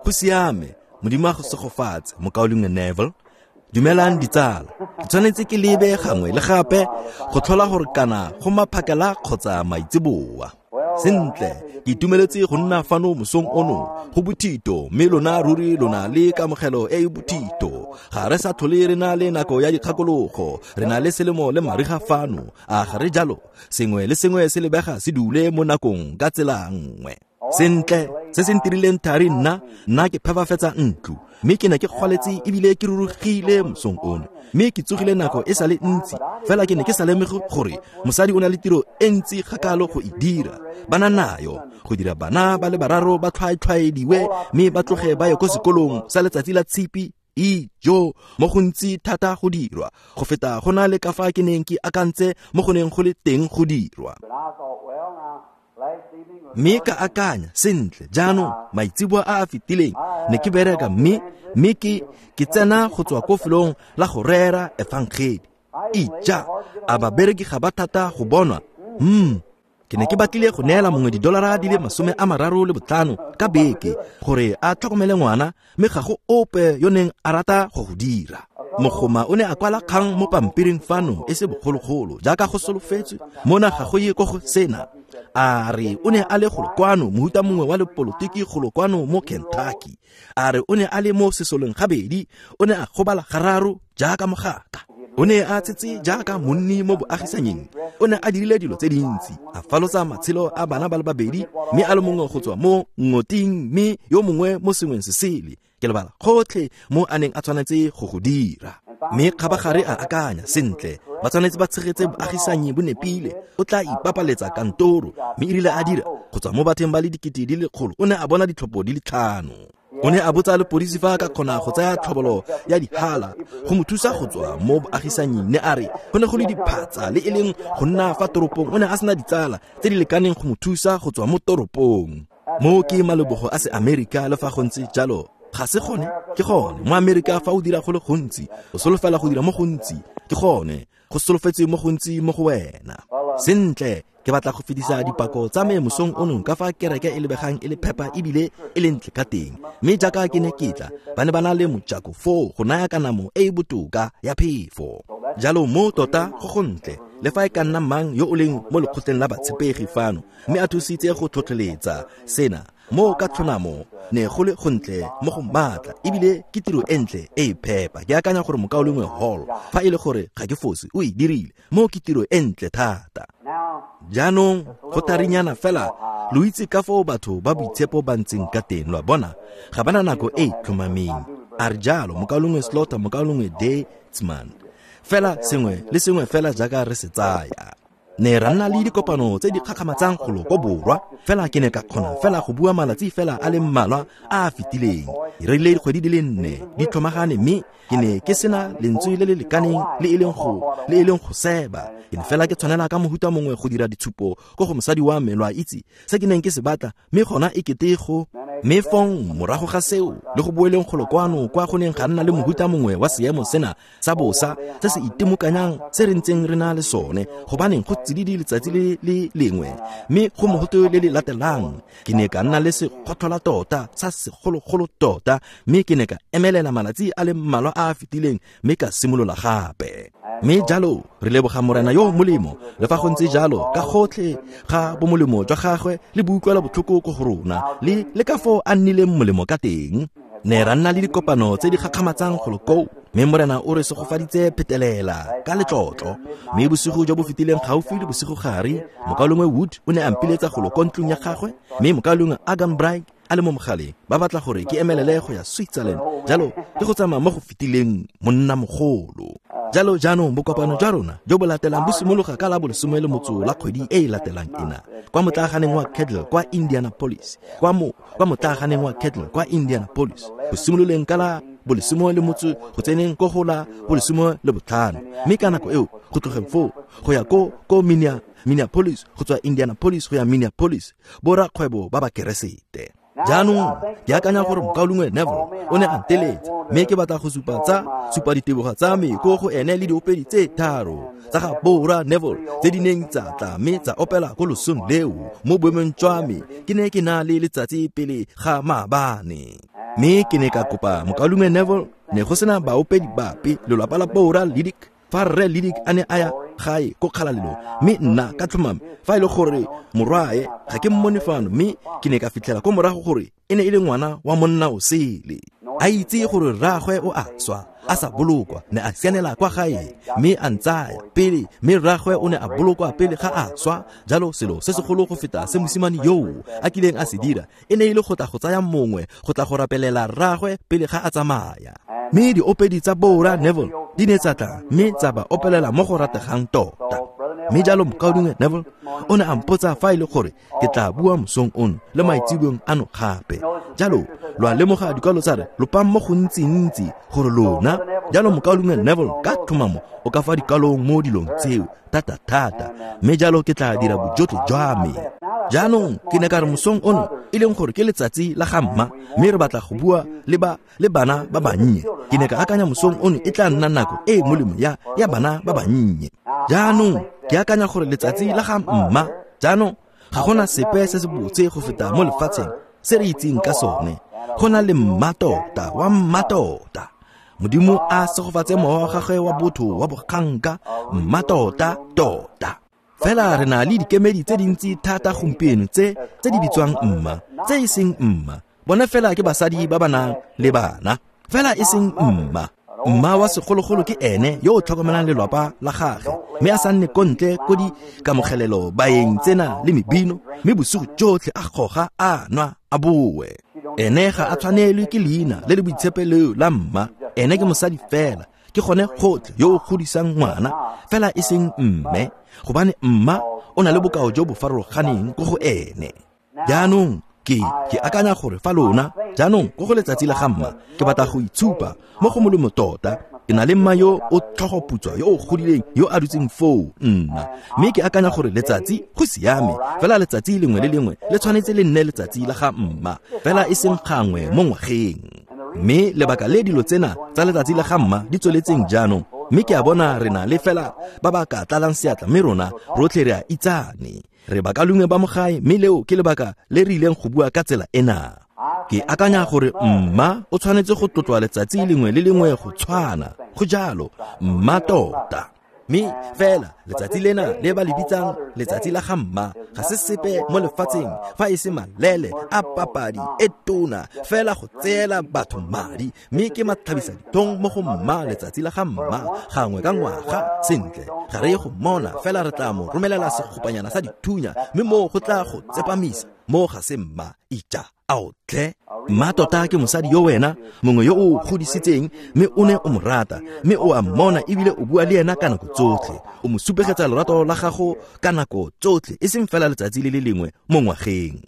Go siame, Modimo a go segofatse, mokaulengwe Neville. Dumelang ditsala. Ke tshwanetse ke lebe gangwe le gape go tlhola gore kana go maphakela kgotsa maitseboa. Sentle, ke itumeletse go nna fano mosong ono go bothito, mme lona ruri lona le kamogelo e e bothito. Ga re sa tlhole re na le nako ya dikgakologo, re na le selemo le mariga fano, a ga re jalo? Sengwe le sengwe se lebega se dule mo nakong ka tsela nngwe. Sentle, se se ntirileng thari nna, nna ke phepafetsa ntlo, mme ke ne ke kgwaletse ebile ke rurugile mosong ono, mme ke tsogile nako e sa le ntsi, fela ke ne ke sa lemoge gore mosadi o na le tiro e ntsi gakalo go e dira. Ba na nayo go dira bana ba le bararo ba tlhwaetlhwaediwe mme ba tloge ba ye ko sekolong sa letsatsi la tshipi. Ijo, mo gontsi thata go dirwa go feta go na le ka fa ke neng ke akantse mo go neng go le teng go dirwa. Mme ka akanya, sentle, jaanong maitseboa a a fetileng ne ke bereka mme ke tsena go tswa ko felong la go rera efangedi. Ija, a babereki ga ba thata go bonwa? Ke ne ke batlile go neela mongwe didolara di le 35 ka beke gore a tlhokomele ngwana, mme ga go ope yo neng a rata go go dira. Mogoma o ne a kwala kgang mo pampiring fano e se bogologolo jaaka go solofetswe, mona ga go ye ko go sena. A re o ne a le golo kwano, mohuta mongwe wa lepolotiki golo kwano mo Kentucky. A re o ne a le mo sesoleng gabedi, o ne a gobala gararo jaaka mogaka. O ne a tshetse jaaka monni mo boagisanyeng. O ne a dirile dilo tse dintsi, a falotsa matshelo a bana ba le babedi, mme a le mongwe go tswa mo ngoting mme yo mongwe mo sengweng se sele. Ke lebala gotlhe mo a neng a tshwanetse go go dira. Mme kgabagare a akanya, sentle, ba tshwanetse ba tshegetse boagisanyi bo nepile, o tla ipapaletsa kantoro. Mme erile a dira, go tswa mo batheng ba le 100,000, o ne a bona ditlhopho di le 5. O ne a botsa lepodisi fa a ka kgona go tsaya tlhobolo ya dihala go mo thusa go tswa mo boagisanying. Ne a re go ne go le diphatsa le e leng go nna fa toropong, o ne a sena ditsala tse di lekaneng go mo thusa go tswa mo toropong. Mo ke malebogo a se Amerika, le fa go ntse jalo ga se gone. Ke gone mo Amerika fa o dira go le gontsi, o solofela go dira mo gontsi. Ke gone go solofetse mo gontsi mo go wena. Sentle, ke batla go fetisa dipako tsa me mosong ono ka fa kereke e lebegang e le phepa ebile e le ntle ka teng. Mme jaaka ke ne ke tla, ba ne ba na le mojako foo go naya kanamo e e botoka ya phefo. Jalo mo tota go gontle, le fa e ka nna mang yo o leng mo lekgotleng la batshepegi fano mme a thusitse go tlhotlheletsa sena mo ka tlhonamo, ne go le gontle mo go maatla ebile ke tiro e ntle e e phepa. Ke akanya gore mokaulengwe Hall, fa e le gore ga ke fose, o e dirile. Mo ke tiro e ntle thata. Jaanong go tharinyana fela, lo itse ka foo batho ba boitshepo ba ntseng ka teng, lo a bona, ga ba na nako e e tlhomameng. A re jalo mokaulengwe Slaughter, mokaulengwe Deitzman, fela sengwe le sengwe fela jaaka re se tsaya. Ne ra nna le dikopano tse di kgakgamatsang golo ko borwa, fela ke ne ka kgona fela go bua malatsi fela a le mmalwa a a fetileng. Ke rerile dikgwedi di le 4 di tlhomagane, mme ke ne ke sena lentswe le le lekaneng le e leng go seba. Ke ne fela ke tshwanela ka mohuta mongwe go dira ditshupo ko go mosadi wa me, lo a itse se ke neng ke se batla, mme gona e kete go. Mme fong morago ga seo, le go boeleng golo kwano kwa go neng ga nna le mohuta mongwe wa seemo sena sa bosa se se itemokanyang se re ntseng re na le sone, gobaneng go tsididi letsatsi le le lengwe mme go mogote le le latelang. Ke ne ka nna le sekgotlhola tota sa segologolo tota, mme ke ne ka emelela malatsi a le mmalwa a a fetileng mme ka simolola gape. Mme jalo re leboga Morena yo molemo, le fa go ntse jalo ka gotlhe ga bomolemo jwa gagwe le boutlwela botlhoko ko go rona, le ka foo a nnileng molemo ka teng. Ne ra nna le dikopano tse di gakgamatsang golo koo, mme Morena o re segofaditse phetelela ka letlotlo. Mme bosigo jo bo fetileng gaufi le bosigo gare, mokaulengwe Wood o ne a mpiletsa golo ko ntlong ya gagwe, mme mokaulengwe Arganbright a le mo mogaleng, ba batla gore ke emelele go ya Switzerland. Jalo ke go tsamaya mo go fetileng monna mogolo. Jalo jaanong bokopano jwa rona jo bo latelang bo simologa ka la bolesome le motso la kgwedi e e latelang ena, kwa motlaaganeng wa Kettle kwa Indianapolis, kwa mo kwa motlaaganeng wa Kettle kwa Indianapolis, go simololeng ka la bolesome le motso go tseneng ko go la bolesome le botlhano, mme ka nako eo go tlogeng foo go ya ko Minneapolis, go tswa Indianapolis go ya Minneapolis, borakgwebo ba ba Keresete. Jaanong ke akanya gore mokaulengwe Neville o ne a nteletsa, mme ke batla go supa diteboga tsa me ko go ene le diopedi tse tharo tsa ga Bora Neville tse di neng tsa tla mme tsa opela ko losong leo mo boemong jwa me. Ke ne ke na le letsatsi pele ga maabane, mme ke ne ka kopa mokaulengwe Neville. Ne go sena baopedi bape lelapa la Bora Lidic fa rre Lidic a ne a ya gae ko kgalalelong, mme nna ka tlhomame fa e le gore morwae ga ke mmone fano, mme ke ne ka fitlhela ko morago gore e ne e le ngwana wa monna o sele. A itse gore rraagwe o a swa a sa bolokwa, ne a sianela kwa gae mme a ntsaya pele, mme rraagwe o ne a bolokwa pele ga a swa. Jalo selo se segolo go feta se mosimane yoo a kileng a se dira e ne e le go tla go tsaya mongwe go tla go rapelela rraagwe pele ga a tsamaya. Mme diopedi tsa Bora Neville di ne tsa tla mme tsa ba opelela mo go rategang tota. Mme jalo mokaulengwe Neville o ne a mpotsa fa e le gore ke tla bua mosong ono le maitseboeng ano gape. Jalo lo a lemoga dikwalo tsa re lopang mo gontsi-ntsi gore lona. Jalo mokaulengwe Neville ka tlhomamo o ka fa dikwalong mo dilong tseo thata-thata, mme jalo ke tla dira bojotlhe jwa me. Jaanong ke ne ka re mosong ono e leng gore ke letsatsi la ga mma, mme re batla go bua le bana ba bannye. Ke ne ka akanya mosong ono e tla nna nako e molemo ya bana ba bannye. Jaanong ke akanya gore letsatsi la ga mma, jaanong ga gona sepe se se botse go feta mo lefatsheng se re itseng ka sone. Go na le mmatota wa mmatota. Modimo a segofatse mowa wa gagwe wa botho wa boganka, mmatota tota. Fela re na le dikemedi tse dintsi thata gompieno tse di bitswang mma, tse e seng mma. Bone fela ke basadi ba ba nang le bana, fela e seng mma. Mma wa segologolo ke ene yo o tlhokomelang lelapa la gagwe, mme a sa nne ko ntle ko di kamogelelo baeng tsena le mebino, mme bosigo jotlhe a goga a nwa a boe. Ene ga a tshwanelwe ke leina le le boitshepo leo la mma. Ene ke mosadi fela, ke gone gotlhe yo o godisang ngwana, fela e seng mme, gobane mma o na le bokao jo bo farologaneng ko go ene. Jaanong ke akanya gore fa lona jaanong ko go letsatsi la ga mma, ke batla go itshupa mo go molemo tota. Ke na le mma yo o tlhogoputswa yo o godileng yo a dutseng foo nna, mme ke akanya gore letsatsi go siame, fela letsatsi lengwe le lengwe le tshwanetse le nne letsatsi la ga mma, fela e seng gangwe mo ngwageng. Mme lebaka le dilo tsena tsa letsatsi la ga mma di tsweletseng jaanong, mme ke a bona re na le fela ba ba ka tlalang seatla, mme rona rotlhe re a itsane. Re bakalungwe ba mo gae, mme leo ke lebaka le re ileng go bua ka tsela ena. Ke akanya gore mma o tshwanetse go tlotlwa letsatsi lengwe le lengwe go tshwana, go jalo, mma tota. Mme fela letsatsi lena le ba le bitsang letsatsi la ga mma ga se sepe mo lefatsheng fa e se malele a papadi e tona fela go tseela batho madi, mme ke matlhabisa ditong mo go mma letsatsi la ga mma gangwe ka ngwaga. Sentle, ga re ye go mmona, fela re tla mo romelela segopanyana sa dithunya, mme moo go tla go tsepamisa. Mo ga se mma, ija ao tle. Mma tota ke mosadi yo wena mongwe yo o godisitseng, mme o ne o mo rata, mme o a mmona ebile o bua le ena ka nako tsotlhe. O mo supegetsa lorato la gago ka nako tsotlhe, e seng fela letsatsi le le lengwe mo ngwageng.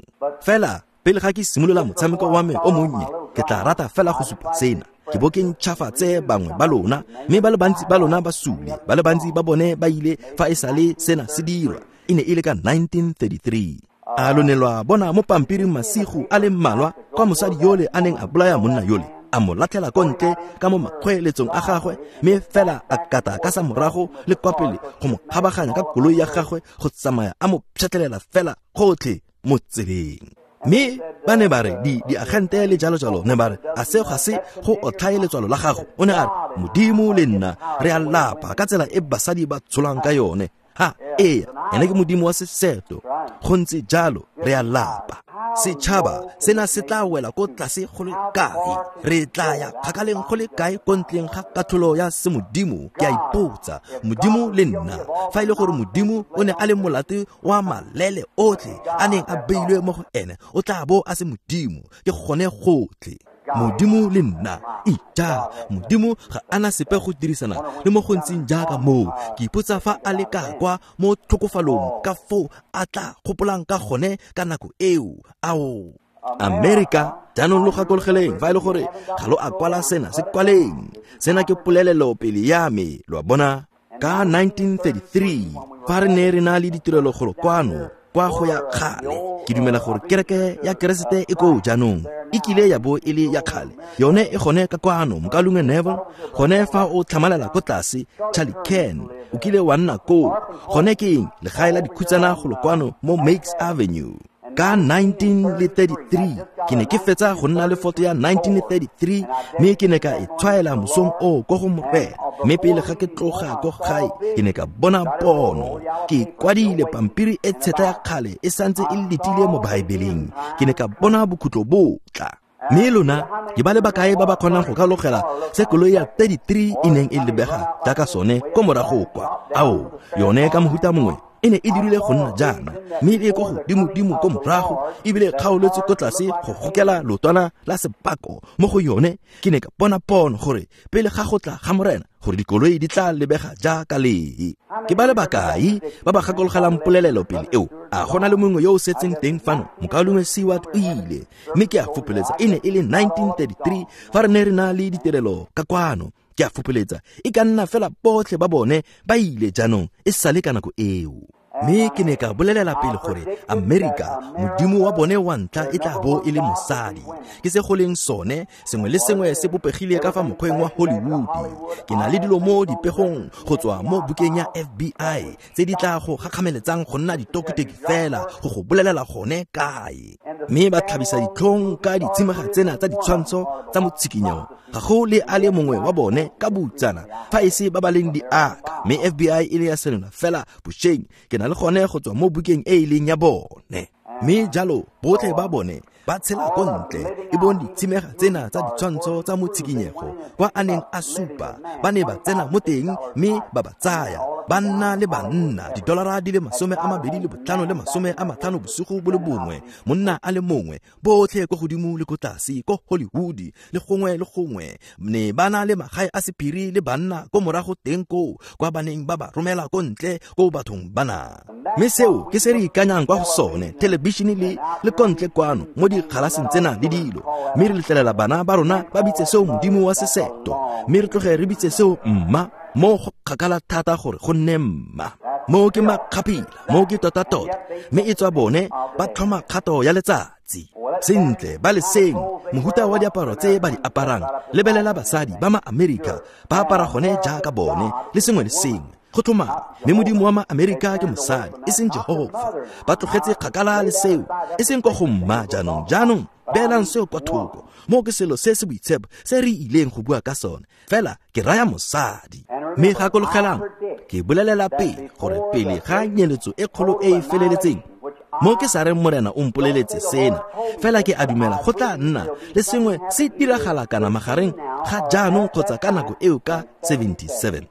Fela pele ga ke simolola motshameko wa me o monnye, ke tla rata fela go supa sena. Ke bo ke ntšhafatse bangwe ba lona, mme ba le bantsi ba lona ba sule, ba le bantsi ba bone ba ile fa e sale sena se dirwa. E ne e le ka 1933. A lo ne lwa bona mo pampiring masigo a le mmalwa kwa mosadi yole a neng a bolaya monna yole, a mo latlhela ko ntle ka mo makgweeletsong a gagwe, mme fela a kata ka sa morago le kwa pele go mo kgabaganya ka koloi ya gagwe go tsamaya a mo pšhatlelela fela gotlhe mo tseleng. Mme ba ne ba re diagente le jalo-jalo ne ba re a seo ga se go otlhaye letswalo la gago. O ne a re Modimo le nna re a lapa ka tsela e basadi ba tsholang ka yone. Ha, ee, ene ke Modimo wa seseto. Go ntse jalo, re a lapa. Setšhaba sena se tla wela ko tlase go le kae? Re tla ya kgakaleng go le kae ko ntleng ga katlholo ya semodimo? Ke a ipotsa, Modimo le nna, fa e le gore Modimo o ne a le molato wa malele otlhe a neng a beilwe mo go ene, o tla bo a se Modimo. Ke gone gotlhe. Modimo le nna, ija, Modimo ga ana sepe go dirisana le mo go ntseng jaaka moo. Ke ipotsa fa a le ka kwa mo tlhokofalong ka foo a tla gopolang ka gone ka nako eo. Ao, Amerika, jaanong lo gakologeleng fa e le gore ga lo a kwala sena, se kwaleng. Sena ke polelelo pele ya me, lo a bona. Ka 1933, fa re ne re na le ditirelo golo kwano, kwa go ya kgale. Ke dumela gore kereke ya Keresete e koo jaanong, e kile ya bo e le ya kgale. Yone e gone ka kwano, Mokalungwe Neville, gone fa o tlhamalela ko tlase, Charlie Ken, o kile wa nna koo. Gone ke eng? Legae la dikhutsana golo kwano mo Makes Avenue. Ka 1933 ke ne ke fetsa go nna le foto ya 1933, mme ke ne ka e tshwaela mosong oo ko go Morena. Mme pele ga ke tloga ko gae, ke ne ka bona pono. Ke kwadile pampiri e tshetla ya kgale e santse e letile mo Baebeleng. Ke ne ka bona bokhutlo bo tla. Mme lona ke ba le bakae ba ba kgonang go ka logela se koloi ya 33 e neng e lebega jaaka sone ko morago kwa. Ao, yone ka mohuta mongwe e ne e dirile go nna jaana, mme e ko godimo-dimo ko morago, ebile e kgaoletswe ko tlase go gokela lotwana la sepako mo go yone. Ke ne ka bona pono gore pele ga go tla ga Morena, gore dikoloi di tla lebega jaaka lee. Ke ba le bakae ba ba gakologelang polelelo pele eo? A gona le mongwe yo o setseng teng fano? Mokalungwe Seward o ile, mme ke a fopoletsa e ne e le 1933 fa re ne re na le ditirelo ka kwano. Ke a fopoletsa e ka nna fela botlhe ba bone ba ile jaanong e sale ka nako eo. Mme ke ne ka bolelela pele gore Amerika, modimo wa bone wa ntlha e tla bo e le mosadi. Ke se go leng sone, sengwe le sengwe se bopegile ka fa mokgweng wa Hollywood. Ke na le dilo mo dipegong go tswa mo bukeng ya FBI tse di tla go gakgameletsang go nna ditokitoki fela go go bolelela gone kae. Mme ba tlhabisa ditlhong ka ditshimega tsena tsa ditshwantsho tsa motshikinyo. Ga go le a le mongwe wa bone ka boutsana fa e se ba ba leng diaka. Mme FBI e le ya senola fela bošeng. Ke na le gone go tswa mo bukeng e e leng ya bone. Mme jalo botlhe ba bone ba tshela ko ntle, e bong ditshimega tsena tsa ditshwantsho tsa motshikinyego kwa a neng a supa. Ba ne ba tsena mo teng mme ba ba tsaya, ba nna le banna $25 le 50 bosigo bo le bongwe, monna a le mongwe, botlhe ko godimo le ko tlase ko Hollywood le gongwe le gongwe. Ne ba na le magae a sephiri le banna ko morago teng koo, kwa ba neng ba ba romela ko ntle ko bathong bana. Mme seo ke se re ikanyang kwa go sone, thelebišene le ko ntle kwano mo dikgalaseng tsena le dilo. Mme re letlelela bana ba rona ba bitse seo modimo wa seseto, mme re tloge re bitse seo mma, mo go kgakala thata gore go nne mma. Mo ke makgapila, mo ke tota-tota, mme e tswa bone ba tlhoma kgato ya letsatsi. Sentle, ba le seng mohuta wa diaparo tse ba di aparang. Lebelela basadi ba ma-Amerika ba apara gone jaaka bone le sengwe le sengwe. Go tlhomama, mme modimo wa ma-Amerika ke mosadi, e seng Jehova. Ba tlogetse kgakala le seo, e seng kwa go mma jaanong. Jaanong beelang seo kwa thoko. Mo ke selo se se boitshepo se re ileng go bua ka sone, fela ke raya mosadi. Mme gakologelang, ke bolelela pele gore pele ga nyeletso e kgolo e e feleletseng, mo ke sa reng Morena o mpoleletse sena, fela ke a dumela go tla nna le sengwe se diragala kana magareng ga jaanong kgotsa ka nako eo ka 77.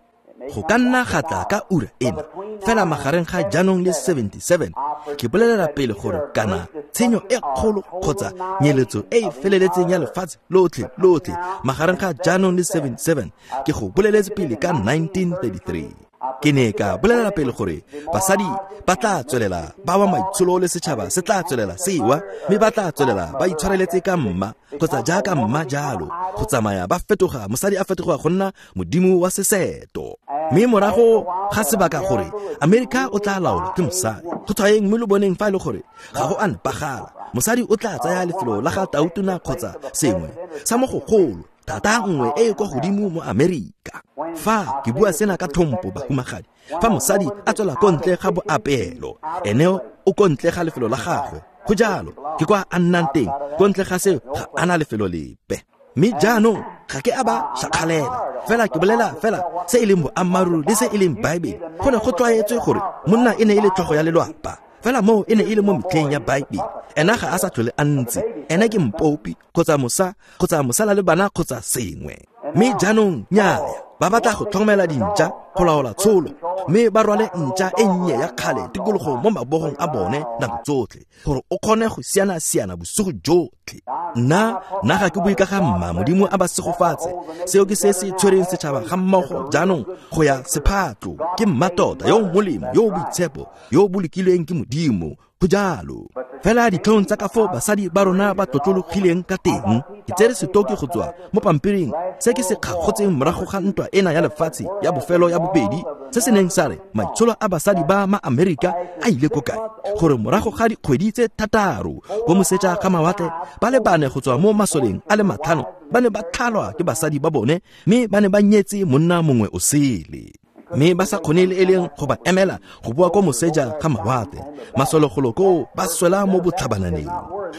Go ka nna ga tla ka ura ena, fela magareng ga jaanong le 77, ke bolelela pele gore kana tshenyo e kgolo kgotsa nyeletso e e feleletseng ya lefatshe lotlhe lotlhe magareng ga jaanong le 77, ke go boleletse pele ka 1933. Ke ne ka bolelela pele gore basadi ba tla tswelela ba wa maitsholo le setšhaba se tla tswelela sewa, mme ba tla tswelela ba itshwareletse ka mma kgotsa jaaka mma jalo, go tsamaya ba fetoga, mosadi a fetoga go nna modimo wa seseto. Mme morago ga sebaka gore Amerika o tla laolwa ke mosadi. Go tshwaeng mme lo boneng fa e le gore ga go a nepagala, mosadi o tla tsaya lefelo la ga tautona kgotsa sengwe sa mo gogolo, thata nngwe e e kwa godimo mo Amerika. Fa ke bua sena ka tlhompo, bahumagadi, fa mosadi a tswela ko ntle ga boapeelo, ene o ko ntle ga lefelo la gagwe. Go jalo, ke kwa a nnang teng, ko ntle ga seo ga ana lefelo lepe. Mme jaanong ga ke a ba šakgalela, fela ke bolela fela se e leng boammaaruri le se e leng Baebele. Go ne go tlwaetswe gore monna e ne e le tlhogo ya lelwapa, fela moo e ne e le mo metlheng ya Baebele. Ena ga a sa tlhole a ntse, ena ke mpopi kgotsa mosa kgotsa mosala le bana kgotsa sengwe. Mme jaanong nnyaya, ba batla go tlhokomela dintša go laola tsholo, mme ba rwale ntša e nnye ya kgale tikologo mo mabogong a bone nako tsotlhe, gore o kgone go siana-siana bosigo jotlhe. Nna ga ke bue ka ga mma, Modimo a ba segofatse. Seo ke se se tshwereng setšhaba ga mmogo jaanong go ya sephatlo. Ke mma tota yo o molemo, yo o boitshepo, yo o bolokilweng ke Modimo. Go jalo. Fela ditlhong tsa ka foo basadi ba rona ba tlotlologileng ka teng. Ke tsere setoki go tswa mo pampiring se ke se kgagotseng morago ga ntwa ena ya lefatshe ya bofelo ya bobedi, se se neng sa re maitsholo a basadi ba ma-Amerika a ile ko kae, gore morago ga dikgwedi tse 6 ko moseja ga mawatle ba le 4 go tswa mo masoleng a le 5 ba ne ba tlhalwa ke basadi ba bone mme ba ne ba nyetse monna mongwe o sele, mme ba sa kgone le e leng go ba emela go boa ko moseja ga mawatle. Masologolo koo ba swela mo botlhabananeng.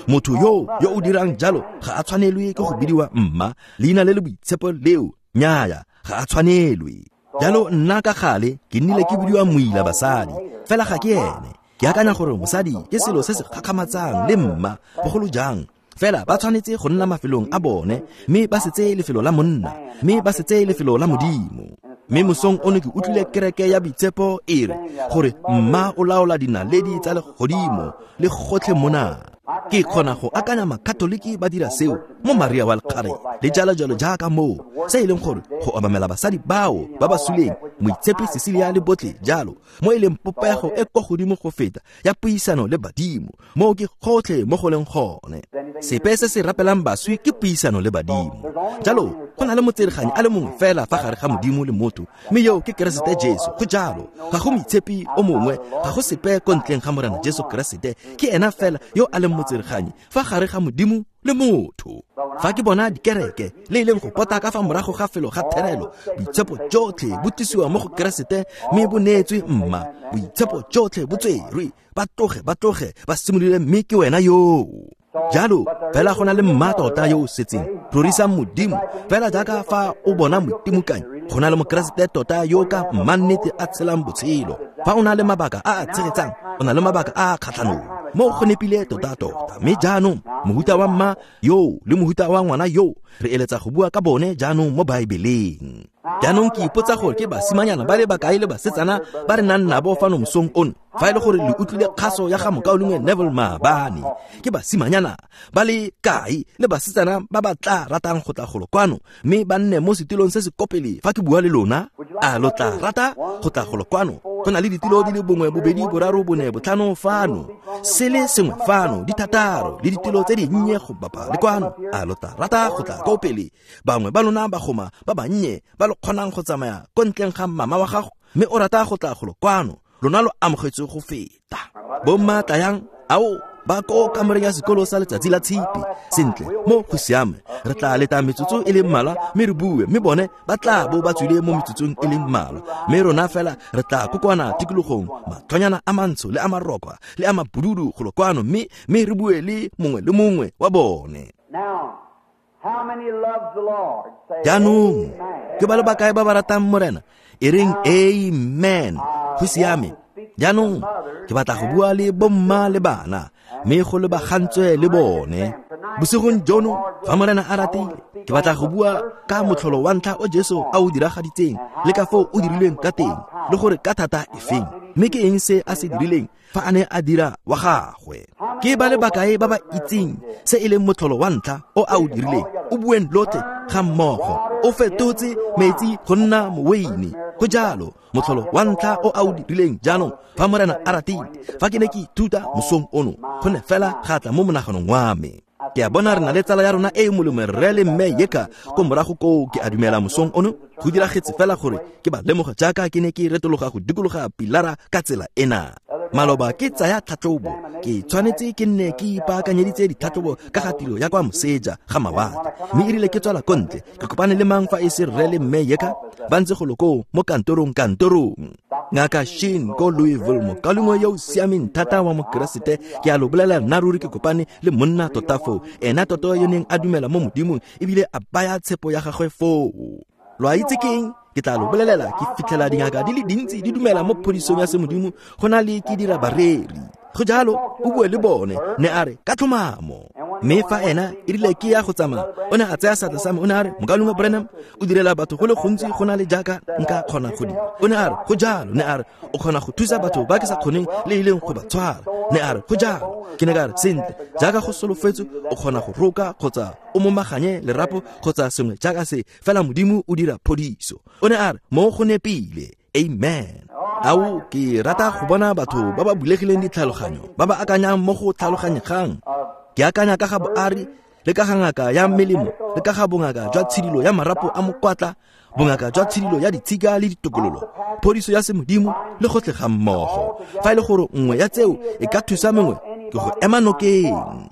Motho yo o dirang jalo ga a tshwanelwe ke go bidiwa mma, leina le le boitshepo leo, nnyaya, ga a tshwanelwe. Jalo nna ka gale ke nnile ke bidiwa moila basadi, fela ga ke ene. Ke akanya gore mosadi ke selo se se gakgamatsang le mma, bogolo jang fela ba tshwanetse go nna mafelong a bone, mme ba se tseye lefelo la monna, mme ba se tseye lefelo la Modimo. Mme mosong ono ke utlwile kereke ya boitshepo e re gore mma o laola dinaledi tsa legodimo le gotlhe mona. Ke kgona go akanya makatoliki ba dira seo mo Maria wa Lekgare le jalo jalo jaaka moo, se e leng gore go obamela basadi bao ba ba suleng, moitshepi Cecilia le botlhe jalo, mo e leng popego e kwa godimo go feta ya puisano le badimo, moo ke gotlhe mo go leng gone. Sepe se se rapelang baswi ke puisano le badimo. Jalo go na le motsereganyi a le mongwe fela fa gare ga Modimo le motho, mme yo ke Keresete Jesu. Go jalo, ga go moitshepi o mongwe, ga go sepe ko ntleng ga Morena Jesu Keresete. Ke ena fela yo a leng motsereganyi fa gare ga Modimo le motho. Fa ke bona dikereke le e leng go pota ka fa morago ga felo ga therelo, boitshepo jotlhe bo tlisiwa mo go Keresete mme bo neetswe mma, boitshepo jotlhe bo tserwe, ba tloge ba simolole, mme ke wena yoo. Jalo fela go na le mma tota yo o setseng, rorisang Modimo fela jaaka fa o bona modimokanyi. Go na le mokeresete tota yo ka mmannete a tshelang botshelo. Fa o na le mabaka a a tshegetsang, o na le mabaka a a kgatlhanong, mo go nepile tota-tota. Mme jaanong mohuta wa mma yo le mohuta wa ngwana yo re eletsa go bua ka bone jaanong mo Baebeleng. Jaanong ke ipotsa gore ke basimanyana ba le bakae le basetsana ba re nang nabo fano mosong ono, fa e le gore le utlwile kgaso ya ga mokaulengwe Neville maabane. Ke basimanyana ba le kae le basetsana ba ba tla ratang go tla golo kwano mme ba nne mo setilong se se kopele fa ke bua le lona? A lo tla rata go tla golo kwano? Go na le ditilo di le 1, 2, 3, 4, 5 fano, se le sengwe fano, di 6 le ditilo tse dinnye go bapa le kwano. A lo tla rata go tla ko pele? Bangwe ba lona bagoma ba bannye ba lo kgonang go tsamaya ko ntleng ga mama wa gago mme o rata go tla golo kwano, lona lo amogetswe go feta. Bomma tlayang, ao ba ko kamoreng ya sekolo sa letsatsi la tshipi. Sentle, mo go siame, re tla leta metsotso e le mmalwa mme re bue, mme bone ba tla bo ba tswile mo metsotsong e le mmalwa, mme rona fela re tla kokoana tikologong, matlhonyana a mantsho le a marokwa le a mabududu golo kwano, mme re bue le mongwe le mongwe wa bone. Jaanong ke ba le bakae ba ba ratang Morena? E reng amen. Go siame. Jaanong ke batla go bua le bomma le bana, mme go lebagantswe le bone bosigong jono fa Morena a ratile. Ke batla go bua ka motlholo wa ntlha o Jesu a o diragaditseng, le ka foo o dirilweng ka teng, le gore ka thata efeng, mme ke eng se a se dirileng fa a ne a dira wa gagwe. Ke ba le bakae ba ba itseng se e leng motlholo wa ntlha o a o dirileng? O bueng lotlhe ga mmogo. O fetotse metsi go nna moweine. Go jalo, motlholo wa ntlha o a o dirileng. Jaanong fa Morena a ratile, fa ke ne ke ithuta mosong ono, go ne fela ga tla mo monaganong wa me. Ke a bona re na le tsala ya rona e e molemo, rre le mme Yeka ko morago koo. Ke a dumela mosong ono go diragetse fela gore ke ba lemoga jaaka ke ne ke retologa go dikologa pilara ka tsela ena. Maloba ke tsaya tlhatlhobo, ke tshwanetse ke nne ke ipaakanyeditse ditlhatlhobo ka ga tiro ya kwa moseja ga mawatle, mme erile ke tswala ko ntle ke kopane le mang fa e se rre le mme Yeka ba ntse golo koo mo kantorong. Ngaka Shin ko Louisville, mokaulengwe yo o siameng thata wa mokeresete, ke a lo bolela nna ruri ke kopane le monna tota foo, ena tota yo neng a dumela mo Modimong ebile a baya tshepo ya gagwe foo. Lo a itse keng? Ke tla lo bolelela, ke fitlhela dingaka di le dintsi di dumela mo phodisong ya semodimo go na le ke dira bareri. Go jalo, o bue le bone, ne a re ka tlhomamo. Mme fa ena e rile ke ya go tsamaya, o ne a tsaya seatla sa me, o ne a re, mokaulengwe Branham, o direla batho go le gontsi go na le jaaka nka kgona go dira. O ne a re, go jalo. Ne a re, o kgona go thusa batho ba ke sa kgoneng le e leng go ba tshwara. Ne a re, go jalo. Ke ne ka re, sentle, jaaka go solofetswe, o kgona go roka kgotsa o momaganye lerapo kgotsa sengwe jaaka se, fela Modimo o dira phodiso. O ne a re, mo go nepile. Amen. Ao, ke rata go bona batho ba ba bulegileng ditlhaloganyo, ba ba akanyang mo go tlhaloganyegang. Ke akanya ka ga boari le ka ga ngaka ya melemo, le ka ga bongaka jwa tshidilo ya marapo a mokwatla, bongaka jwa tshidilo ya ditshika le ditokololo, phodiso ya semodimo le gotlhe ga mmogo. Fa e le gore nngwe ya tseo e ka thusa mongwe, ke go ema nokeng.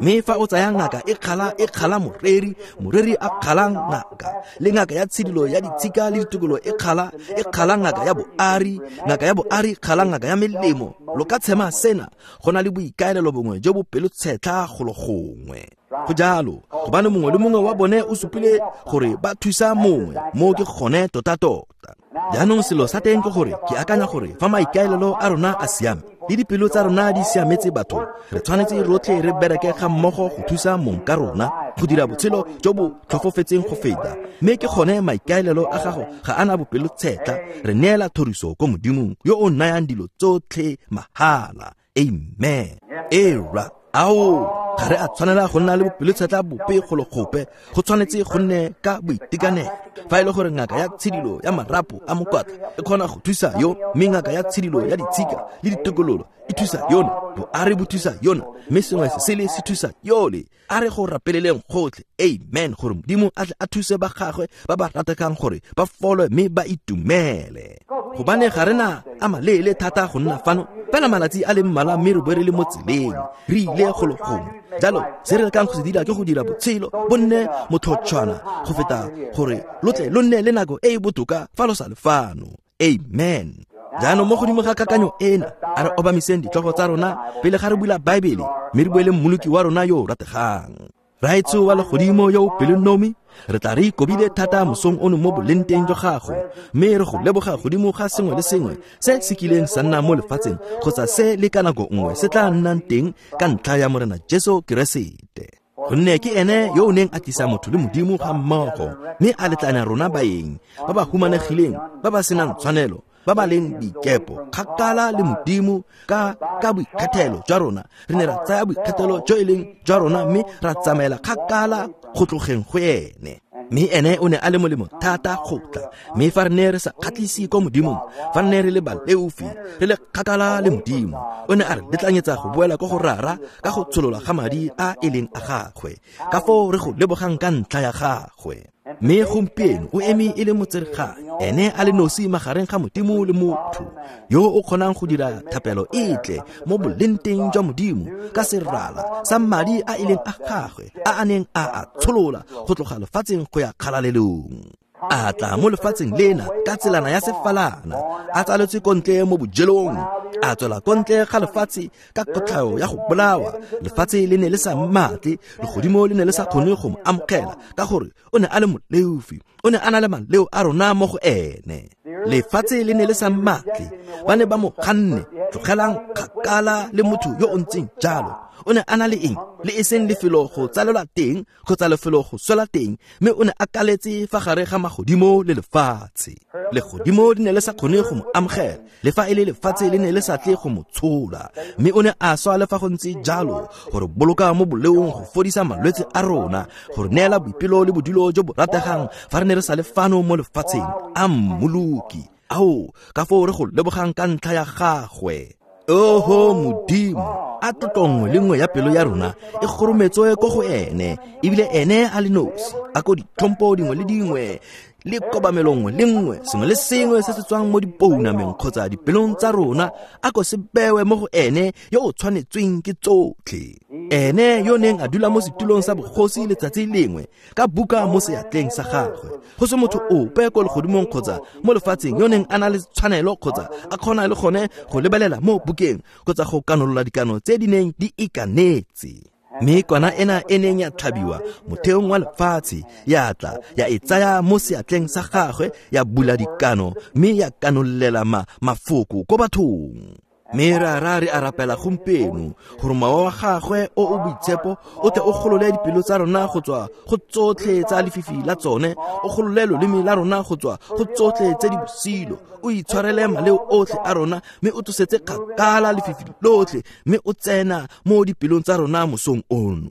Mme fa o tsaya ngaka e kgala moreri, moreri a kgala ngaka, le ngaka ya tshidilo ya ditshika le ditokolo e kgala ngaka ya boari, ngaka ya boari kgala ngaka ya melemo, lo ka tshema sena go na le boikaelelo bongwe jo bo pelotshetlha golo gongwe. Go jalo, gobane mongwe le mongwe wa bone o supile gore ba thusa mongwe, mo ke gone tota-tota. Jaanong selo sa teng ke gore ke akanya gore fa maikaelelo a rona a siame le dipelo tsa rona di siametse batho, re tshwanetse rotlhe re bereke ga mmogo go thusa mong ka rona go dira botshelo jo bo tlhofofetseng go feta. Mme ke gone maikaelelo a gago ga ana bopelotshetlha, re neela thoriso ko Modimong yo o nayang dilo tsotlhe mahala. Amen. Era ao, ga re a tshwanela go nna le bopelotshetlha bope golo gope, go tshwanetse go nne ka boitekanelo. Fa e le gore ngaka ya tshidilo ya marapo a mokwatla e kgona go thusa yo, mme ngaka ya tshidilo ya ditshika le ditokololo e thusa yona, boari bo thusa yona, mme sengwe se sele se thusa yole, a re go rapeleleng gotlhe, amen, gore Modimo a tle a thuse ba gagwe ba ba rategang gore ba folwe mme ba itumele. Gobane ga rena a maleele thata go nna fano, fela malatsi a le mmalwa mme re bo re le mo tseleng, re ile golo gongwe. Jalo se re lekang go se dira ke go dira botshelo bo nne motlhotshwana go feta gore lo tle lo nne le nako e e botoka fa lo sa le fano. Amen. Jaanong mo godimo ga kakanyo ena, a re obamiseng ditlhogo tsa rona pele ga re bula Baebele, mme re buele Mmoloki wa rona yo o rategang. Raetsho wa legodimo yo o pelonomi, re tla re ikobile thata mosong ono mo bolenteng jwa gago, mme re go leboga godimo ga sengwe le sengwe se se kileng sa nna mo lefatsheng kgotsa se le ka nako nngwe se tla nnang teng ka ntlha ya Morena Jesu Keresete. Gonne ke ene yo o neng a tlisa motho le Modimo ga mmogo, mme a letlanya rona baeng ba ba humanegileng, ba ba senang tshwanelo, ba ba leng boikepo kgakala le Modimo. Ka boikgethelo jwa rona re ne ra tsaya boikgethelo jo e leng jwa rona, mme ra tsamaela kgakala go tlogeng go ene. Mme ene o ne a le molemo thata go tla, mme fa re ne re sa kgatlhise ko Modimong, fa re ne re le baleofi, re le kgakala le Modimo, o ne a re letlanyetsa go boela ko go Rara ka go tsholola ga madi a e leng a gagwe. Ka foo re go lebogang ka ntlha ya gagwe. Mme gompieno o eme e le motsereganyi, ene a le nosi magareng ga Modimo le motho, yo o kgonang go dira thapelo e tle mo bolenteng jwa Modimo ka serala sa madi a e leng a gagwe a a neng a a tsholola go tloga lefatsheng go ya kgalalelong. A tla mo lefatsheng lena ka tselana ya sefalana, a tsaletswe ko ntle mo bojelong, a tswela ko ntle ga lefatshe ka kotlhao ya go bolawa. Lefatshe le ne le sa mmatle, legodimo le ne le sa kgone go mo amogela ka gore o ne a le moleofi, o ne a na le maleo a rona mo go ene. Lefatshe le ne le sa mmatle, ba ne ba mo ganne, tlogelang kgakala le motho yo o ntseng jalo. O ne a na le eng? Le e seng lefelo go tsalelwa teng kgotsa lefelo go swela teng, mme o ne a kaletse fa gare ga magodimo le lefatshe. Legodimo le ne le sa kgone go mo amogela, le fa e le lefatshe le ne le sa tle go mo tshola, mme o ne a swa le fa go ntse jalo, gore boloka mo boleong, go fodisa malwetse a rona, gore neela boipelo le bodulo jo bo rategang fa re ne re sa le fano mo lefatsheng. A Mmoloki, ao, ka foo re go lebogang ka ntlha ya gagwe. Oho Modimo, a tlotlo nngwe le nngwe ya pelo ya rona e gorometswe ko go ene, ebile ene a le nosi. A ko ditlhompo dingwe le dingwe le kobamelo nngwe le nngwe, sengwe le sengwe se se tswang mo dipounameng kgotsa dipelong tsa rona, a ko se bewe mo go ene yo o tshwanetsweng ke tsotlhe. Ene yo neng a dula mo setulong sa bogosi letsatsi lengwe ka buka mo seatleng sa gagwe, go se motho ope ko legodimong kgotsa mo lefatsheng yo neng a na le tshwanelo kgotsa a kgona le gone go lebelela mo bukeng kgotsa go kanolola dikano tse di neng di ikanetse. Mme kwana ena e neng ya tlhabiwa motheong wa lefatshe ya tla ya e tsaya mo seatleng sa gagwe, ya bula dikano mme ya kanolela mafoko ko bathong. Mme Rara re a rapela gompieno gore mowa wa gagwe o o boitshepo o tle o golole dipelo tsa rona go tswa go tsotlhe tsa lefifi la tsone, o golole loleme la rona go tswa go tsotlhe tse di bosilo, o itshwarele maleo otlhe a rona, mme o tlosetse kgakala lefifi lotlhe, mme o tsena mo dipelong tsa rona mosong ono.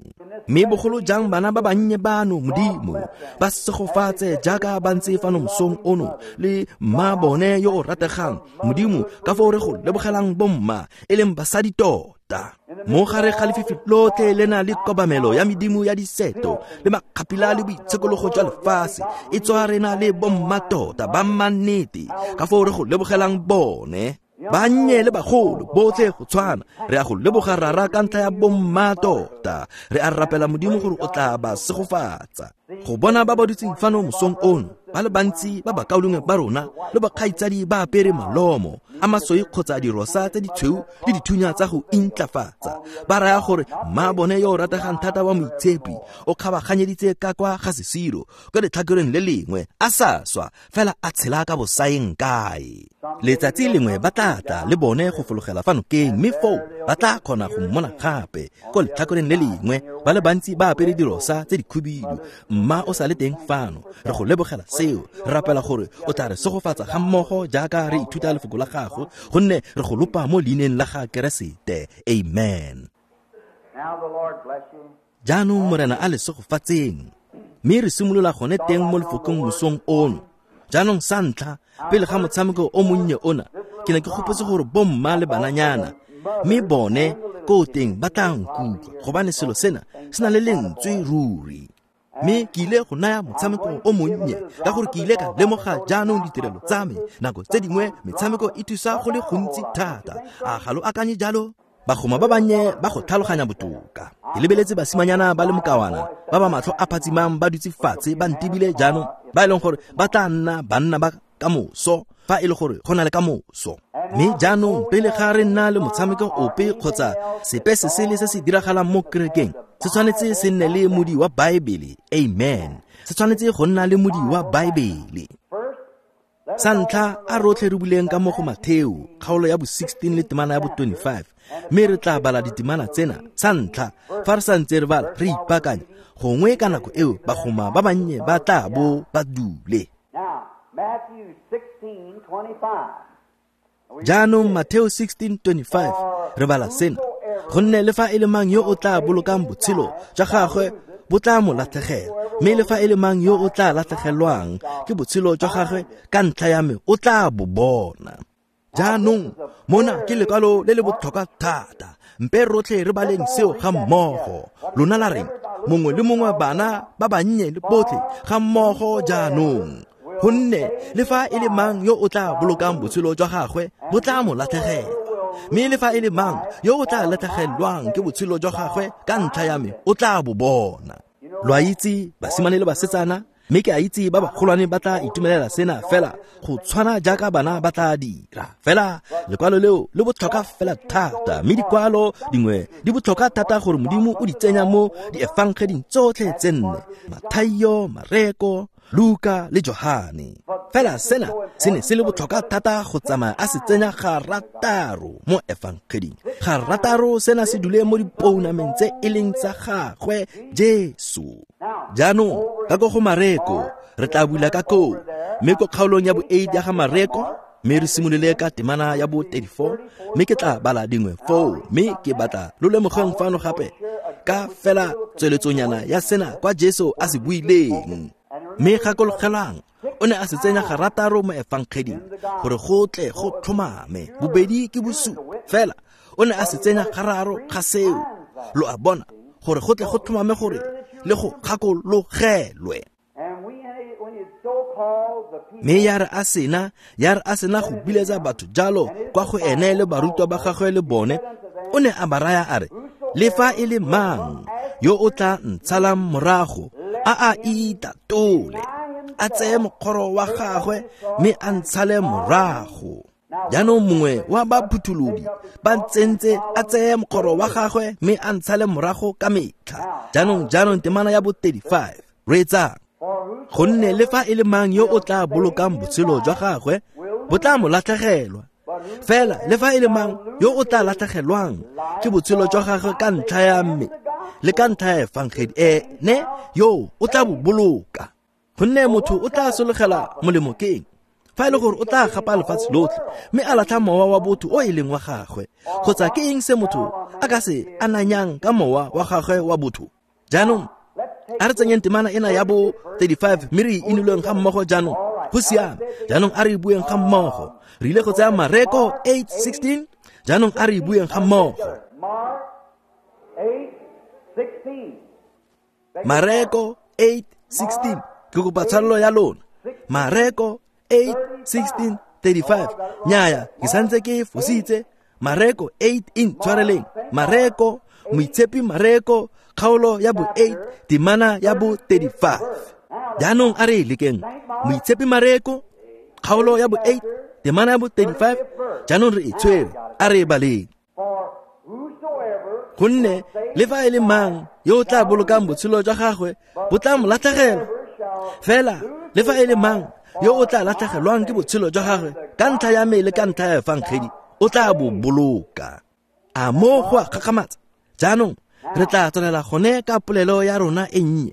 Mme bogolo jang bana ba bannye bano, Modimo, ba segofatse jaaka ba ntse fano mosong ono le mma bone yo o rategang. Modimo, ka foo re go lebogelang bomma e leng basadi tota. tota. Mo gare ga lefifi lotlhe le na le kobamelo ya medimo ya diseto le makgapila le boitshekologo jwa lefatshe, e tswa re na le bommatota ba mannete ka foo re go lebogelang bone. Bannye le bagolo botlhe go tshwana, re a go leboga Rara ka ntlha ya bommatota. Re a rapela Modimo gore o tla ba segofatsa. Go bona ba ba dutseng fano mosong ono, ba le bantsi ba bakaulengwe ba rona le bakgaitsadi ba apere malomo a masweu kgotsa dirosa tse ditshweu le dithunya tsa go intlafatsa, ba raya gore mma bone yo o rategang thata wa moitshepi o kgabaganyeditse ka kwa ga sesiro kwa letlhakoreng le lengwe, a sa swa fela a tshela ka bosaeng kae. Letsatsi lengwe ba tla tla le bone go fologela fa nokeng, mme foo ba tla kgona go mmona gape ko letlhakoreng le lengwe. Ba le bantsi ba apere dirosa tse dikhubidu, mma o sa le teng fano. Re go lebogela seo, re rapela gore o tla re segofatsa ga mmogo jaaka re ithuta lefoko la gago, gonne re go lopa mo leineng la ga Keresete. Amen. Jaanong Morena a le segofatseng. Mme re simolola gone teng mo lefokong mosong ono. Jaanong sa ntlha, pele ga motshameko o monnye ona, ke ne ke gopotse gore bomma le bananyana, mme bone ko teng ba tla nkutlwa, gobane selo sena se na le lentswe ruri. Mme ke ile go naya motshameko o monnye ka gore ke ile ka lemoga jaanong ditirelo tsa me nako tse dingwe metshameko e thusa go le gontsi thata. A ga lo akanye jalo? Bagoma ba bannye ba go tlhaloganya botoka. Ke lebeletse basimanyana ba le mokawana ba ba matlho a phatsimang ba dutse fatshe ba ntebile jaanong, ba e leng gore ba tla nna banna ba kamoso fa e le gore go na le kamoso. Mme jaanong pele ga re nna le motshameko ope kgotsa sepe se sele se se diragalang mo kerekeng, se tshwanetse se nne le modi wa Baebele. Amen. Se tshwanetse go nna le modi wa Baebele. Sa ntlha, a rotlhe re buleng ka mo go Matheo kgaolo ya bo 16 le temana ya bo 25, mme re tla bala ditemana tsena. Sa ntlha, fa re sa ntse re bala re ipaakanya, gongwe ka nako eo bagoma ba bannye ba tla bo ba dule. Jaanong Matheo 16:25 re bala sena: gonne le fa e le mang yo o tla bolokang botshelo jwa gagwe bo tla mo latlhegela, mme le fa e le mang yo o tla latlhegelwang ke botshelo jwa gagwe ka ntlha ya me o tla bo bona. Jaanong mona ke lekwalo le le botlhokwa thata, mpe rotlhe re baleng seo ga mmogo. Lona la reng? Mongwe le mongwe, bana ba bannye le botlhe ga mmogo jaanong. Gonne le fa e le mang yo o tla bolokang botshelo jwa gagwe bo tla mo latlhegela, mme le fa e le mang yo o tla latlhegelwang ke botshelo jwa gagwe ka ntlha ya me o tla bo bona. Lo a itse basimane le basetsana, mme ke a itse ba bagolwane ba tla itumelela sena fela go tshwana jaaka bana ba tla dira. Fela lekwalo leo le botlhokwa fela thata, mme dikwalo dingwe di botlhokwa thata gore Modimo o di tsenya mo diefangeding tsotlhe tse nne: Mathaio, Mareko, Luka le Johane. Fela sena se ne se le botlhokwa thata go tsamaya a se tsenya garataro mo efangeding. Garataro sena se dule mo dipounameng tse e leng tsa gagwe Jesu. Jaanong ka ko go Mareko re tla bula ka koo, mme ko kgaolong ya bo 8 ya ga Mareko, mme re simolole ka temana ya bo 34, mme ke tla bala dingwe foo. Mme ke batla lo lemogeng fano gape ka fela tsweletsonyana ya sena kwa Jesu a se buileng. Mme gakologelang, o ne a se tsenya garataro mo efangeding gore go tle go tlhomame. Bobedi ke bosupi, fela o ne a se tsenya gararo ga seo, lo a bona, gore go tle go tlhomame gore le go gakologelwe. Mme ya re a sena go biletsa batho jalo kwa go ene le barutwa ba gagwe le bone, o ne a ba raya a re, le fa e le mang yo o tla ntshalang morago a a itatole, a tseye mokgoro wa gagwe mme a ntshale morago. Jaanong mongwe wa baphutholodi ba tsentse a tseye mokgoro wa gagwe mme a ntshale morago ka metlha. Jaanong temana ya bo 35, reetsang: gonne le fa e le mang yo o tla bolokang botshelo jwa gagwe bo tla mo latlhegelwa, fela le fa e le mang yo o tla latlhegelwang ke botshelo jwa gagwe ka ntlha ya me le ka ntlha ya efangedi, ene yo o tla bo boloka. Gonne motho o tla sologela molemo keng fa e le gore o tla gapa lefatshe lotlhe mme a latlha mowa wa botho o e leng wa gagwe? Kgotsa ke eng se motho a ka se ananyang ka mowa wa gagwe wa botho? Jaanong a re tsenyeng temana ena ya bo 35 mme re e inoleng ga mmogo jaanong. Go siame. Jaanong a re e bueng ga mmogo. Re ile go tsaya Mareko 8:16. Jaanong a re e bueng ga mmogo. Mareko 8:16. Ke kopa tshwarelo ya lona. Mareko 8:16-35. Nnyaya, ke santse ke fositse. Mareko 8 in tshwareleng. Mareko, moitshepi Mareko, kgaolo ya bo 8, temana ya bo 35. Jaanong a re e lekeng. Moitshepi Mareko, kgaolo ya bo 8, temana ya bo 35. Jaanong re e tshwere, a re e baleng. Gonne le fa e le mang yo o tla bolokang botshelo jwa gagwe bo tla mo latlhegela, fela le fa e le mang yo o tla latlhegelwang ke botshelo jwa gagwe ka ntlha ya me le ka ntlha ya efangedi o tla bo boloka. A mo go a kgakgamatsa? Jaanong re tla tswelela gone ka polelo ya rona e nnye,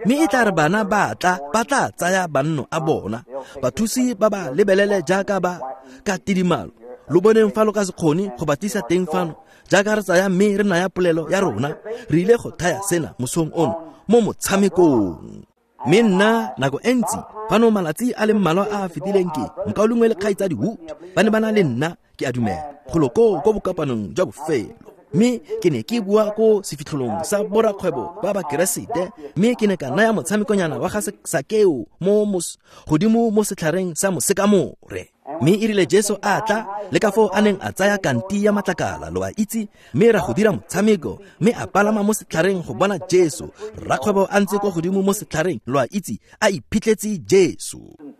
mme e tla re bana ba tla ba tla tsaya banno a bona, bathusi ba ba lebelele jaaka ba ka tidimalo. Lo boneng fa lo ka se kgone go ba tlisa teng fano, jaaka re tsaya mme re naya polelo ya rona, re ile go thaya sena mosong ono mo motshamekong. Mme nna nako e ntsi fano malatsi a le mmalwa a a fetileng ke mokaulengwe le kgaitsadi Wood ba ne ba na le nna, ke a dumela, golo koo ko bokopanong jwa bofelo. Mme ke ne ke bua ko sefitlholong sa borakgwebo ba Bakeresete, mme ke ne ka naya motshamekonyana wa ga Sakeo mo godimo mo setlhareng sa mosekamore. Mme e rile Jesu a tla, le ka foo a neng a tsaya kanti ya matlakala, lo a itse, mme ra go dira motshameko, mme a palama mo setlhareng go bona Jesu. Rakgwebo a ntse ko godimo mo setlhareng, lo a itse, a iphitlhetse Jesu.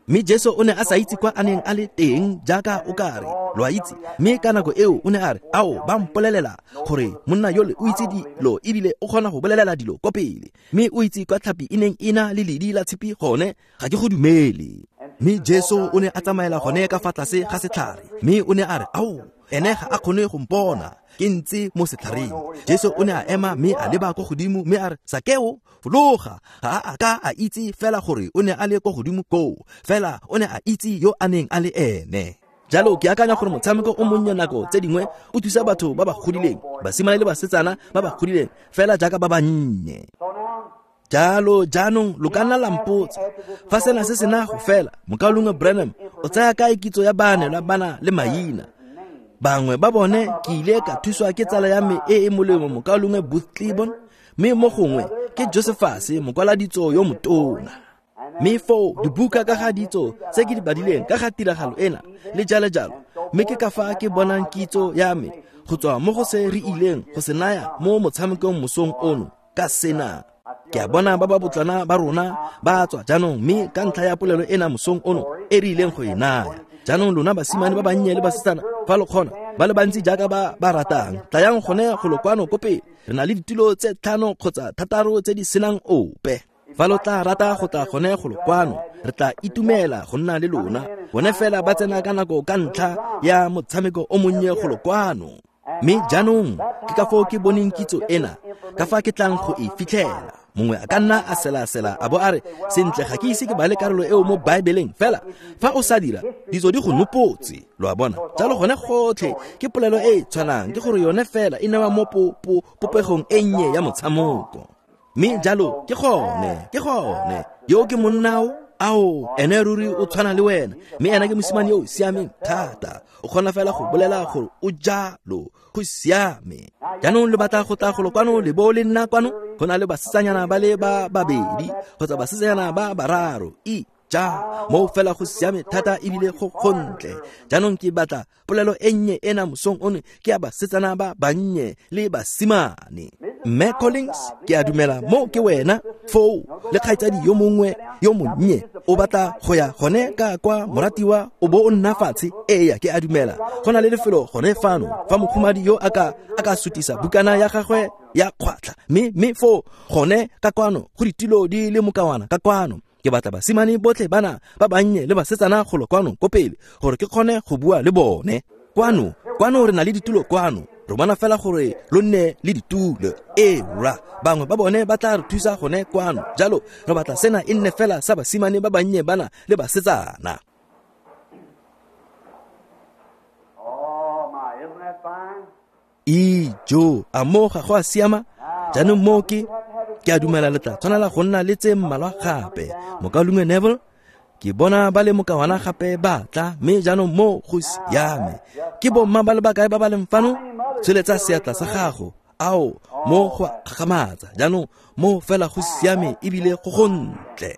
Mme Jesu o ne a sa itse kwa a neng a le teng jaaka o ka re, lo a itse. Mme ka nako eo o ne a re, ao, ba mpolelela gore monna yole o itse dilo ebile o kgona go bolelela dilo ko pele, mme o itse kwa tlhapi e neng e na le ledi la tshipi gone, ga ke go dumele. Mme Jesu o ne a tsamaela gone ka fa tlase ga setlhare, mme o ne a re, ao, ene ga a kgone go mpona, ke ntse mo setlhareng. Jesu o ne a ema mme a leba ko godimo mme a re, Sakeo, fologa. Ga a ka a itse fela gore o ne a le ko godimo koo, fela o ne a itse yo a neng a le ene. Jalo ke akanya gore motshameko o monnye nako tse dingwe o thusa batho ba ba godileng, basimane le basetsana ba ba godileng, fela jaaka ba bannye. Jalo jaanong lo ka nna la mpotsa, fa sena se sena go fela, mokaulengwe Branham o tsaya kae kitso ya baanelwa bana le maina? Bangwe ba bone ke ile ka thuswa ke tsala ya me e e molemo mokaulengwe Booth Clibborn, mme mo gongwe ke Josephus mokwaladitso yo motona. Mme foo dibuka ka ga ditso tse ke di badileng ka ga tiragalo ena le jalo jalo, mme ke ka fa ke bonang kitso ya me go tswa mo go se re ileng go se naya mo motshamekong mosong ono ka sena. Ke a bona ba ba botlana ba rona ba tswa jaanong, mme ka ntlha ya polelo ena mosong ono e re ileng go e naya. Jaanong lona basimane ba bannye le basetsana, fa lo kgona, ba le bantsi jaaka ba ba ratang, tlayang gone go lo kwano ko pele. Re na le ditulo tse 5 kgotsa 6 tse di senang ope. Fa lo tla rata go tla gone go lo kwano, re tla itumela go nna le lona. Bone fela ba tsena ka nako ka ntlha ya motshameko o monnye go lo kwano. Mme jaanong ke ka foo ke boneng kitso ena, ka fa ke tlang go e fitlhela. Mongwe a ka nna a selasela a bo a re, sentle ga ke ise ke bale karolo eo mo Baebeleng, fela fa o sa dira, ditso di go nopotse, lo a bona. Jalo gone gotlhe ke polelo e e tshwanang, ke gore yone fela e newa mo popegong e nnye ya motshameko. Mme jalo ke gone yo ke monnao, ao, ene ruri o tshwana le wena, mme ena ke mosimane yo o siameng thata, o kgona fela go bolela gore o jalo, go siame. Jaanong lo batla go tla golo kwano le bo le nna kwano, go na le basetsanyana ba le ba babedi kgotsa basetsanyana ba bararo, ja mo fela go siame thata ebile go gontle. Jaanong ke batla polelo e nnye ena mosong ono ke ya basetsana ba bannye le basimane. Mme Collins, ke a dumela mo ke wena foo le kgaitsadi yo mongwe yo monnye o batla go ya gone ka kwa moratiwa o bo o nna fatshe. Eya, ke a dumela go na le lefelo gone fano fa mokhumadi yo a ka sutisa bukana ya gagwe ya kgwatlha, mme foo gone ka kwano go ditilo di le mokawana ka kwano. Ke batla basimane botlhe bana ba bannye le basetsana golo kwano ko pele gore ke kgone go bua le bone. Kwano re na le ditulo kwano, re bona fela gore lo nne le ditulo. Ee rra, bangwe ba bone ba tla re thusa gone kwano. Jalo re batla sena e nne fela sa basimane ba bannye bana le basetsana. Ijo, a mo ga go a siama? Jaanong mo ke a dumela le tla tshwanela go nna le tse mmalwa gape. Mokaulengwe Neville, ke bona ba le mokawana gape ba tla, mme jaanong mo go siame. Ke bomma ba le bakae ba ba leng fano? Tsholetsa seatla sa gago. Ao, mo go a gakgamatsa. Jaanong mo fela go siame ebile go gontle.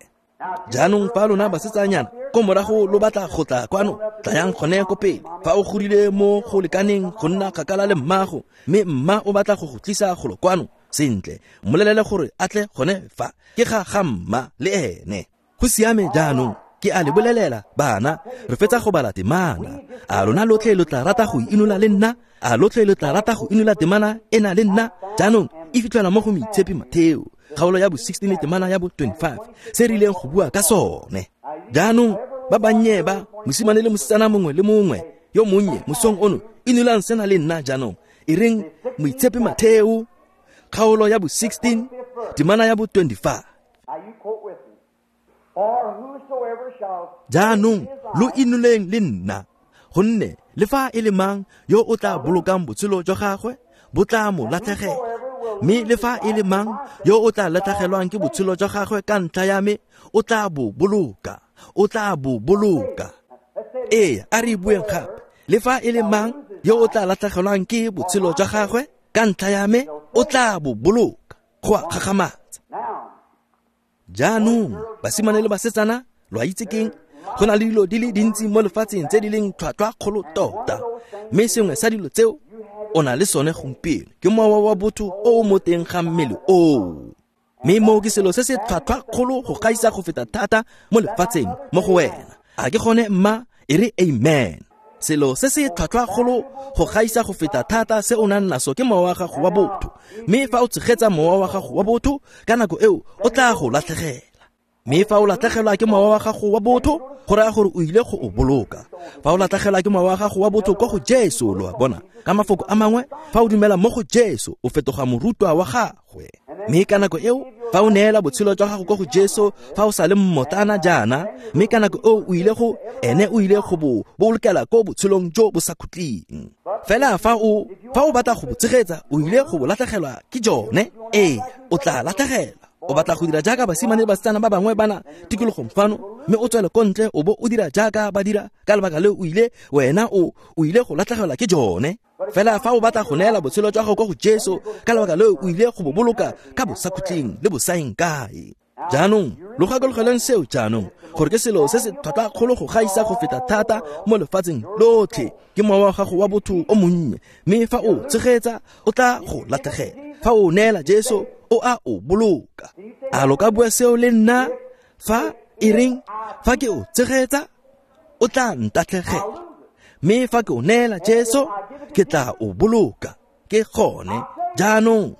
Jaanong fa lona basetsanyana ko morago lo batla go tla kwano, tlayang gone ko pele. Fa o godile mo go lekaneng go nna kgakala le mmago, mme mma o batla go go tlisa golo kwano, sentle, mmolelele gore a tle gone fa. Ke ga ga mma le ene. Go siame jaanong, ke a le bolelela bana, re fetsa go bala temana. A lona lotlhe lo tla rata go inola le nna? A lotlhe lo tla rata go inola temana ena le nna? Jaanong e fitlhelwa mo go Moitshepi Matheo, kgaolo ya bo 16 temana ya bo 25, se re ileng go bua ka sone. Jaanong ba bannye ba, mosimane le mosetsana mongwe le mongwe yo monnye mosong ono, inolang sena le nna jaanong. E reng Moitshepi Matheo, kgaolo ya bo 16 temana ya bo 25. Jaanong lo inoleng le nna, gonne le fa e le mang yo o tla bolokang botshelo jwa gagwe bo tla mo latlhegela, mme le fa e le mang yo o tla latlhegelwang ke botshelo jwa gagwe ka ntlha ya me o tla bo boloka, o tla bo boloka. Ee, a re bueng gape, le fa e le mang yo o tla latlhegelwang ke botshelo jwa gagwe ka ntlha ya me o tla bo boloka. Go a gakgamatsa. Jaanong basimane le basetsana, lo a itse keng? Go na le dilo di le dintsi mo lefatsheng tse di leng tlhwatlhwa kgolo tota, mme sengwe sa dilo tseo o na le sone gompieno ke mowa wa botho o o mo teng ga mmele oo. Mme moo ke selo se se tlhwatlhwa kgolo go gaisa go feta thata mo lefatsheng mo go wena. A ke gone mma? E re amen. Selo se se tlhwatlhwa kgolo go gaisa go feta thata se o nang naso ke mowa wa gago wa botho. Mme fa o tshegetsa mowa wa gago wa botho, ka nako eo o tla go latlhegela. Mme fa o latlhegelwa ke mowa wa gago wa botho, go raya gore o ile go o boloka. Fa o latlhegelwa ke mowa wa gago wa botho ko go Jesu, lo a bona, ka mafoko a mangwe, fa o dumela mo go Jesu, o fetoga morutwa wa gagwe. Mme ka nako eo, fa o neela botshelo jwa gago ko go Jesu, fa o sa le mmotlana jaana, mme ka nako eo o ile go, ene o ile go bo bolokela ko botshelong jo bo sa khutleng. Fela fa o batla go bo tshegetsa, o ile go bo latlhegelwa ke jone. Ee, o tla latlhegelwa. O batla go dira jaaka basimane le basetsana ba bangwe bana tikologong fano, mme o tswele ko ntle o bo o dira jaaka ba dira, ka lebaka leo o ile, wena o ile go latlhegelwa ke jone. Fela fa o batla go neela botshelo jwa gago ko go Jesu, ka lebaka leo o ile go bo boloka ka bosakhutleng le bosaeng kae. Jaanong lo gakologelweng seo jaanong, gore ke selo se se tlhwatlhwa kgolo go gaisa go feta thata mo lefatsheng lotlhe, ke mowa wa gago wa botho o monnye. Mme fa o tshegetsa, o tla go latlhegela. Fa o neela Jesu, o a o boloka. A lo ka bua seo le nna? Fa e reng fa ke o tshegetsa, o tla ntatlhegela. Mme fa ke o neela Jesu, ke tla o boloka. Ke gone jaanong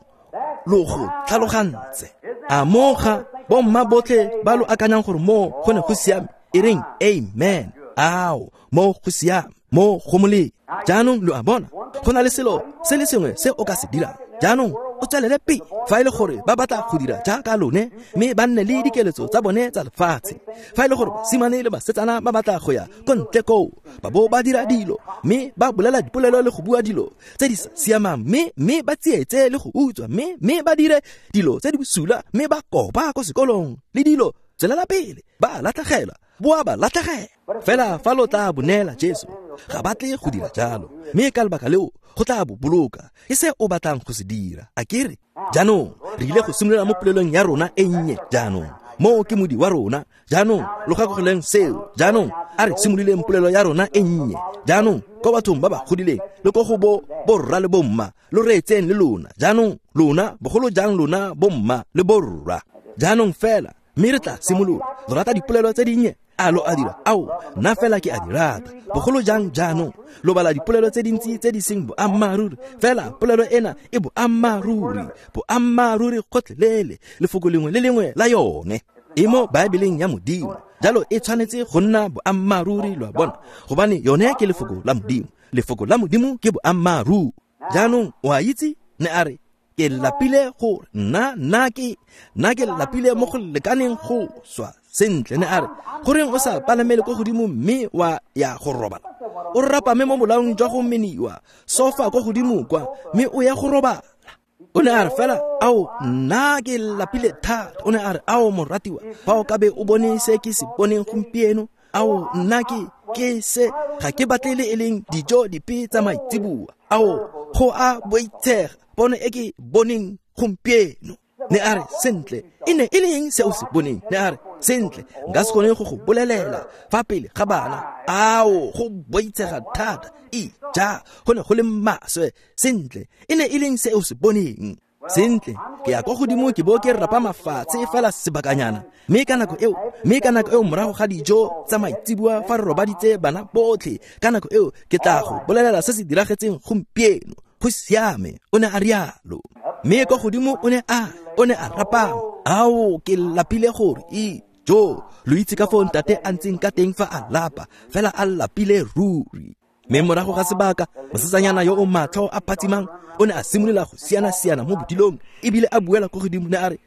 lo go tlhalogantse. A moga bomma botlhe ba lo akanyang gore mo go ne go siame, e reng amen. Ao, mo go siame, mo go molemo. Jaanong lo a bona, go na le selo se le sengwe se o ka se dirang. Jaanong o tswelele pele. Fa e le gore ba batla go dira jaaka lone, mme ba nne le dikeletso tsa bone tsa lefatshe. Fa e le gore basimane le basetsana ba batla go ya ko ntle koo, ba bo ba dira dilo, mme ba bolela dipolelo le go bua dilo tse di sa siamang, mme ba tsietse le go utswa, mme ba dire dilo tse di bosula, mme ba kopa ko sekolong le dilo, tswelela pele, ba latlhegelwa, boa ba latlhegela. Fela fa lo tla bo neela Jesu, ga ba tle go dira jalo, mme ka lebaka leo go tla bo boloka. Ke se o batlang go se dira, a kere? Jaanong re ile go simolola mo polelong ya rona e nnye jaanong. Moo ke modi wa rona. Jaanong lo gakologelweng seo. Jaanong a re simololeng polelo ya rona e nnye. Jaanong ko bathong ba ba godileng le ko go bo borra le bomma, lo reetseng le lona. Jaanong lona, bogolo jang lona bomma le borra. Jaanong fela, mme re tla simolola. Lo rata dipolelo tse dinnye? A lo a dira? Ao, nna fela ke a di rata. Bogolo jang jaanong, lo bala dipolelo tse dintsi tse di seng boammaaruri, fela polelo ena e boammaaruri, boammaaruri gotlhelele, lefoko lengwe le lengwe la yone. E mo Baebeleng ya Modimo, jalo e tshwanetse go nna boammaaruri, lo a bona, gobane yone ke lefoko la Modimo. Lefoko la Modimo ke boammaaruri. Jaanong o a itse, ne a re, ke lapile go nna ke lapile mo go lekaneng go swa. Sentle, ne a re, goreng o sa palamele ko godimo mme wa ya go robala? O rapame mo bolaong jwa go meniwa sofa ko godimo kwa, mme o ya go robala. O ne a re fela, ao, nna ke lapile thata. O ne a re, ao moratiwa, fa o ka be o bone se ke se boneng gompieno, ao, nna ke se, ga ke batle le e leng dijo dipe tsa maitseboa. Ao, Go a boitshega pono e ke boneng gompieno. Ne a re, sentle, e ne e le eng se o se boneng? Ne a re, sentle, nka se kgone go go bolelela fa pele ga bana. Ao, go boitshega thata. Ija, go ne go le maswe. Sentle, e ne e leng se o se boneng? Sentle, ke ya kwa godimo ke bo ke rapa mafatshe fela sebakanyana. Mme ka nako eo morago ga dijo tsa maitseboa fa re robaditse bana botlhe, ka nako eo ke tla go bolelela se se diragetseng gompieno. Go siame, o ne a rialo. Mme kwa godimo o ne a rapama. Ao, ke lapile gore jo, lo itse ka foo ntate a ntseng ka teng fa a lapa, fela a lapile ruri. Mme morago ga sebaka, mosetsanyana yo o matlho a phatsimang o ne a simolola go siana-siana mo bodilong, ebile a buela ko godimo, ne a re,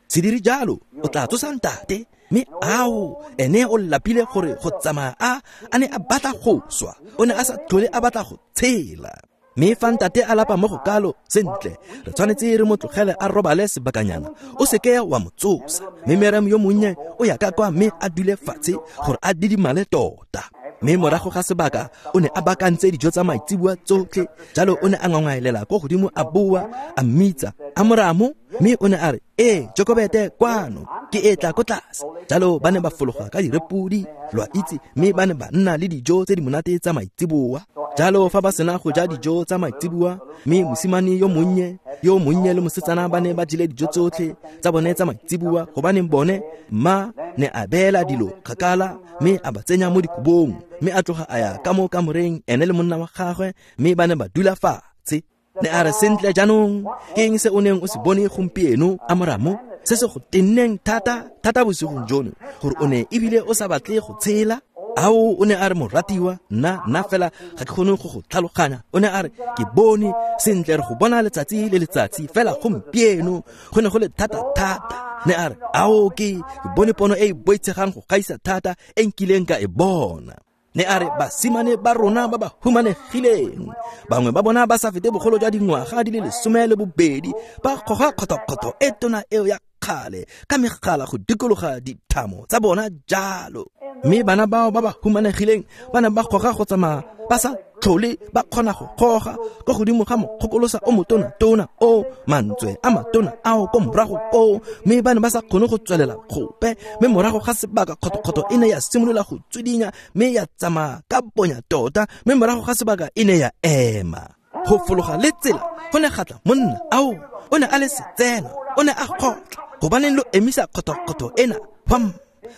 se dire jalo, o tla tsosa ntate. Mme ao, ene o lapile gore go tsamaya a ne a batla go swa, o ne a sa tlhole a batla go tshela. Mme fa ntate a lapa mo go kalo, sentle, re tshwanetse re mo tlogele a robale sebakanyana, o seke wa mo tsosa. Mme Miriam yo monnye o ya ka kwa mme a dule fatshe gore a didimale tota. Mme morago ga sebaka o ne a bakantse dijo tsa maitseboa tsotlhe, jalo o ne a ngwangwaelela ko godimo a boa, a mmitsa, a moramo, mme o ne a re, ee, Jokobete kwano, ke etla ko tlase. Jalo ba ne ba fologa ka direpodi, lo a itse, mme ba ne ba nna le dijo tse di monate tsa maitseboa. Jalo fa ba sena go ja dijo tsa maitseboa, mme mosimane yo monnye le mosetsana ba ne ba jele dijo tsotlhe tsa bone tsa maitseboa, gobaneng bone mma ne a beela dilo kgakala mme a ba tsenya mo dikobong, mme a tloga a ya ka mo kamoreng ene le monna wa gagwe, mme ba ne ba dula fatshe. Ne a re, sentle jaanong, ke eng se o neng o se bone gompieno, Amoramo, se se go tenneng thata thata bosigong jono, gore o ne ebile o sa batle go tshela? Ao, o ne a re, moratiwa, nna fela ga ke kgone go go tlhaloganya. O ne a re, ke bone sentle, re go bona letsatsi le letsatsi, fela gompieno go ne go le thata thata. Ne a re, ao, ke bone pono e e boitshegang go gaisa thata e nkileng ka e bona. Ne a re, basimane ba rona ba ba humanegileng, bangwe ba bona ba sa fete bogolo jwa dingwaga di le 12, ba goga kgothokgotho e tona eo ya kgale ka megala go dikologa dithamo tsa bona jalo. Mme bana bao ba ba humanegileng ba ne ba goga go tsamaya ba sa tlhole ba kgona go goga ko godimo ga mokgokolosa o motona-tona o mantswe a matona ao ko morago koo, mme ba ne ba sa kgone go tswelela gope. Mme morago ga sebaka kgothokgotho e ne ya simolola go tswidinya mme ya tsamaya ka bonya tota, mme morago ga sebaka e ne ya ema. Go fologa le tsela go ne ga tla monna, ao, o ne a le setsena, o ne a kgotla, gobaneng lo emisa kgothokgotho ena? Pam,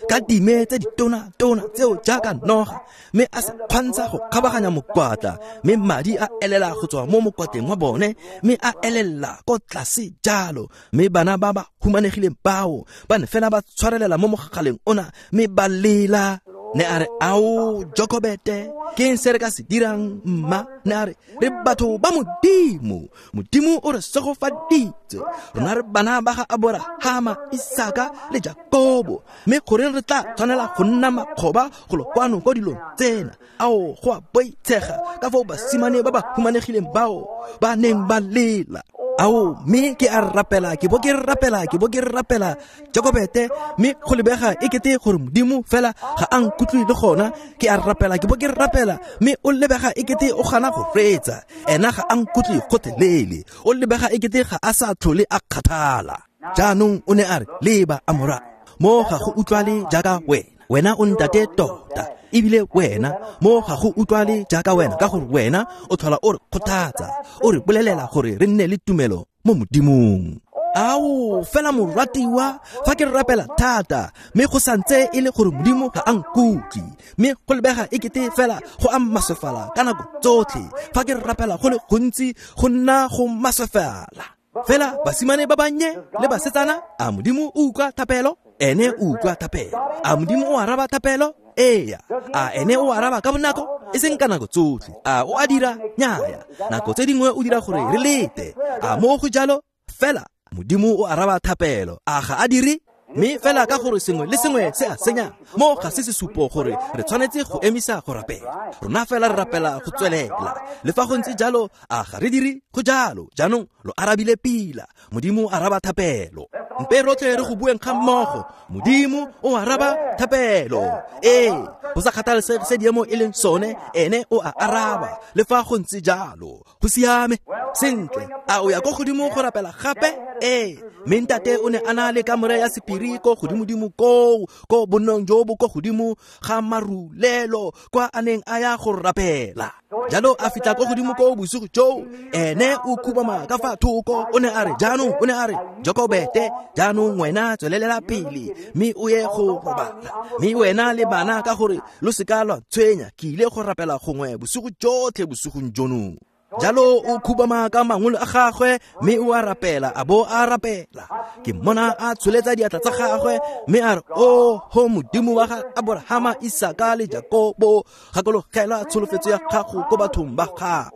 ka dime tse ditona-tona tseo jaaka noga, mme a se kgwantsha go kgabaganya mokwatla, mme madi a elela go tswa mo mokwatleng wa bone, mme a elela ko tlase jalo. Mme bana ba ba humanegileng bao ba ne fela ba tshwarelela mo mogaleng ona mme ba lela. Ne a re, ao, Jokobete, ke eng se re ka se dirang, mma? Ne a re, re batho ba Modimo, Modimo o re segofaditse, rona re bana ba ga Aborahama, Isaka le Jakobo, mme goreng re tla tshwanela go nna makgoba go lo kwano ko dilong tsena? Ao, go a boitshega ka foo basimane ba ba humanegileng bao ba neng ba lela. Ao, mme ke a rapela, ke bo ke rapela, ke bo ke rapela, Jokobete, mme go lebega e kete gore Modimo fela ga a nkutlwe le gona. Ke a rapela, ke bo ke rapela, mme o lebega e kete o gana go reetsa. Ena ga a nkutlwe gotlhelele, o lebega e kete ga a sa tlhole a kgathala. Jaanong o ne a re, leba Amora, mo ga go utlwale jaaka wena, wena o ntate tota, ebile wena mo ga go utlwale jaaka wena, ka gore wena o tlhola o re kgothatsa, o re bolelela gore re nne le tumelo mo Modimong. Ao, fela moratiwa, fa ke rapela thata, mme go santse e le gore Modimo ga a nkutlwe, mme go lebega e kete fela go a maswefala ka nako tsotlhe. Fa ke rapela go le gontsi, go nna go maswefala. Fela basimane ba bannye le basetsana, a Modimo o utlwa thapelo? Ene o utlwa thapelo. A Modimo o araba thapelo? Eya. A ene o araba ka bonako? E seng ka nako tsotlhe. A o a dira? Nnyaya. Nako tse dingwe o dira gore re lete. A mo go jalo? Fela Modimo o araba thapelo. A ga a dire? Mme fela ka gore sengwe le sengwe se a senya, mo ga se sesupo gore re tshwanetse go emisa go rapela. Rona fela re rapela go tswelela. Le fa go ntse jalo, a ga re dire? Go jalo. Jaanong lo arabile pila. Modimo araba thapelo. Mpe rotlhe re go bueng ga mmogo. Modimo o araba thapelo. Ee, go sa kgathalesege se diemo e leng sone, ene o a araba. Le fa go ntse jalo, go siame. Sentle, a o ya ko godimo go rapela gape? Ee, mme ntate o ne a na le kamore ya sephiri ko godimodimo koo, ko bonnong jo bo ko godimo ga marulelo, kwa a neng a ya go rapela. Jalo a fitlha ko godimo ko bosigo joo, ene o khubama ka fa thoko. O ne a re, jaanong, o ne a re, Jokobete, jaanong wena tswelelela pele mme o ye go robala, mme wena le bana, ka gore lo seka lwa tshwenya, ke ile go rapela gongwe bosigo jotlhe bosigong jono. Jalo o khubama ka mangolo a gagwe mme o a rapela, a bo a rapela. Ke mmona a tsholetsa diatla tsa gagwe mme a re, o ho Modimo wa ga Aborahama, Isaka le Jakobo, gakologela tsholofetso ya gago ko bathong ba gago.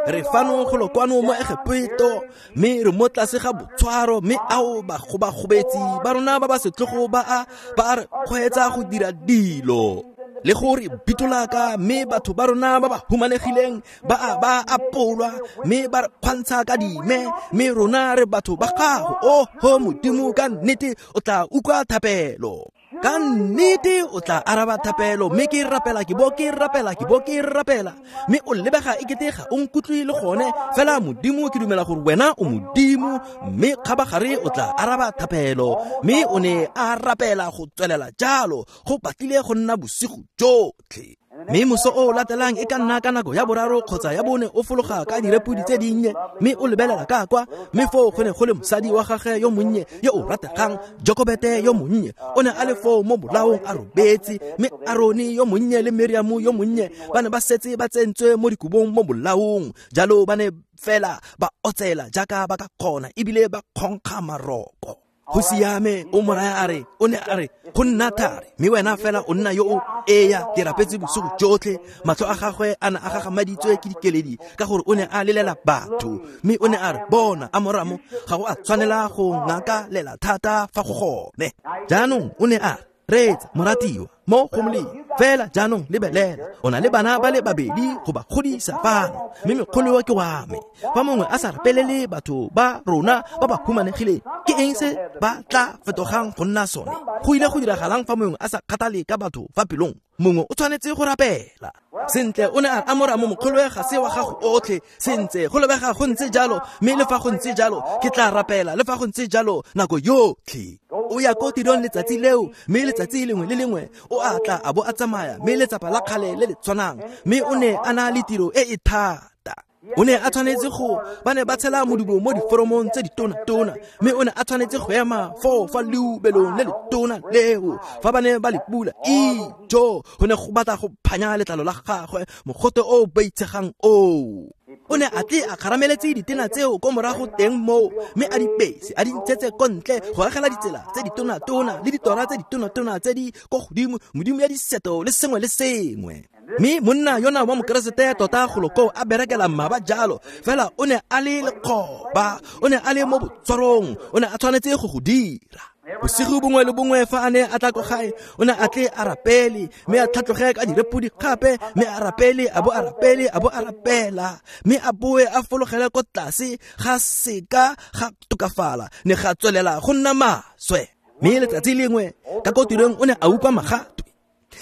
Re fano golo kwano mo Egepeto, mme re mo tlase ga botshwaro, mme ao bagobagobetsi ba rona ba ba setlogo ba a re kgweetsa go dira dilo le gore bitolaka, mme batho ba rona ba ba humanegileng ba a ba apolwa, mme ba re kgwantsha ka dime, mme rona re batho ba gago. O ho Modimo, ka nnete o tla utlwa thapelo. Ka nnete o tla araba thapelo. Mme ke rapela, ke bo ke rapela, ke bo ke rapela, mme o lebega ekete ga o nkutlwe le gone. Fela Modimo, ke dumela gore wena o Modimo, mme kgabagare o tla araba thapelo. Mme o ne a rapela go tswelela jalo, go batlile go nna bosigo jotlhe. Mme moso o latelang e ka nna ka nako ya boraro kgotsa ya bone, o fologa ka direpodi tse dinnye, mme o lebelela ka kwa, mme foo go ne go le mosadi wa gagwe yo monnye yo o rategang, Jokobete yo monnye. O ne a le foo mo bolaong a robetse, mme Arone yo monnye le Miriamo yo monnye ba ne ba setse ba tsentswe mo dikobong mo bolaong. Jalo ba ne fela ba otsela jaaka ba ka kgona, ebile ba kgonkga maroko. Go siame, o mo raya a re, o ne a re, go nna thari, mme wena fela o nna yo o eya. Ke rapetse bosigo jotlhe. Matlho a gagwe a ne a gagamaditswe ke dikeledi, ka gore o ne a lelela batho. Mme o ne a re, bona Amoramo, ga go a tshwanela go ngakalela thata fa go gone. Jaanong o ne a re, reetsa moratiwa, mo go molemo fela jaanong lebelela, o na le bana ba le babedi go ba godisa fano, mme mekgolo ke wa me. Fa mongwe a sa rapelele batho ba rona ba ba humanegileng, ke eng se ba tla fetogang go nna sone? Go ile go diragalang fa mongwe a sa kgathale ka batho fa pelong? Mongwe o tshwanetse go rapela. Sentle, o ne a Amoramo, mokgolo ga se wa gago otlhe. Sentle, go lebega go ntse jalo, mme le fa go ntse jalo ke tla rapela, le fa go ntse jalo nako yotlhe. O ya ko tirong letsatsi leo, mme letsatsi lengwe le lengwe o a tla a bo a tsamaya, mme letsapa la kgale le le tshwanang. Mme o ne a na le tiro e e thata. O ne a tshwanetse go, ba ne ba tshela modubo mo diforomong tse ditona-tona, mme o ne a tshwanetse go ema foo fa leubelong le letona leo fa ba ne ba le pula. Ijo, go ne go batla go phanya letlalo la gagwe, mogote o boitshegang oo. O ne a tle a kgarameletse ditena tseo ko morago teng moo, mme a di pese, a di ntshetse ko ntle go agela ditsela tse ditona-tona le ditora tse ditona-tona tse di ko godimo, modimo ya diseto le sengwe le sengwe. Mme monna yona wa mokeresete tota golo koo a berekela mmaba jalo, fela o ne a le lekgoba, o ne a le mo botshwarong, o ne a tshwanetse go go dira. Bosigo bongwe le bongwe fa a ne a tla ko gae, o ne a tle a rapele, mme a tlhatloge ka direpodi gape, mme a rapele, a bo a rapele, a bo a rapela, mme a boe a fologele ko tlase. Ga seka ga tokafala, ne ga tswelela go nna maswe. Mme letsatsi lengwe ka ko tirong o ne a utlwa magatwe,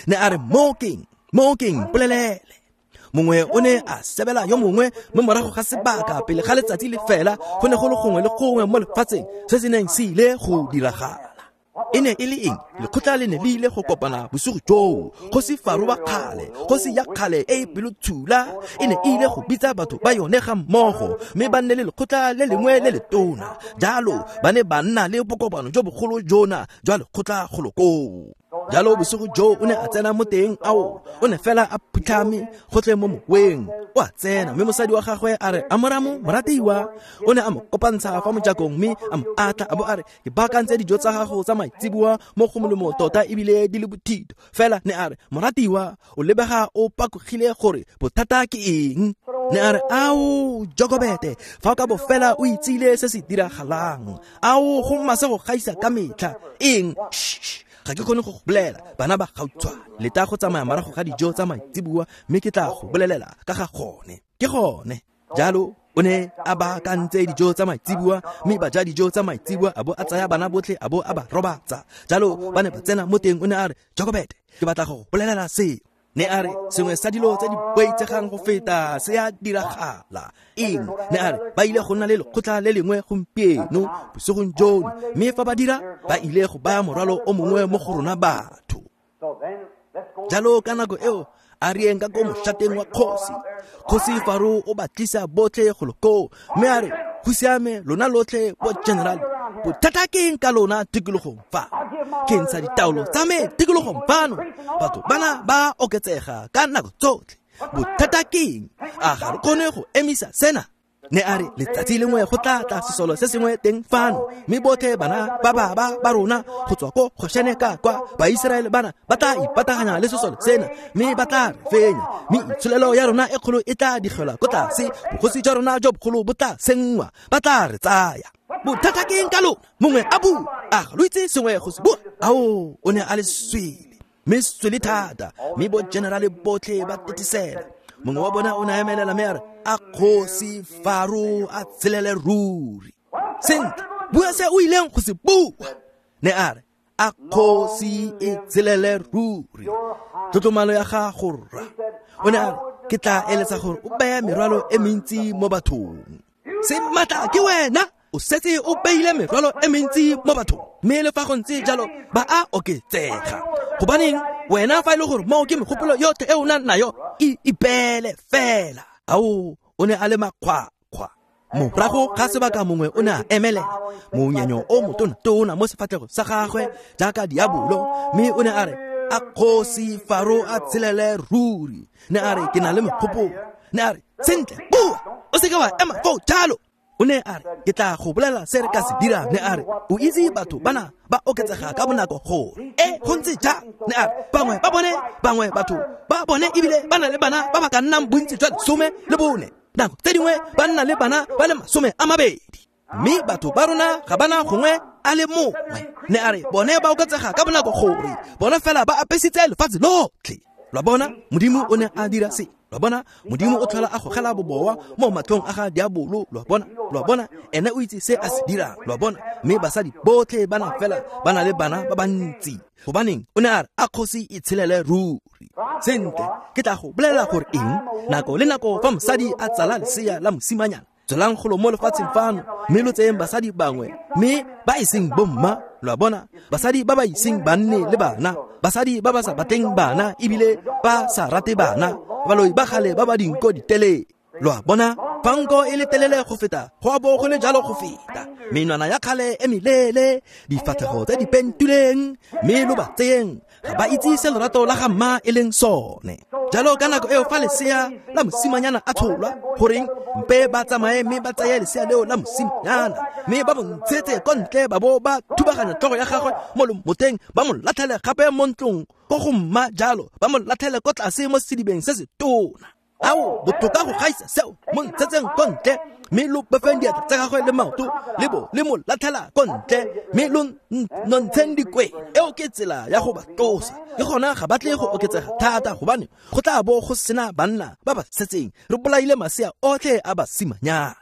ne a re, mo keng polelele. Mongwe o ne a sebela yo mongwe, mme morago ga sebaka pele ga letsatsi le fela, go ne go le gongwe le gongwe mo lefatsheng se se neng se ile go diragala. E ne e le eng? Lekgotla le ne le ile go kopana bosigo joo. Kgosi Faro wa kgale, kgosi ya kgale e e pelotshula, e ne e ile go bitsa batho ba yone ga mmogo, mme ba nne le lekgotla le lengwe le letona. Jalo ba ne ba nna le bokopano jo bogolo jona jwa lekgotla golo koo. Jalo bosigo joo o ne a tsena mo teng, ao, o ne fela a phutlhame gotlhe mo moweng. O a tsena, mme mosadi wa gagwe a re, Amoramo, moratiwa. O ne a mo kopantsha fa mojakong, mme a mo atla, a bo a re, ke baakantse dijo tsa gago tsa maitseboa mo go molemo tota ebile di le bothito. Fela ne a re, moratiwa, o lebega o pakogile gore bothata ke eng. Ne a re, ao Jokobete, fa o ka bo fela o itsile se se diragalang. Ao, go maswe go gaisa ka metlha. Eng? Ga ke kgone go go bolela, bana ba gautshwane. Leta go tsamaya morago ga dijo tsa maitseboa, mme ke tla go bolelela ka ga gone. Ke gone. Jalo O ne a baakantse dijo tsa maitseboa, mme ba ja dijo tsa maitseboa, a bo a tsaya bana botlhe a bo a ba robatsa. Jalo ba ne ba tsena mo teng, o ne a re, Jokobete, ke batla go bolelela se. Ne a re, sengwe sa dilo tse di boitsegang go feta se a diragala. Eng? Ne a re, ba ile go nna le lekgotla le lengwe gompieno bosigong jono, mme fa ba dira, ba ile go baya morwalo o mongwe mo go rona batho. Jalo ka nako eo, a re yeng ka ko mošateng wa kgosi. Kgosi Faro o ba tlisa botlhe golo koo, mme a re, go siame lona lotlhe bo general, bothata ke eng ka lona tikologong fa? Ke ntsha ditaolo tsa me tikologong fano, batho bana ba oketsega ka nako tsotlhe. Bothata ke eng? A ga re kgone go emisa sena? Ne a re, letsatsi lengwe go tla tla sesolo se sengwe teng fano, mme botlhe bana ba baba ba rona go tswa ko Goshene ka kwa Baiseraele bana ba tla ipataganya le sesolo sena, mme ba tla re fenya, mme itsholelo ya rona e kgolo e tla digelwa ko tlase, bogosi jwa rona jo bogolo bo tla senngwa, ba tla re tsaya. Bothata ke eng ka lona? Mongwe a bua, a ga lo itse sengwe go se bua? Ao, o ne a le swele, mme swele thata, mme bo generale botlhe ba tetisela. Mongwe wa bona o ne a emelela mme a re, a kgosi Faro a tshelele ruri. Sentle, bua se o ileng go se bua. Ne a re, a kgosi e tshelele ruri. Tlotlomalo ya gago rra. O ne a re, ke tla eletsa gore o beye merwalo e mentsi mo bathong. Se matla ke wena, o setse o beile merwalo e mentsi mo bathong, mme le fa go ntse jalo ba a oketsega. Gobaneng wena fa e le gore moo ke megopolo yotlhe e o nang nayo, e ipeele fela. Ao, o ne a le makgwakgwa. Morago ga sebaka mongwe o ne a emelela, monyenyo o motona-tona mo sefatlhego sa gagwe jaaka diabolo, mme o ne a re, a kgosi Faro a tshelele ruri. Ne a re, ke na le mogopolo. Ne a re, sentle, bua, o seke wa ema foo jalo. O ne a re, ke tla go bolela se re ka se dirang. Ne a re, o itse batho bana ba oketsega ka bonako gore e go ntse jang. Ne a re, bangwe ba bone, bangwe batho ba bone ebile ba na le bana ba ba ka nnang bontsi jwa 14, nako tse dingwe ba nna le bana ba le 20, mme batho ba rona ga bana gongwe a le mongwe. Ne a re, bone ba oketsega ka bonako gore bone fela ba apesitse lefatshe lotlhe. Lwa bona, Modimo o ne a dira se. Lwa bona, Modimo o tlhola a gogela bobowa mo matlhong a ga diabolo. Lwa bona, lwa bona, ene o itse se a se dirang. Lwa bona, mme basadi botlhe bana fela ba na le bana ba bantsi. Gobaneng, o ne a re, a kgosi e tshelele ruri. Sentle, ke tla go bolelela gore eng, nako le nako fa mosadi a tsala lesea la mosimanyana, tswelang golo mo lefatsheng fano, mme lo tseyeng basadi bangwe, mme ba e seng bomma. Lwa bona, basadi ba ba iseng ba nne le bana, basadi ba ba sa batleng bana ebile ba sa rate bana, baloi ba gale ba ba dinko ditelele. Lwa bona, fa nko e le telele go feta, go a bo go le jalo go feta. Menwana ya kgale e melele, difatlhego tse di pentileng, mme lo ba tseyeng, ga ba itse se lerato la ga mma e leng sone. Jalo ka nako eo fa lesea la mosimanyana a tsholwa, goreng mpe ba tsamaye mme ba tseye lesea leo la mosimanyana, mme ba mo ntshetse ko ntle, ba bo ba thubaganya tlhogo ya gagwe mo lomoteng, ba mo latlhele gape mo ntlong ko go mma jalo, ba mo latlhele ko tlase mo sedibeng se se tona. Ao, botoka go gaisa seo, mo ntshetseng ko ntle, mme lo bofeng diatla tsa gagwe le maoto, le bo le mo latlhela ko ntle, mme lo nontsheng dikwena. Eo ke tsela ya go ba tlosa. Ke gona ga ba tle go oketsega thata, gobane go tla bo go sena banna ba ba setseng. Re bolaile masea otlhe a basimanyana.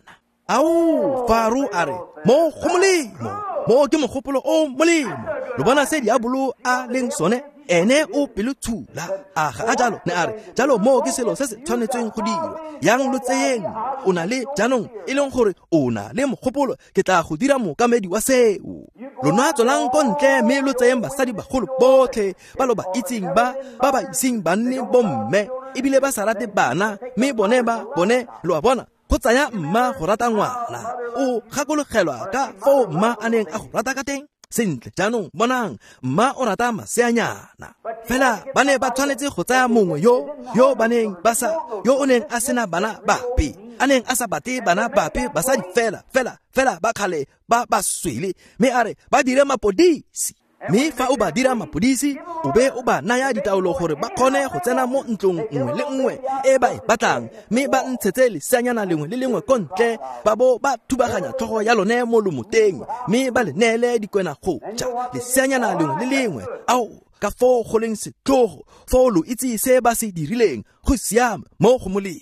Ao, Faro a re, mo go molemo, mo ke mogopolo o molemo. Lo bona se diabolo a leng sone? Ene o pelotshula. A ga a jalo? Ne a re, jalo mo ke selo se se tshwanetsweng go dirwa. Yang lo tseyeng, o na le jaanong e leng gore o na le mogopolo, ke tla go dira mookamedi wa seo. Lona tswelang ko ntle mme lo tseyeng basadi bagolo botlhe ba lo ba itseng ba ba ba iseng ba nne bomme ebile ba sa rate bana, mme bone ba bone, lo a bona, go tsaya mma go rata ngwana. O gakologelwa ka foo mma a neng a go rata ka teng? Sentle, jaanong bonang, mma o rata maseanyana. Fela ba ne ba tshwanetse go tsaya mongwe yo ba neng ba sa, yo o neng a sena bana bape, a neng a sa batle bana bape, basadi fela fela fela ba kgale ba ba swele, mme a re ba dire mapodisi. Mme fa o ba dira mapodisi, o be o ba naya ditaolo gore ba kgone go tsena mo ntlong nngwe le nngwe e ba e batlang, mme ba ntshetse leseanyana lengwe le lengwe ko ntle, ba bo ba thubaganya tlhogo ya lone mo lomoteng, mme ba le neele dikwena go ja leseanyana lengwe le lengwe. Ao, ka foo go leng setlhogo, foo lo itse se ba se dirileng, go siame mo go molemo.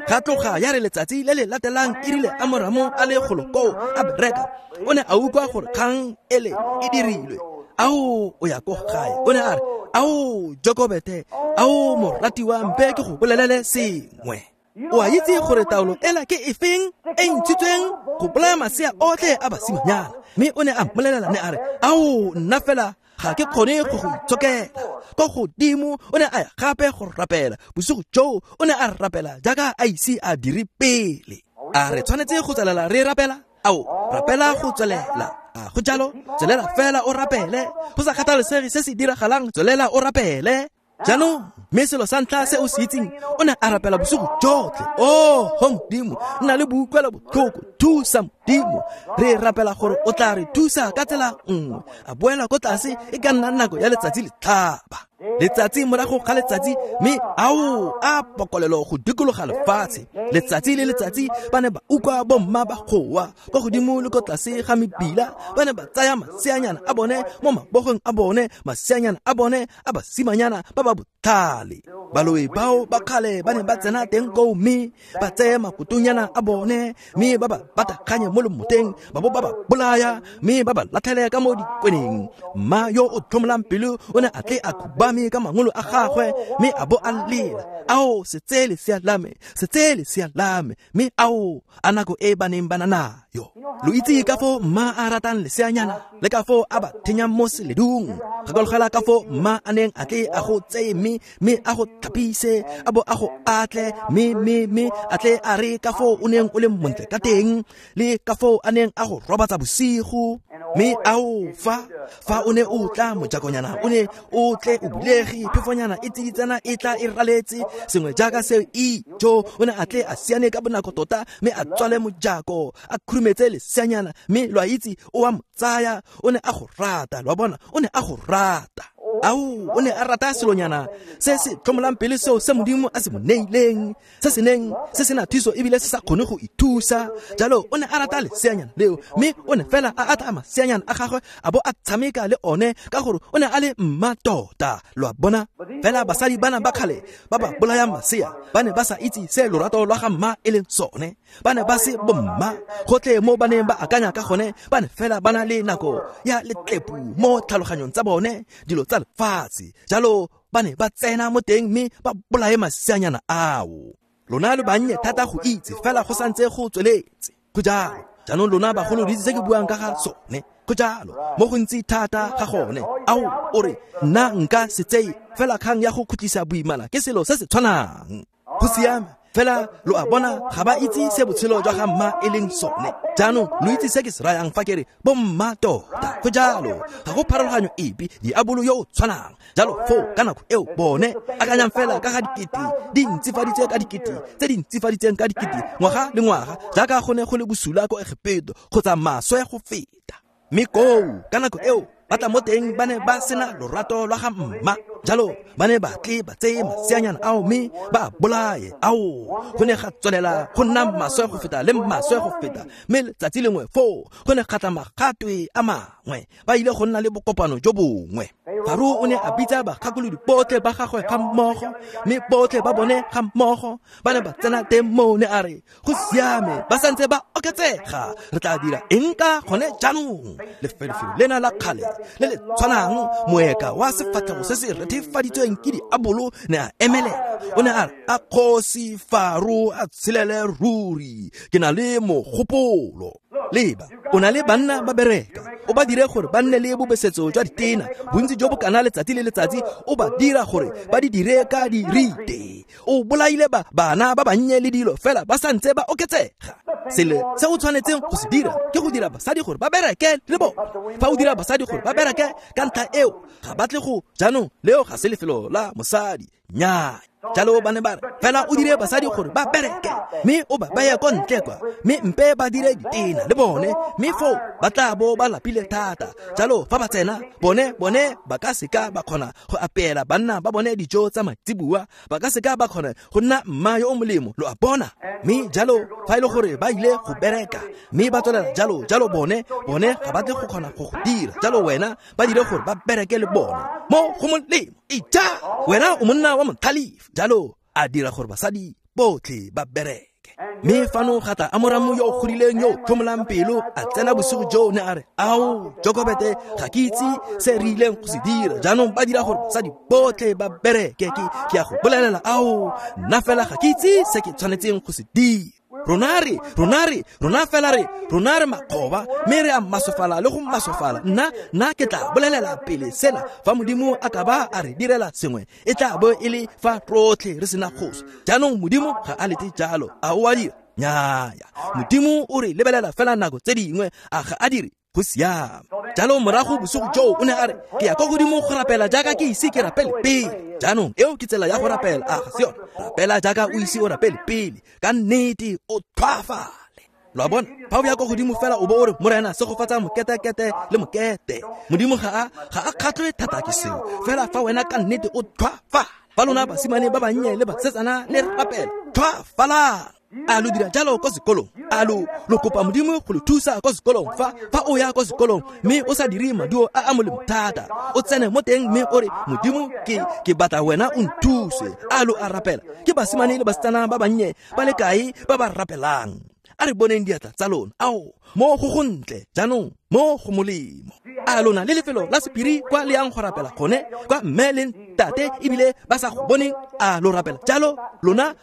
Ga tloga ya re letsatsi le le latelang e rile Amoramo a le golo koo a bereka, o ne a utlwa gore kgang ele e dirilwe. Ao, o ya ko gae. O ne a re, ao, Jokobete, ao, moratiwa, mpe ke go bolelele sengwe. O a itse gore taolo ela ke efeng e ntshitsweng go bolaya masea otlhe a basimanyana. Mme o ne a mmolelela ne a re, ao, nna fela ga ke kgone go go itshokela. Ko godimo o ne a ya gape go rapela. Bosigo joo o ne a rapela jaaka a ise a dire pele. A re tshwanetse go tswelela re rapela? Ao, rapela go tswelela. A go jalo, tswelela fela o rapele. Go sa kgathalesege se se diragalang, tswelela o rapele. Jaanong, mme selo sa ntlha se o se itseng, o ne a rapela bosigo jotlhe. Oh, ho Modimo, nna le boutlwelo botlhoko, thusa Modimo. Re rapela gore o tla re thusa ka tsela nngwe. A boela ko tlase e ka nna nako ya letsatsi le tlhaba. Letsatsi morago ga letsatsi, mme ao a pokolelo go dikologa lefatshe. Letsatsi le letsatsi ba ne ba utlwa bomma ba goa kwa godimo le ko tlase ga mebila. Ba ne ba tsaya maseanyana a bone mo mabogong a bone, maseanyana a bone a basimanyana ba ba botlhale. Baloi bao ba kgale ba ne ba tsena teng koo mme ba tseye makotonyana a bone, mme ba ba batakganye mo lomoteng, ba bo ba ba bolaya, mme ba ba latlhele ka mo dikweneng. Mma yo o tlhomolang pelo o ne a tle a khubame ka mangolo a gagwe, mme a bo a lela, ao, se tseye lesea la me, se tseye lesea la me. Mme ao, a nako e ba neng ba na nayo. Lo itse ka foo mma a ratang leseanyana, le ka foo a ba thenyang mo seledung. Gakologela ka foo mma a neng a tle a go tseye mme a go tlhapise, a bo a go atle, mme a tle a re ka foo o neng o le montle ka teng, le ka foo a neng a go robatsa bosigo. Mme ao, fa o ne o tla mojakonyana, o ne o tle o bulege, phefonyana e tsiditsana e tla e raletse, sengwe jaaka seo ijo. O ne a tle a siane ka bonako tota, mme a tswale mojako, a khurumetse leseanyana, mme lo a itse o a mo tsaya. O ne a go rata, lo a bona, o ne a go rata. Ao, o ne a rata selonyana se se tlhomolang pele seo se Modimo a se mo neileng, se se neng se sena thuso ebile se sa kgone go ithusa. Jalo o ne a rata leseanyana leo, mme o ne fela a atla maseanyana a gagwe a bo a tshameka le one, ka gore o ne a le mma tota, lo a bona. Fela basadi bana ba kgale ba ba bolayang masea ba ne ba sa itse se lorato lwa ga mma e leng sone. Ba ne ba se bomma gotlhe mo ba neng ba akanya ka gone. Ba ne fela ba na le nako ya letlepu mo tlhaloganyong tsa bone, dilo tsa lefatshe. Jalo ba ne ba tsena mo teng mme ba bolaye maseanyana ao. Lona lo bannye thata go itse, fela go santse go tsweletse. Go jalo. Jaanong lona bagolo lo itse se ke buang ka ga sone. Go jalo, mo gontsi thata ga gone. Ao, o re, nna nka se tseye, fela kgang ya go khutlisa boimana ke selo se se tshwanang. Go siame, fela lo a bona ga ba itse se botshelo jwa ga mma e leng sone. Jaanong lo itse se ke se rayang fa ke re bomma tota. Go jalo, ga go pharologanyo epe, diabolo yo o tshwanang. Jalo foo ka nako eo bone akanyang fela ka ga dikete di ntsifaditswe ka dikete tse di ntsifaditsweng ka dikete ngwaga le ngwaga, jaaka go ne go le bosula ko Egepeto kgotsa maswe go feta. Mme koo ka nako eo ba tla mo teng ba ne ba sena lorato lwa ga mma. Jalo ba ne ba tle ba tseye maseanyana ao mme ba bolaye. Ao, go ne ga tswelela go nna maswe go feta le maswe go feta. Mme letsatsi lengwe foo go ne ga tla magatwe a mangwe, ba ile go nna le bokopano jo bongwe. Faro o ne a bitsa bagakolodi botlhe ba gagwe ga mmogo, mme botlhe ba bone ga mmogo ba ne ba tsena teng moo. Ne a re, go siame, ba santse ba oketsega, re tla dira eng ka gone jaanong? Lefelofelo lena la kgale le le tshwanang, moeka wa sefatlhego se se rethefaditsweng ke diabolo ne a emelela. O ne a re, a kgosi Faro a tshelele ruri, ke na le mogopolo. Leba, o na le banna ba bereka, o ba dire gore ba nne le bobesetso jwa ditena, bontsi jo bo kana letsatsi le letsatsi, o ba dira gore ba di dire ka dirite. O bolaile ba bana ba bannye le dilo, fela ba santse ba oketsega. Selo se o tshwanetseng go se dira ke go dira basadi gore ba bereke le bone. Fa o dira basadi gore ba bereke ka ntlha eo, ga ba tle go. Jaanong leo ga se lefelo la mosadi, nnyaa. Jalo ba ne ba re, fela o dire basadi gore ba bereke, mme o ba beye ko ntle kwa, mme mpe ba dire ditena le bone, mme foo ba tla bo ba lapile thata. Jalo fa ba tsena, bone ba ka seka ba kgona go apeela banna ba bone dijo tsa maitseboa, ba ka seka ba kgona go nna mma yo o molemo, lo a bona. Mme jalo fa e le gore ba ile go bereka mme ba tswelela jalo jalo, bone ga ba tle go kgona go go dira. Jalo wena ba dire gore ba bereke le bone mo go molemo. Ija, wena o monna wa motlhalefi. Jalo a dira gore basadi botlhe ba bereke. Mme fano ga tla Amoramo yo o godileng yo o tlhomolang pelo a tsena bosigo joo, ne a re, ao Jokobete, ga ke itse se re ileng go se dira jaanong, ba dira gore basadi botlhe ba bereke. Ke a go bolelela, ao nna fela ga ke itse se ke tshwanetseng go se dira. Rona re makgoba, mme re a masofala le go masofala. Nna ke tla bolelela pele sena, fa Modimo a ka ba a re direla sengwe, e tla bo e le fa rotlhe re sena kgosi. Jaanong Modimo ga a lete jalo, a o a dira? Nnyaya, Modimo o re lebelela fela nako tse dingwe, a ga a dire? Go siame. Jalo morago bosigo joo o ne a re, ke ya kwa godimo go rapela jaaka ke ise ke rapele pele. Jaanong eo ke tsela ya go rapela, a ga se yone? Rapela jaaka o ise o rapele pele, ka nnete o tlhwaafale. Lo a bona, fa o ya kwa godimo fela o bo o re, Morena segofatsa moketekete le mokete, Modimo ga a kgatlhwe thata ke seo. Fela fa wena ka nnete o tlhwaafala, fa lona basimane ba bannye le basetsana le rapela, tlhwaafalang. A lo dira jalo kwa sekolong? A lo kopa Modimo go lo thusa kwa sekolong? Fa o ya kwa sekolong mme o sa dire maduo a a molemo thata, o tsene mo teng mme o re, Modimo ke batla wena o nthuse. A lo a rapela? Ke basimane le basetsana ba bannye ba le kae ba ba rapelang? A re boneng diatla tsa lona. Ao, mo go gontle jaanong, mo go molemo. A lona le lefelo la sephiri kwa le yang go rapela gone, kwa mme le ntate ebile ba sa go boneng? A lo rapela jalo? Lona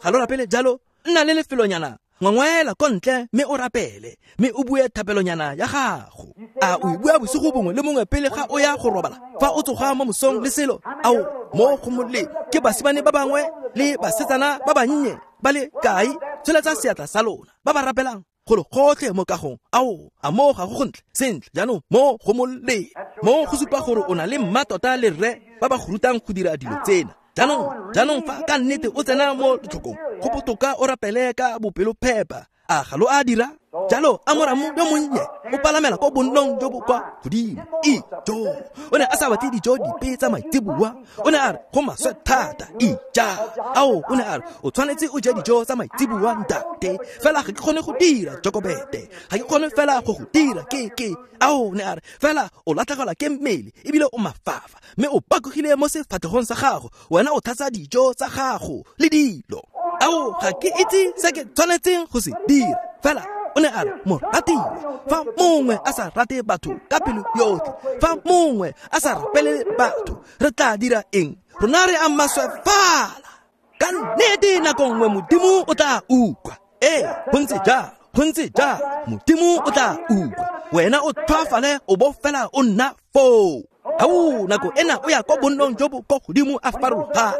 ga lo rapele jalo? Nna le lefelonyana, ngwangwaela ko ntle mme o rapele, mme o bue thapelonyana ya gago. A o e bua bosigo bongwe le bongwe pele ga o ya go robala, fa o tsoga mo mosong le selo? Ao, mo go molemo. Ke basimane ba bangwe le basetsana ba bannye ba le kae? Tsholetsa seatla sa lona, ba ba rapelang golo gotlhe mo kagong. Ao, a mo ga go gontle? Sentle, jaanong mo go molemo. Mo go supa gore o na le mma tota le rre ba ba go rutang go dira dilo tsena. Jaanong fa ka nnete o tsena mo letlhokong, go botoka o rapele ka bopelophepa. A ga lo a dira jalo? Amoramo yo monnye o palamela ko bonnong jo bo kwa godimo. Ijo, o ne a sa batle dijo dipe tsa maitseboa. O ne a re go maswe thata. Ija, ao, o ne a re o tshwanetse o je dijo tsa maitseboa ntate, fela ga ke kgone go dira Jokobete, ga ke kgone fela go go dira ke ao, ne a re fela o latlhegelwa ke mmele ebile o mafafa, mme o pakogile mo sefatlhegong sa gago, wena o tlhatsa dijo tsa gago le dilo. Ao, ga ke itse se ke tshwanetseng go se dira. Fela o ne a re, moratiwa, fa mongwe a sa rate batho ka pelo yotlhe, fa mongwe a sa rapele batho, re tla dira eng? Rona re a maswefala. Ka nnete nako nngwe Modimo o tla utlwa. Ee, go ntse jalo, Modimo o tla utlwa. Wena o tlhwaafale o bo fela o nna foo. Ao, nako ena o ya kwa bonnong jo bo kwa godimo a farologane.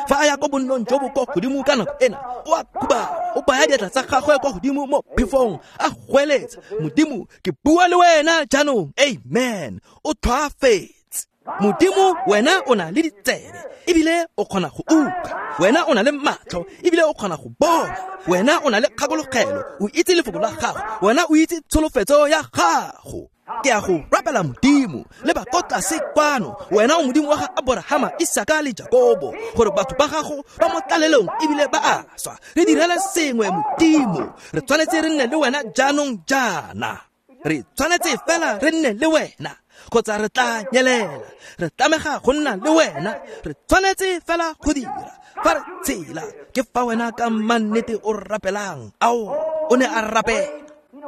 Fa a ya kwa bonnong jo bo kwa godimo ka nako ena, o a khubama, o baya diatla tsa gagwe kwa godimo mo phefong, a goeletsa, Modimo, ke bua le wena jaanong. Amen. O tlhwaafetse. Modimo, wena o na le ditsebe ebile o kgona go utlwa. Wena o na le matlho ebile o kgona go bona. Wena o na le kgakologelo, o itse lefoko la gago. Wena o itse tsholofetso ya gago. Ke a go rapela Modimo, le ba ko tlase kwano, wena o Modimo wa ga Aborahama, Isaka le Jakobo, gore batho ba gago ba mo tlalelong ebile ba a swa. Re direle sengwe Modimo, re tshwanetse re nne le wena jaanong jaana. Re tshwanetse fela re nne le wena, kgotsa re tla nyelela. Re tlamega go nna le wena, re tshwanetse fela go dira. Fa re tshela, ke fa wena ka mannete o rapelang. Ao, o ne a rapela.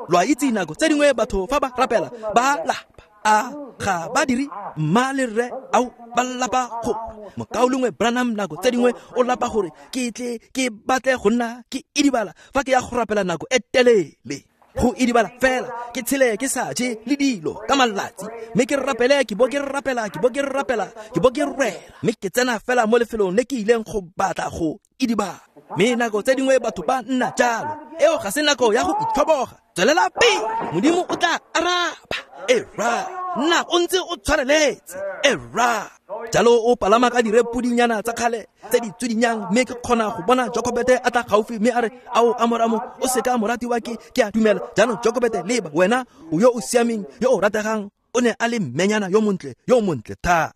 Lo a itse nako tse dingwe batho fa ba rapela ba lapa. A ga ba dire? Mma le rre, ao, ba lapa gore mokaulengwe Branham nako tse dingwe o lapa gore ke tle ke batle go nna ke idibala fa ke ya go rapela nako e telele. Go idibala fela ke tshele ke sa je le dilo ka malatsi, mme ke rapele, ke bo ke rapela, ke bo ke rapela, ke bo ke rera, mme ke tsena fela mo lefelong le ke ileng go batla go idibala. Mme nako tse dingwe batho ba nna jalo. Eo ga se nako ya go itlhoboga. Tswelela pele, Modimo o tla araba. Era, nna o ntse o tshwareletse. Era. Jalo o palama ka direpudinyana tsa kgale tse di tswidinyang, mme ke kgona go bona Jokobete a tla gaufi mme a re, ao Amoramo, o seka moratiwa ke a dumela. Jaanong Jokobete, leba, wena o yo o siameng, yo o rategang. O ne a le mmenyana yo montle, yo montle thata.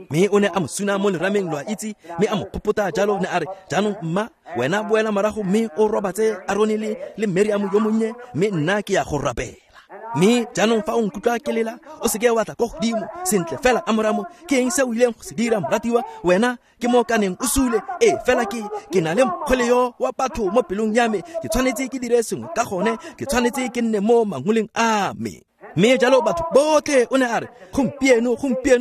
Mme o ne a mo suna mo lerameng, lo a itse, mme a mo phopota jalo. Ne a re, jaanong mma, wena boela morago mme o robatse Arone le Miriam yo monnye, mme nna ke ya go rapela. Mme jaanong fa o nkutlwa ke lela, o seke wa tla ko godimo. Sentle fela, Amoramo, ke eng se o ileng go se dira, moratiwa? Wena ke mo kaneng o sule. Ee, fela ke na le mokgwele yo wa batho mo pelong ya me. Ke tshwanetse ke dire sengwe ka gone. Ke tshwanetse ke nne mo mangoleng a me. Mme jalo batho botlhe, o ne a re, gompieno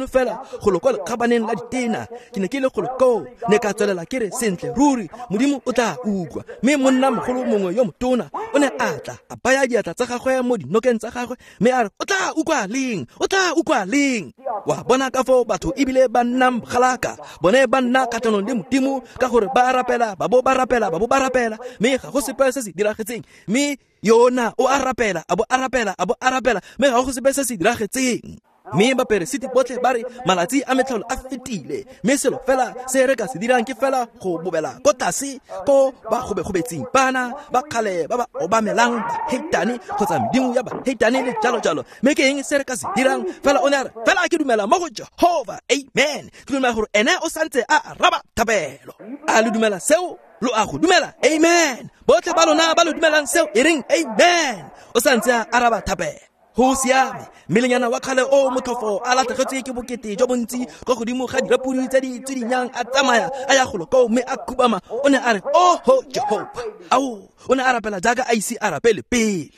fela go lo kwa lekgabaneng la ditena, ke ne ke le golo koo, ne ka tswelela ke re, sentle ruri Modimo o tla utlwa. Mme monna mogolo mongwe yo motona o ne a tla, a baya diatla tsa gagwe mo dinokeng tsa gagwe, mme a re, o tla utlwa leng? O tla utlwa leng? Wa bona ka foo batho ebile ba nna mogalaka, bone ba nna kgatlhanong le Modimo ka gore ba rapela, ba bo ba rapela, ba bo ba rapela, mme ga go sepe se se diragetseng. Mme yona o a rapela, a bo a rapela, a bo a rapela, mme ga go sepe se se diragetseng. Mme baperesiti botlhe ba re, malatsi a metlholo a fetile, mme selo fela se re ka se dirang ke fela go bobela ko tlase ko ba gobegobetseng bana ba kgale ba ba obamelang baheitane kgotsa medimo ya baheitane le jalo jalo. Mme ke eng se re ka se dirang? Fela o ne a re, fela ke dumela mo go Jehova, amen. Ke dumela gore ene o santse a araba thapelo. A le dumela seo? Lo a go dumela? Amen. Botlhe ba lona ba lo dumelang seo, e reng amen. O santse a araba thapelo. Go siame. Mmelenyana wa kgale o motlhofo a latlhegetswe ke bokete jo bontsi kwa godimo ga dirapodi tse di tswidinyang, a tsamaya a ya golo koo mme a khubama. O ne a re, oho Jehova. Ao, o ne a rapela jaaka a ise a rapele pele.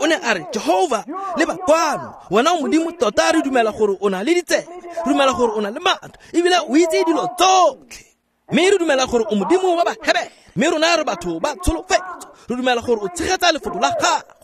O ne a re, Jehova, leba kwano, wena o Modimo tota, re dumela gore o na le ditsebe, re dumela gore o na le maatla, ebile o itse dilo tsotlhe. Mme re dumela gore o Modimo wa Bahebere, mme rona re batho ba tsholofetso, re dumela gore o tshegetsa lefoko la gago.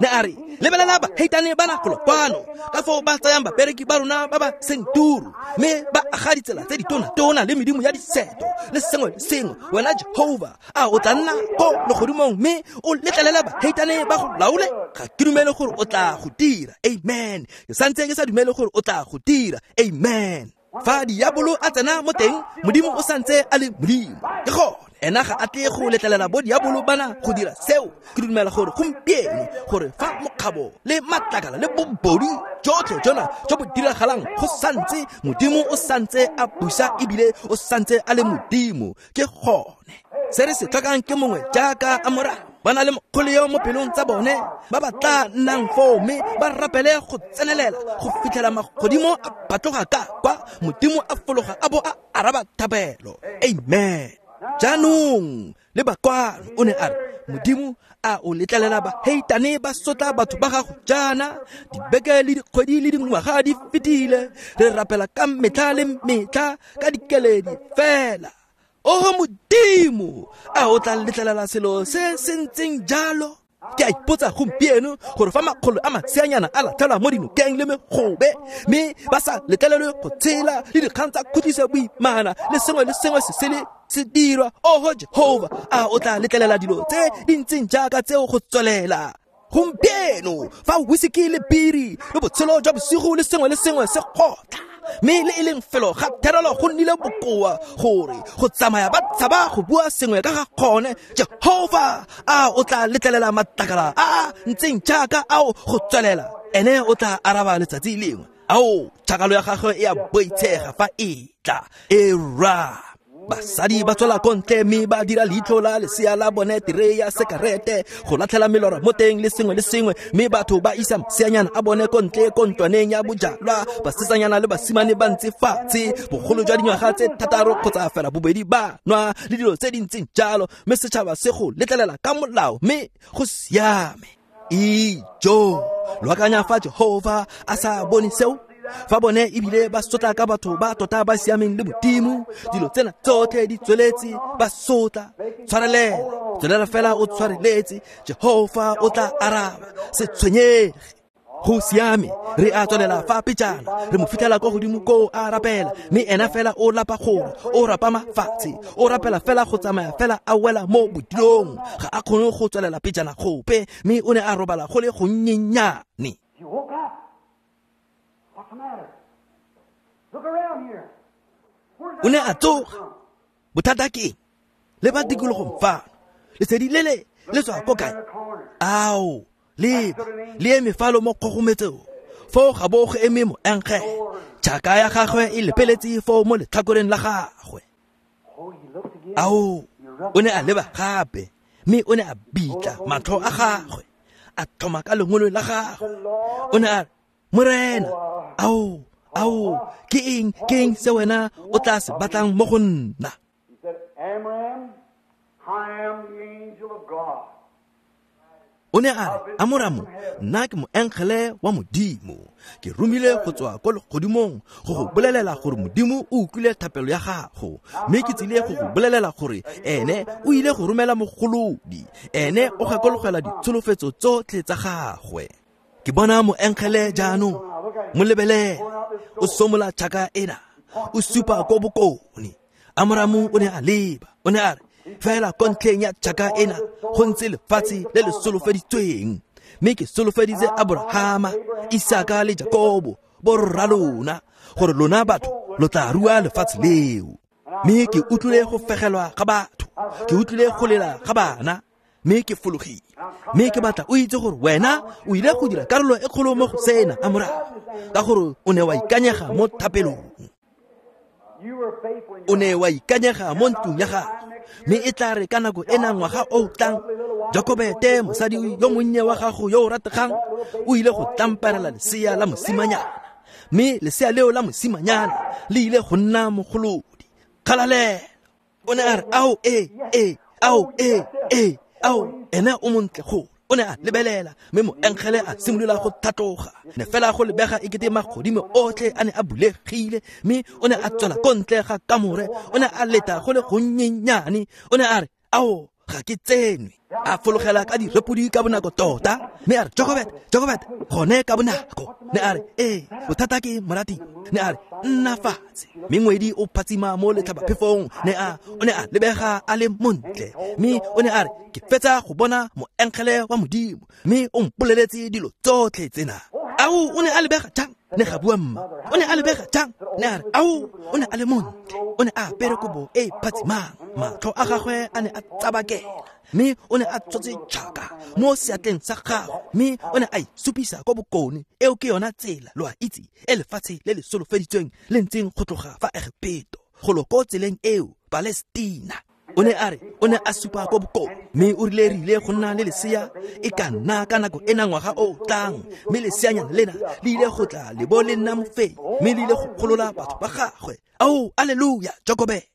Ne a re, lebelela baheitane bana golo kwano, ka foo ba tsayang babereki ba rona ba ba seng turu, mme ba aga ditsela tse ditona-tona le medimo ya diseto le sengwe le sengwe. Wena Jehova, a o tla nna ko legodimong mme o letlelela baheitane ba go laole? Ga ke dumele gore o tla go dira. Amen. Ke santse ke sa dumele gore o tla go dira. Amen. Fa diabolo a tsena mo teng, Modimo o santse a le Modimo. Ke gone, ena ga a tle go letlelela bo diabolo bana go dira seo. Ke dumela gore gompieno, gore fa mokgabo le matlakala le bobodu jotlhe jona jo bo diragalang, go santse Modimo o santse a busa ebile o santse a le Modimo. Ke gone se re se tlhokang ke mongwe jaaka Amoramo, ba na le mokgole yo mo pelong tsa bone, ba ba tla nnang foo mme ba rapele go tsenelela go fitlhela magodimo a batloga ka kwa, Modimo a fologa a bo a araba thapelo. Amen. Jaanong le bakwano, o ne a re, Modimo a o letlelela baheitane ba sotla batho ba gago jaana? Dibeke le dikgwedi le dingwaga di fetile, re rapela ka metlha le metlha ka dikeledi fela. Oho Modimo, a o tla letlelela selo se se ntseng jalo? Ke a ipotsa gompieno gore fa makgolo a maseanyana a latlhelwa mo dinokeng le megobe, mme ba sa letlelelwe go tshela, le dikgang tsa khutliso boimana le sengwe le sengwe se sele se dirwa, oho Jehova, a o tla letlelela dilo tse di ntseng jaaka tseo go tswelela? Gompieno fa whisky le biri le botshelo jwa bosigo le sengwe le sengwe se kgotla, mme le e leng felo ga therelo go nnile bokoa gore go tsamaya ba tshaba go bua sengwe ka ga gone, Jehova, a o tla letlelela matlakala a a ntseng jaaka ao go tswelela? Ene o tla araba letsatsi lengwe. Ao, tšhakalo ya gagwe e a boitshega fa e tla. E ra basadi ba tswela ko ntle mme ba dira leitlho la lesea la bone terei ya sekarete go latlhela melora mo teng le sengwe le sengwe, mme batho ba isa maseanyana a bone ko ntle ko ntlwaneng ya bojalwa, basetsanyana le basimane ba ntse fatshe bogolo jwa dingwaga tse 6 kgotsa fela bobedi ba nwa le dilo tse di ntseng jalo, mme setšhaba se go letlelela ka molao, mme go siame. Ijo, lo akanya fa Jehova a sa bone seo? Fa bone ebile ba sotla ka batho ba tota ba siameng le Modimo, dilo tsena tsotlhe di tsweletse, ba sotla. Tshwarelela, tswelela fela o tshwareletse, Jehova o tla araba, se tshwenyege. Go siame, re a tswelela fa pejana, re mo fitlhela kwa godimo koo a rapela, mme ena fela o lapa gore o rapama fatshe, o rapela fela go tsamaya fela a wela mo bodilong, ga a kgone go tswelela pejana gope, mme o ne a robala go le gonnyenyane. O ne a tsoga. Bothata ke eng? Le ba tikologong fano, lesedi lele le tswa ko kae? Ao, leba, le eme falo mo kgogometsong, foo ga bo go eme moengele, tšhaka ya gagwe e lepeletse foo mo letlhakoreng la gagwe. Ao, o ne a leba gape, mme o ne a bitla matlho a gagwe. A tlhoma ka lengolo la gagwe. O ne a re, Morena, ao, ao, ke eng se wena o tla se batlang mo go nna? O ne a re, Amoramo, nna ke moengele wa Modimo. Ke romile go tswa ko legodimong go go bolelela gore Modimo o utlwile thapelo ya gago, mme ke tsile go go bolelela gore ene o ile go romela mogolodi. Ene o gakologela ditsholofetso tsotlhe tsa gagwe. Ke bona moengele jaanong, mo lebelele, o somola tšhaka ena, o supa ko bokone. Amoramo o ne a leba, o ne a re, fela ko ntlheng ya tšhaka ena go ntse lefatshe le le solofeditsweng, mme ke solofeditse Aborahama, Isaka le Jakobo borra lona gore lona batho lo tla rua lefatshe leo. Mme ke utlwile go fegelwa ga batho, ke utlwile go lela ga bana, mme ke fologile. Mme ke batla o itse gore wena o ile go dira karolo e kgolo mo go sena, Amoramo, ka gore o ne wa ikanyega mo thapelong. O ne wa ikanyega mo ntlong ya gago, mme e tla re ka nako ena ngwaga o tlang, Jakobete, mosadi yo monnye wa gago yo o rategang, o ile go tlamparela lesea la mosimanyana, mme lesea leo la mosimanyana le ile go nna mogolodi. Kgalalelo. O ne a re, ao, e, ao, e, ao, ene o montle go. O ne a lebelela, mme moengele a simolola go tlhatloga. Ne fela go lebega ekete magodimo otlhe a ne a bulegile, mme o ne a tswela ko ntle ga kamore. O ne a leta go le gonnyenyane. O ne a re, ao, ga ke tsenwe. A fologela ka direpodi ka bonako tota, mme a re, Jokobet, Jokobet, gone ka bonako. Ne a re, ee, bothata ke morati. Ne a re, nna fatshe. Mme ngwedi o phatsima mo letlhabaphefong. Ne a, o ne a lebega a le montle, mme o ne a re, ke fetsa go bona moengele wa Modimo, mme o mpoleletse dilo tsotlhe tsena. Ao, o ne a lebega jang? Ne ga bua mma. O ne a lebega jang? Ne a re, ao, o ne a le montle. O ne a apere kobo e phatsimang, matlho a gagwe a ne a tsabakela, mme o ne a tshotse tšhaka mo seatleng sa gagwe, mme o ne a isupisa ko bokone. Eo ke yona tsela, lo a itse, e lefatshe le le solofeditsweng le ntseng go tloga fa Egepeto go lo ko tseleng eo Palestina. O ne a re, o ne a supa ko bokone, mme o rile re ile go nna le lesea e ka nna ka nako ena ngwaga o tlang, mme leseanyana lena le ile go tla le bo le nna mofenyi, mme le ile go golola batho ba gagwe. Ao, alleluia, Jokobete.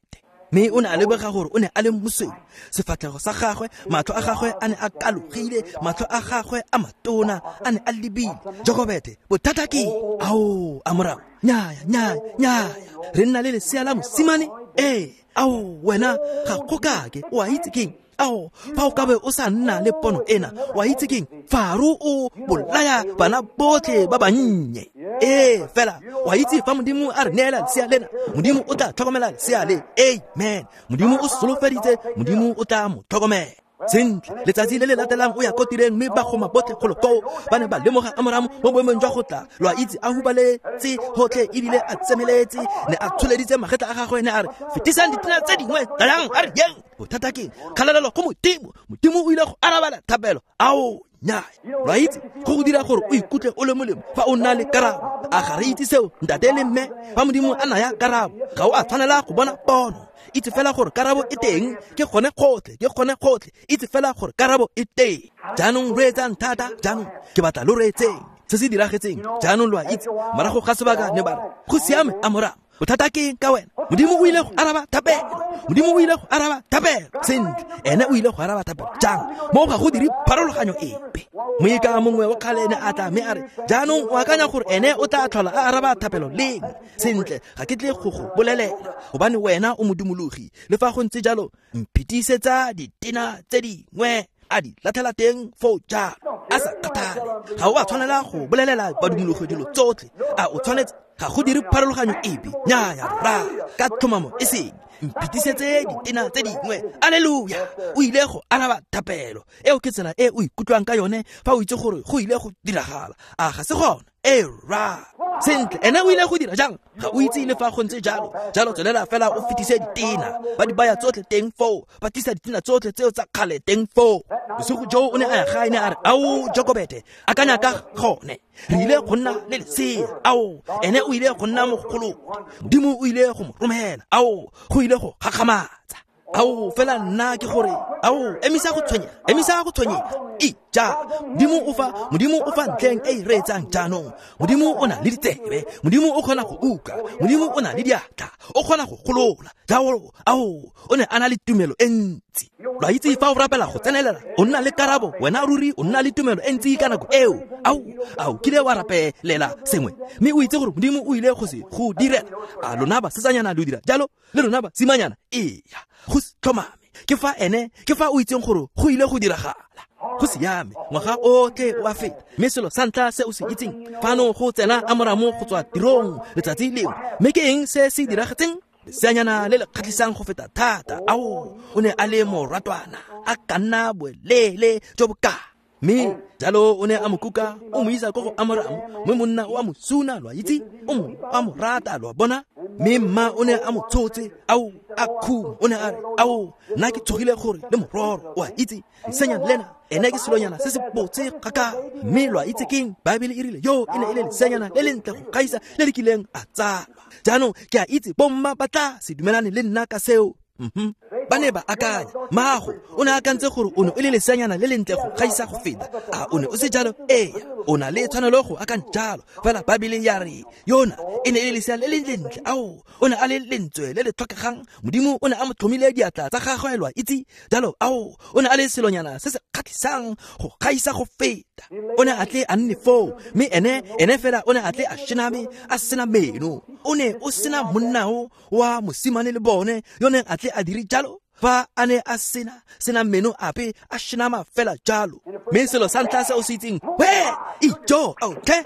Mme o ne a lebega gore o ne a le mosweu. Sefatlhego sa gagwe, matlho a gagwe a ne a kalogile, matlho a gagwe a matona a ne a lebile. Jokobete, bothata ke ao, Amoramo, nyaya, nyaya, nyaya, re nna le lesea la mosimane. Ee, ao, wena ga go kake, o a itse keng? Ao, fa o ka be o sa nna le pono ena, wa itse keng? Faro o bolaya bana botlhe ba bannye. Ee, fela wa itse fa Modimo a re neela lesea lena, Modimo o tla tlhokomela lesea le. Amen. Modimo o solofeditse, Modimo o tla mo tlhokomela. Sentle, letsatsi le le latelang o ya ko tireng, mme bagoma botlhe golo koo ba ne ba lemoga Amoramo mo boemong jwa go tla, lo a itse, a hubaletse gotlhe ebile a tsemeletse, ne a tsholeditse magetla a gagwe, ne a re, fetisang ditena tse dingwe, tlayang, a re yeng. Bothata ke kgalalelo go Modimo. Modimo o ile go arabela thapelo. Ao, nyaya. Lo a itse, go go dira gore o ikutlwe o le molemo fa o nna le karabo. A ga re itse seo, ntate le mme? Fa Modimo a naya karabo, ga o a tshwanela go bona pono. Itse fela gore karabo e teng, ke gone gotlhe, ke gone gotlhe. Itse fela gore karabo e teng. Jaanong reetsang thata, jaanong ke batla lo reetseng se se diragetseng. Jaanong lo a itse, morago ga sebaka ne ba re, go siame, Amoramo, bothata ke ka wena. Modimo o ile go araba thapelo. Modimo o ile go araba thapelo. Sentle, ene o ile go araba thapelo jang? Mo ga go dire pharologanyo epe. Moika mongwe wa kgale ne a tla mme a re, jaanong o akanya gore ene o tla tlhola a araba thapelo leng? Sentle, ga ke tle go go bolelela, gobane wena o modumologi. Le fa go ntse jalo, mphetisetsa ditena tse dingwe. A di latlhela teng foo jalo, a sa kgathale. Ga o a tshwanela go bolelela badumologi dilo tsotlhe. A o tshwanetse? Ga go dire pharologanyo epe. Nyaya, rra, ka tlhomamo e seng. Mphitisetse ditena tse dingwe. Alleluia. O ile go araba thapelo. Eo ke tsela e o ikutlwang ka yone fa o itse gore go ile go diragala. A ga se gona? Ee, rra. Sentle, ene o ile go dira jang? Ga o itse le fa go ntse jalo. Jalo tswelela fela o fetise ditena. Ba di baya tsotlhe teng foo, ba tlisa ditena tsotlhe tseo tsa kgale teng foo. Bosigo joo o ne a ya gae, ne a re, ao, Jokobete, akanya ka gone. Re ile go nna le lesea. Ao, ene o ile go nna mogolo. Modimo o ile go mo romela. Ao, go ile go gakgamatsa. Ao, fela nna ke gore, ao, emisa go tshwenyega, emisa go tshwenyega. Ija, Modimo o fa ntleng e e reetsang jaanong. Modimo o na le ditsebe, Modimo o kgona go utlwa, Modimo o na le diatla, o kgona go golola. Jalo, ao, o ne a na le tumelo e ntsi. Lo a itse fa o rapela go tsenelela, o nna le karabo, wena ruri o nna le tumelo e ntsi ka nako eo. Ao, ao kile wa rapelela sengwe, mme o itse gore Modimo o ile go se go direla. A lona basetsanyana lo dira jalo, le lona basimanyana? Eya, go tlhomame. Ke fa ene, ke fa o itseng gore go ile go diragala. Go siame, ngwaga otlhe o a feta, mme selo sa ntlha se o se itseng, fano go tsena Amoramo go tswa tirong letsatsi lengwe. Mme ke eng se se diragetseng? Leseanyana le le kgatlhisang go feta thata. Ao, o ne a le moratwana, a ka nna boeleele jo bo kaa. Mme jalo o ne a mo kuka, o mo isa ko go Amoramo, mme monna o a mo suna, lo a itse, o mo a mo rata, lo a bona. Mme mma o ne a mo tshotse, ao, a khuma, o ne a re, ao, nna ke tshogile gore le mororo, o a itse, leseanyana lena, ene ke selonyana se se botse kgakala. Mme lo a itse keng? Baebele e rile yo e ne e le leseanyana le lentle go gaisa le le kileng a tsalwa. Jaanong ke a itse bomma ba tla se dumelane le nna ka seo. Ba ne ba akanya, maago o ne a akantse gore o ne o le leseanyana le lentle go gaisa go feta. A o ne o se jalo? Ee, o na le tshwanelo go akanya jalo. Fela Baebele ya re yona e ne e le lesea le le lentle. Ao, o ne a le lentswe le le tlhokegang. Modimo o ne a mo tlhomile diatla tsa gagwe, lo a itse. Jalo, ao, o ne a le selonyana se se kgatlhisang go gaisa go feta. O ne a tle a nne foo, mme ene fela o ne a tle a shename, a sena meno. O ne o sena monnao wa mosimane le bone yo neng a tle a dire jalo, fa a ne a sena meno ape, a shenama fela jalo. Mme selo sa ntlha se o se itseng, we ijo, okay,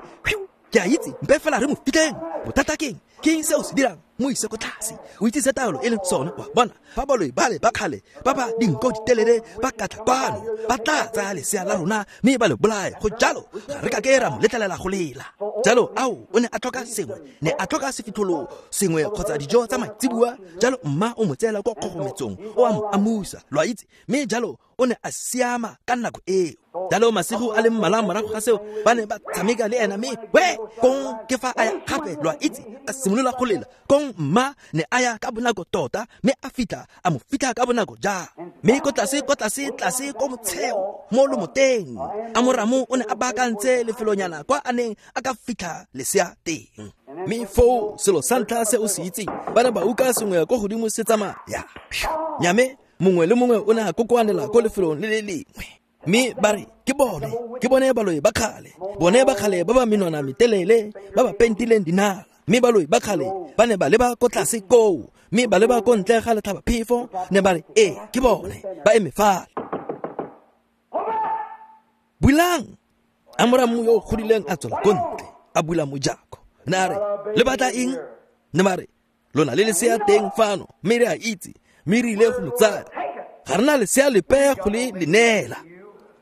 ke a itse, mpe fela re mo fitlheng. Bothata keng? Ke eng se o se dirang? Mo ise ko tlase. O itse se taolo e leng sone, wa bona. Fa baloi bale ba kgale ba ba dinko ditelele ba katla kwano, ba tla tsaya lesea la rona mme ba le bolaye. Go jalo, ga re ka ke ra mo letlelela go lela. Jalo, ao, o ne a tlhoka sengwe, ne a tlhoka sefitlholo sengwe kgotsa dijo tsa maitseboa. Jalo mma o mo tseela kwa kgogometsong, o a mo amusa, lo a itse. Mme jalo o ne a siama ka nako eo. Jalo masigo a le mmalwa morago ga seo, ba ne ba tshameka le ena, mme we kong ke fa a ya gape, lo a itse, a simolola go lela. Kong mma ne a ya ka bonako tota, mme a fitlha, a mo fitlha ka bonako jang. Mme ko tlase, ko tlase, tlase ko motsheo, mo lomoteng, Amoramo o ne a baakantse lefelonyana kwa a neng a ka fitlha lesea teng. Mme foo selo sa ntlha se o se itseng, ba ne ba uka sengwe ko godimo se tsamaya. Nyame, mongwe le mongwe o ne a kokoanela ko lefelong le le lengwe. Mme ba re, ke bone baloi ba kgale, bone ba kgale ba ba menwana metelele, ba ba pentileng dinala. Mme baloi ba kgale ba ne ba leba ko tlase koo, mme ba leba ko ntle ga letlhabaphefo, ne ba re, ee, ke bone, ba eme fale. Bulang! Amoramo yo o godileng a tswela ko ntle, a bula mojako. Ne a re, le batla eng? Ne ba re, lona le lesea teng fano, mme re a itse, mme re ile go mo tsaya. Ga re na lesea lepe go le le neela.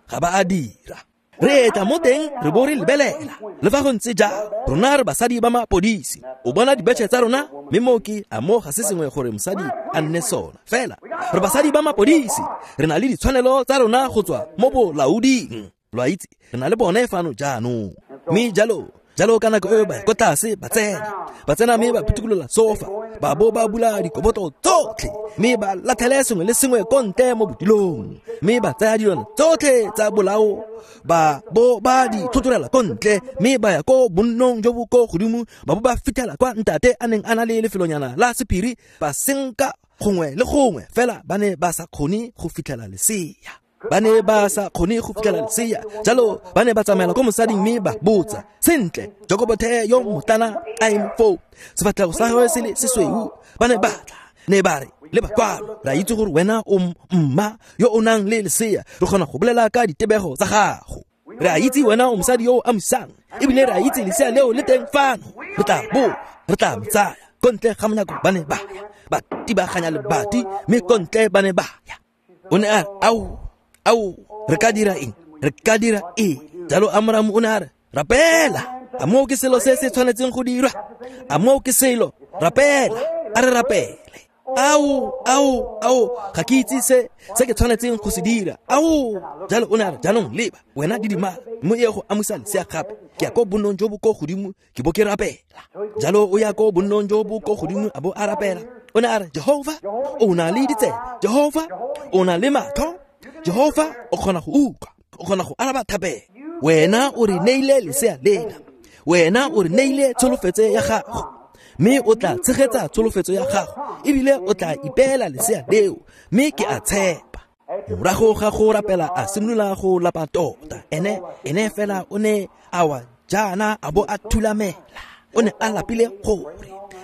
Ga ba a dira. Re etla mo teng re bo re lebelela. Le fa go ntse jalo, rona re basadi ba mapodisi. O bona dibetšhe tsa rona, mme moo ke a mo ga se sengwe gore mosadi a nne sona. Fela re basadi ba mapodisi, re na le ditshwanelo tsa rona go tswa mo bolaoding. Lo a itse, re na le bone fano jaanong. Mme jalo, jalo ka nako eo ba ko tlase ba tsena mme ba phuthukolola sofa, ba bo ba bula dikoboto tsotlhe, mme ba latlhele sengwe le sengwe ko ntle mo bodilong, mme ba tsaya dilwana tsotlhe tsa bolao, ba bo ba di tlhotlhorela ko ntle, mme ba ya ko bonnong jo bo ko godimo, ba bo ba fitlhela kwa ntate a neng a na le lefelonyana la sephiri, ba senka gongwe le gongwe, fela ba ne ba sa kgone go fitlhela lesea. Ba ne ba sa kgone go fitlhela lesea. Jalo ba ne ba tsamaela ko mosading mme ba botsa, sentle, Jokobothe yo motlana a eme foo, sefatlhego sa gagwe se le sesweu. Ba ne ba tla, ne ba re, leba kwano, re a itse gore wena o mma yo o nang le lesea, re kgona go bolela ka ditebego tsa gago. Re a itse wena o mosadi yo o amusang, ebile re a itse lesea leo le teng fano. Re tla bo, re tla mo tsaya. Ko ntle ga monyako ba ne ba ya, ba tibaganya lebati, mme ko ntle ba ne ba ya. O ne a re, ao, ao, re ka dira eng? Re ka dira eng? Jalo Amoramo o ne a re, rapela. A moo ke selo se se tshwanetseng go dirwa? A moo ke selo? Rapela. A re rapele. Ao, ao, ao, ga ke itse se ke tshwanetseng go se dira. Ao, jalo o ne a re, jaanong leba, wena didimala, mme o ye go amusa lesea gape. Ke ya ko bonnong jo bo ko godimo, ke bo ke rapela. Jalo o ya ko bonnong jo bo ko godimo, a bo a rapela. O ne a re, Jehovah, o na le ditsebe. Jehovah, o na le matlho. Jehovah, o kgona go utlwa. O kgona go araba thapelo. Wena o re neile lesea lena, wena o re neile tsholofetso ya gago, mme o tla tshegetsa tsholofetso ya gago, ebile o tla ipeela lesea leo, mme ke a tshepa. Morago ga go rapela a simolola go lapa tota. Ene fela o ne a wa jaana a bo a thulamela. O ne a lapile gore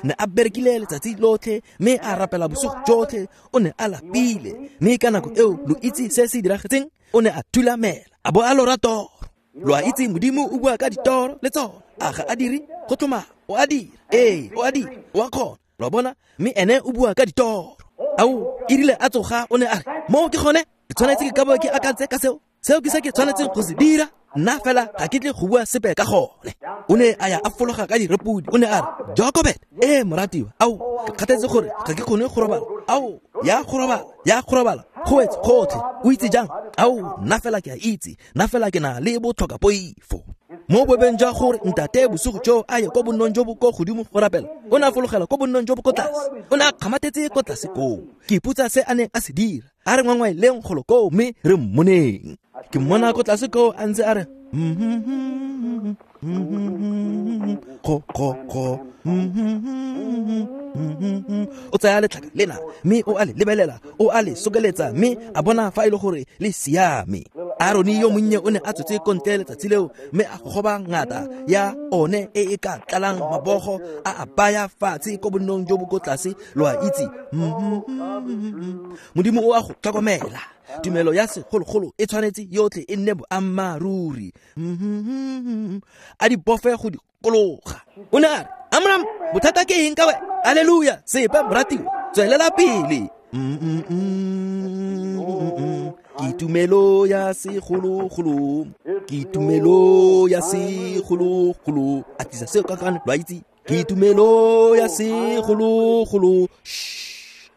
ne a berekile letsatsi lotlhe, mme a rapela bosigo jotlhe. O ne a lapile, mme ka nako eo lo itse se se diragetseng, o ne a thulamela a bo a lora toro. Lo a itse Modimo o bua ka ditoro le tsona, a ga a dire go tlhomama, o a dira, ee o a dira, o a kgona, lo a bona, mme ene o bua ka ditoro. Ao, e rile a tsoga o ne a re, moo ke gone, ke tshwanetse ke ka bo ke akantse ka seo, seo ke se ke tshwanetseng go se dira, nna fela ga ke tle go bua sepe ka gone. O ne a ya a fologa ka direpodi, o ne a re, Jokobet, ee moratiwa, ao, ke kgathetse gore ga ke kgone go robala, ao, ya go robala, go wetse gotlhe, o itse jang? Ao, nna fela ke a itse, nna fela ke na le botlhokapoifo. Mo bobeng jwa gore ntate bosigo jo a ye ko bonnong jo bo ko godimo go rapela, o ne a fologela ko bonnong jo bo ko tlase, o ne a kgamathetse ko tlase koo. Ke ipotsa se a neng a se dira, a re ngwangwaeleng golo koo mme re mmoneng. Ke mmona ko tlase koo a ntse a re go go go, o tsaya letlhaka lena mme o a le lebelela, o a le sokeletsa, mme a bona fa e le gore le siame. Arone yo monnye o ne a tswetse ko ntle letsatsi leo, mme a gogoba ngata ya one e e ka tlalang mabogo, a a baya fatshe ko bonnong jo bo ko tlase, lo a itse. Modimo o a go tlhokomela. Tumelo ya segologolo e tshwanetse yotlhe e nne boammaaruri. A di bofe go dikologa. O ne a re, Amram, bothata ke eng ka wena? Alleluia, sepe moratiwa, tswelela pele. Ke tumelo ya segologolo, ke tumelo ya segologolo. A tlisa seo ka kane, lo a itse. Ke tumelo ya segologolo.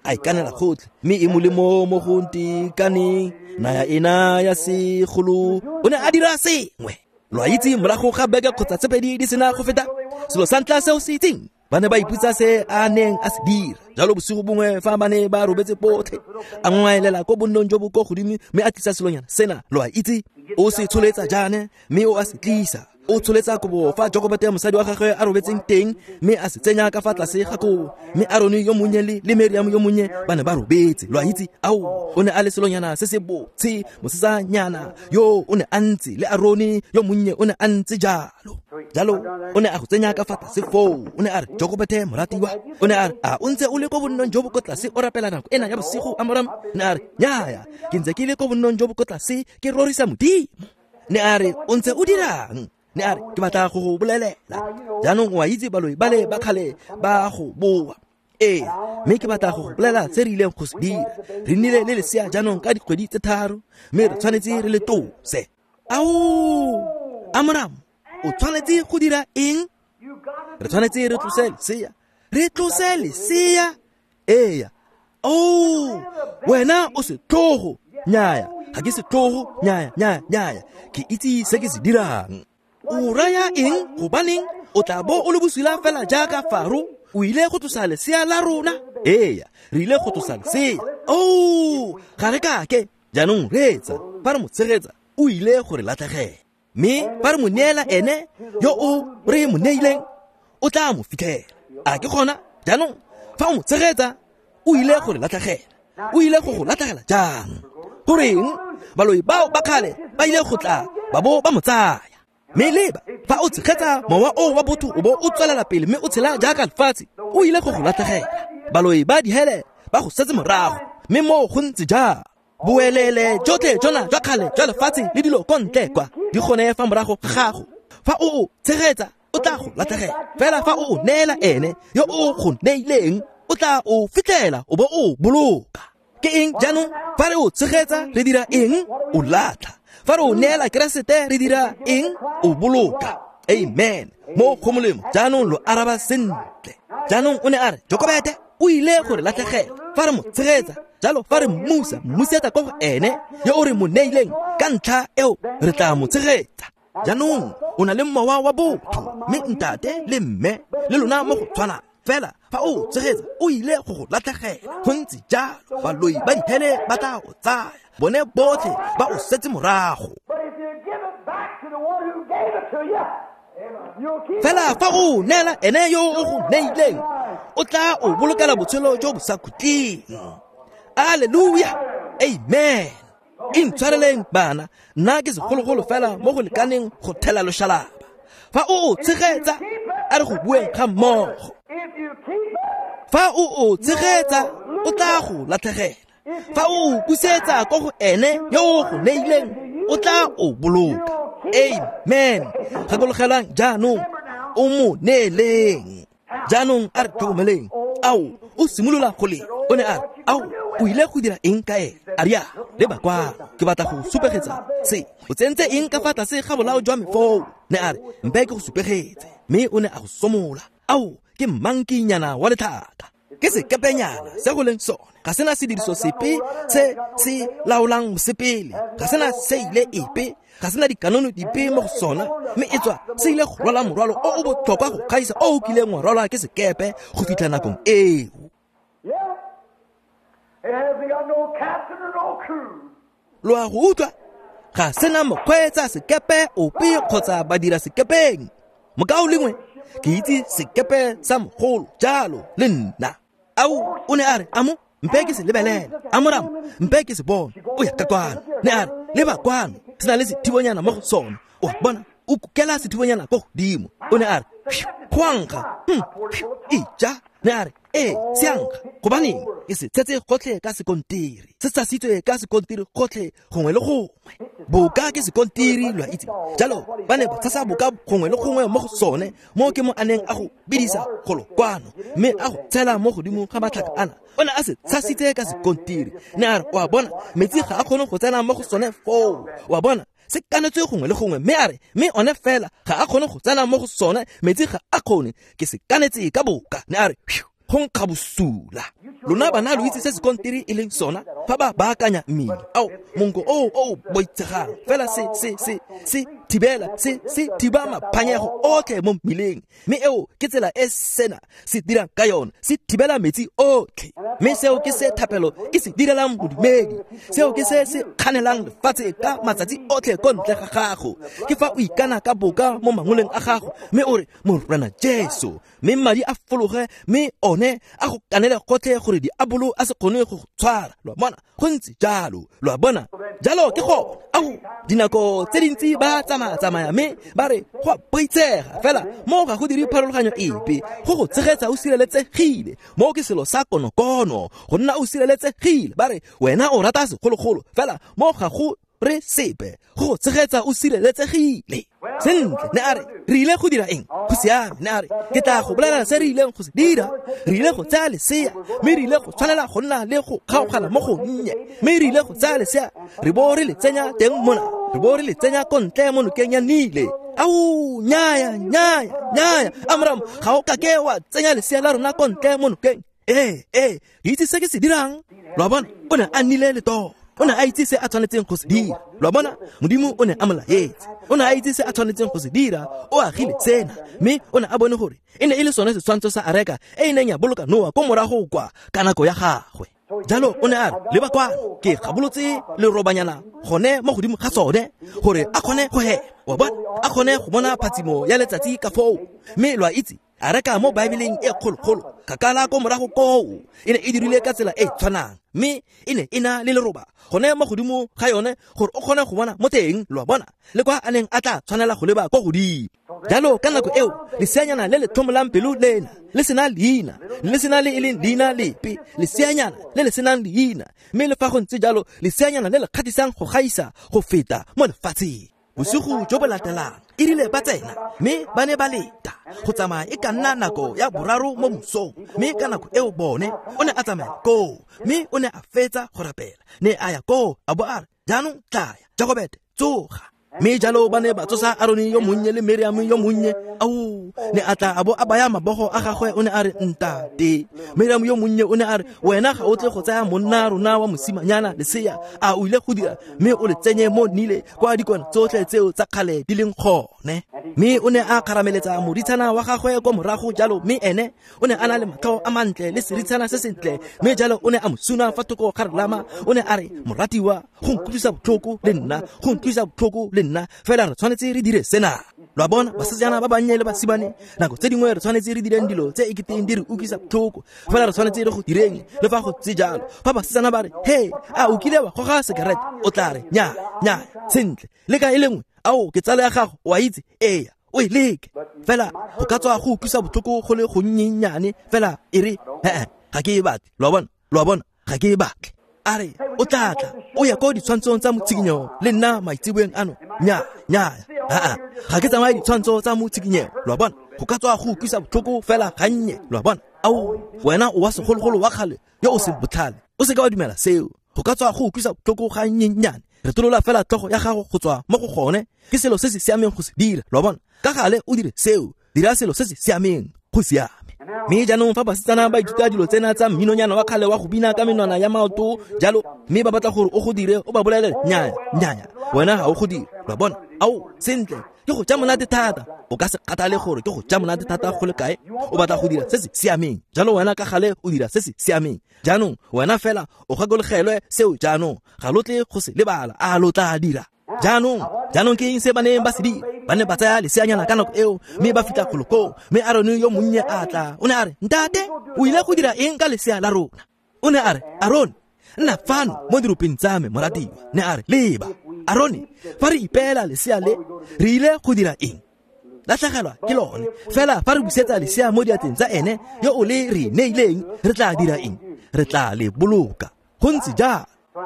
A ikanela gotlhe, mme e molemo mo go ntekaneng, naya ena ya segolo. O ne a dira sengwe. Lo a itse, morago ga beke kgotsa tse pedi di sena go feta, selo sa ntlha seo se itseng, ba ne ba ipotsa se a neng a se dira. Jalo bosigo bongwe fa ba ne ba robetse botlhe, a ngwaelela ko bonnong jo bo ko godimo, mme a tlisa selonyana sena, lo a itse. O se tsholetsa jaana, mme o a se tlisa. O tsholetsa kobo fa Jokobete mosadi wa gagwe a robetseng teng, mme a se tsenya ka fa tlase ga kobo. Mme Arone yo monnye le Miriam yo monnye ba ne ba robetse, lo a itse. Ao, o ne a le selonyana se se botshe, mosetsanyana yo o ne a ntse, le Arone yo monnye o ne a ntse jalo. Jalo o ne a go tsenya ka fa tlase foo. O ne a re, Jokobete moratiwa, o ne a re, a o ntse o le ko bonnong jo bo ko tlase o rapela nako ena ya bosigo, Amram? Ne a re, nnyaya, ke ntse ke le ko bonnong jo bo ko tlase ke rorisa Modimo. Ne a re, o ntse o dirang? Ne a re, ke batla go go bolelela. Jaanong o a itse baloi bale ba kgale ba go boa. Ee, mme ke batla go go bolela se re ileng go se dira. Re nnile le lesea jaanong ka dikgwedi tse 3, mme re tshwanetse re le tose. Ao, Amram, o tshwanetse go dira eng? Re tshwanetse re tlose lesea. Re tlose lesea? Ee. Oh, wena o setlhogo. Nnyaya, ga ke setlhogo. Nnyaya, nnyaya, nnyaya. Ke itse se ke se dirang. O raya eng? Gobaneng o tla bo o le bosula fela jaaka Faro? O ile go tlosa lesea la rona? Ee, re ile go tlosa lesea. Oh, ga re kake. Jaanong reetsa, fa re mo tshegetsa, o ile go re latlhegela. Mme fa re mo neela ene yo o re mo neileng, o tla mo fitlhela. A ke gona? Jaanong fa o mo tshegetsa, o ile go re latlhegela. O ile go go latlhegela jang? Goreng baloi bao ba kgale ba ile go tla ba bo ba mo tsaya? Mme leba, fa o tshegetsa mowa o wa botho o bo o tswelela pele mme o tshela jaaka lefatshe, o ile go go latlhegela. Baloi ba dihele ba go setse morago, mme moo go ntse jang? Boelele jotlhe jona jwa kgale jwa lefatshe le dilo ko ntle kwa di gone fa morago ga gago. Fa o o tshegetsa, o tla go latlhegela. Fela fa o o neela ene yo o go neileng, o tla o fitlhela o bo o boloka. Ke eng jaanong? Fa re o tshegetsa re dira eng? O latlha. Fa re o neela Keresete re dira eng? O boloka. Amen. Mo go molemo. Jaanong lo araba sentle. Jaanong o ne a re, Jokobete o ile go re latlhegela fa re mo tshegetsa. Jalo fa re mmusa, mmusetsa ko go ene yo o re mo neileng, ka ntlha eo re tla mo tshegetsa. Jaanong o na le mowa wa botho, mme ntate le mme le lona mo go tshwanang. Fela fa o tshegetsa, o ile go go latlhegela. Go ntse jalo, baloi ba dihele ba tla o tsaya, bone botlhe ba o setse morago. Fela fa o neela ene yo o go neileng, o tla o bolokela botshelo jo bo sa khutleng. Alleluia, amen. Intshwareleng bana, nna ke segologolo fela mo go lekaneng go thela loshalaba. Fa o o tshegetsa, a re go bueng ga mmogo. Fa o o tshegetsa, o tla go latlhegela. Fa o o busetsa ko go ene yo o go neileng, o tla o boloka. Amen. Gakologelang jaanong, o mo neeleng. Jaanong a re tlhokomeleng. Ao, o simolola go le. O ne a re, ao, o ile go dira eng ka ene? A ria, leba kwano, ke batla go supegetsa se. O tsentse eng ka fa tlase ga bolao jwa me foo? Ne a re, mpe ke go supegetse. Mme o ne a go somola. Ao, ke mankinyana wa letlhaka. Ke sekepenyana se go leng sone. Ga sena sediriso sepe se se laolang mosepele. Ga sena seile epe. Ga sena dikanono dipe mo go sona. Mme e tswa se ile go rwala morwalo o o botlhokwa go gaisa o o kileng wa rwalwa ke sekepe go fitlha nakong eo. Lo a go utlwa? Ga sena mokgweetsa sekepe ope kgotsa badira sekepeng. Mokao lengwe, ke itse sekepe sa mogolo jalo le nna. Ao, o ne a re, amo, mpe ke se lebelele. Amoramo, mpe ke se bone. O ya ka kwano. Ne a re, leba kwano, se na le sethibonyana mo go sone. O bona, o kukela sethibonyana ko godimo. O ne a re, go a nkga. Ija. Ne a re, ee, se a nkga. Gobaneng, ke se tshetse gotlhe ka sekontiri. Se tshasitswe ka sekontiri gotlhe gongwe le gongwe. Boka ke sekontiri, lo a itse. Jalo ba ne ba tshasa boka gongwe le gongwe mo go sone, mo ke mo a neng a go bidisa golo kwano, mme a go tshela mo godimo ga matlhaka ana. O ne a se tshasitse ka sekontiri. Ne a re, o a bona, metsi ga a kgone go tsena mo go sone foo. O a bona, se kanetswe gongwe le gongwe. Mme a re, mme one fela ga a kgone go tsena mo go sone, metsi ga a kgone, ke se kanetse ka boka. Ne a re, go nkga bosula. Lona bana lo itse se sekontiri e leng sona fa ba baakanya mmele. Ao, monko o o boitshegang fela se se se se thibela se se thiba maphanyego otlhe mo mmileng. Mme eo ke tsela e sena se dirang ka yone, se thibela metsi otlhe. Mme seo ke se thapelo e se direlang bodumedi. Seo ke se se kganelang lefatshe ka matsatsi otlhe ko ntle ga gago. Ke fa o ikana ka boka mo mangoleng a gago, mme o re, Morena Jesu, mme madi a fologe, mme one a go kanele gotlhe gore diabolo a se kgone go go tshwara. Lo a bona, go ntse jalo. Lo a bona, jalo ke go ao dinako tse dintsi ba tsamaya-tsamaya mme ba re go a boitshega, fela mo ga go dire pharologanyo epe. Go go tshegetsa o sireletsegile, mo ke selo sa konokono, go nna o sireletsegile. Ba re wena o rata segologolo, fela mo ga go re sepe, go go tshegetsa o sireletsegile. Sentle, ne a re, re ile go dira eng? Go siame, ne a re, ke tla go bolela se re ileng go se dira. Re ile go tsaya lesea, mme re ile go tshwanela go nna le go kgaogana mo go nnye. Mme re ile go tsaya lesea, re bo re le tsenya teng mona, re bo re le tsenya ko ntle mo nokeng ya Nile. Ao, nyaya, nyaya, nyaya, Amram, ga o kake wa tsenya lesea la rona ko ntle mo nokeng. Ee, ee, ke itse se ke se dirang. Lo a bona, o ne a nnile le toro. O ne a itse se a tshwanetseng go se dira. Lo a bona, Modimo o ne a mo laetse. O ne a itse se a tshwanetseng go se dira. O agile sena, mme o ne a bone gore e ne e le sone setshwantsho sa areka e e neng ya boloka Noa ko morago kwa ka nako ya gagwe. Jalo o ne a re, leba kwano, ke gabolotse lerobanyana gone mo godimo ga sone gore a kgone go hema. Wa bona, a kgone go bona phatsimo ya letsatsi ka foo. Mme lo a itse, areka mo Baebeleng e kgologolo kgakala ko morago koo e ne e dirile ka tsela e tshwanang, mme e ne e na le leroba gone mo godimo ga yone gore o kgone go bona mo teng. Lo a bona, le kwa a neng a tla tshwanela go leba ko godimo. Jalo ka nako eo leseanyana le le tlhomolang pelo lena le sena leina, le sena le e leng leina lepe, leseanyana le le senang leina, mme le fa go ntse jalo leseanyana le le kgatlhisang go gaisa go feta mo lefatsheng. Bosigo jo bo latelang e rile ba tsena, mme ba ne ba leta go tsamaya e ka nna nako ya boraro mo mosong. Mme ka nako eo bone o ne a tsamaya koo, mme o ne a fetsa go rapela, ne a ya koo a bo a re, jaanong tlaya Jagobete, tsoga. Mme jalo ba ne ba tsosa Arone yo monnye le Miriam yo monnye. Ao, ne a tla a bo a baya mabogo a gagwe, o ne a re, ntate. Miriam yo monnye o ne a re, wena ga o tle go tsaya monna rona wa mosimanyana lesea, a o ile go dira, mme o le tsenye mo Nile kwa dikwana tsotlhe tseo tsa kgale di leng gone. Mme o ne a kgarameletsa moritshana wa gagwe kwa morago jalo, mme ene o ne a na le matlho a mantle le seritshana se sentle, mme jalo o ne a mo suna fa thoko ga relama. O ne a re, moratiwa, go nkutlwisa botlhoko le nna, go nkutlwisa botlhoko le nna, fela re tshwanetse re dire sena. Lo a bona, basetsana ba bannye le basimane, nako tse dingwe re tshwanetse re direng dilo tse e keteng di re utlwisa botlhoko, fela re tshwanetse re go direng le fa go tse jalo. Fa basetsana ba re, he, a o kile wa goga sekerete? O tla re, nya, nya, sentle, le ka e le nngwe, ao ke tsala ya gago, o a itse, eya, o e leke. Fela go ka tswa go utlwisa botlhoko go le gonnyennyane, fela e re, ga ke e batle. Lo a bona, ga ke e batle. A re, o tla tla, o ya ko ditshwantshong tsa motshikinyego le nna maitseboeng ano. Nya, nya, ga ke tsamaye ditshwantsho tsa motshikinyego. Lo a bona, go ka tswa go utlwisa botlhoko fela gannye. Lo a bona, ao, wena o wa segologolo wa kgale yo o seng botlhale, o seka wa dumela seo. Go ka tswa go utlwisa botlhoko gannyennyane, re tolola fela tlhogo ya gago go tswa mo go gone. Ke selo se se siameng go se dira. Lo a bona, ka gale o dire seo, dira selo se se siameng, go siame. Mme jaanong fa basetsana ba ithuta dilo tsena tsa mminonyana wa kgale wa go bina ka menwana ya maoto jalo, mme ba batla gore o go dire, o ba bolelele, nya, nya, wena ga o go dire. Lo a bona, ao, sentle, ke go ja monate thata. O ka se kgathale gore ke go ja monate thata go le kae, o batla go dira se se siameng. Jalo wena ka gale o dira se se siameng. Jaanong wena fela o gakologelwe seo jaanong, ga lo tle go se lebala, a lo tla dira. Jaanong ke eng se ba neng ba se dira? Ba ne ba tsaya leseanyana ka nako eo, mme ba fitlha golo koo, mme Arone yo monnye a tla. O ne a re, ntate, o ile go dira eng ka lesea la rona? O ne a re, Arone, nna fano mo diropeng tsa me, moratiwa. Ne a re, leba, Arone, fa re ipeela lesea le, re ile go dira eng? Latlhegelwa ke lone. Fela fa re busetsa lesea mo diatleng tsa ene yo o le re neileng, re tla dira eng? Re tla le boloka. Go ntse jalo.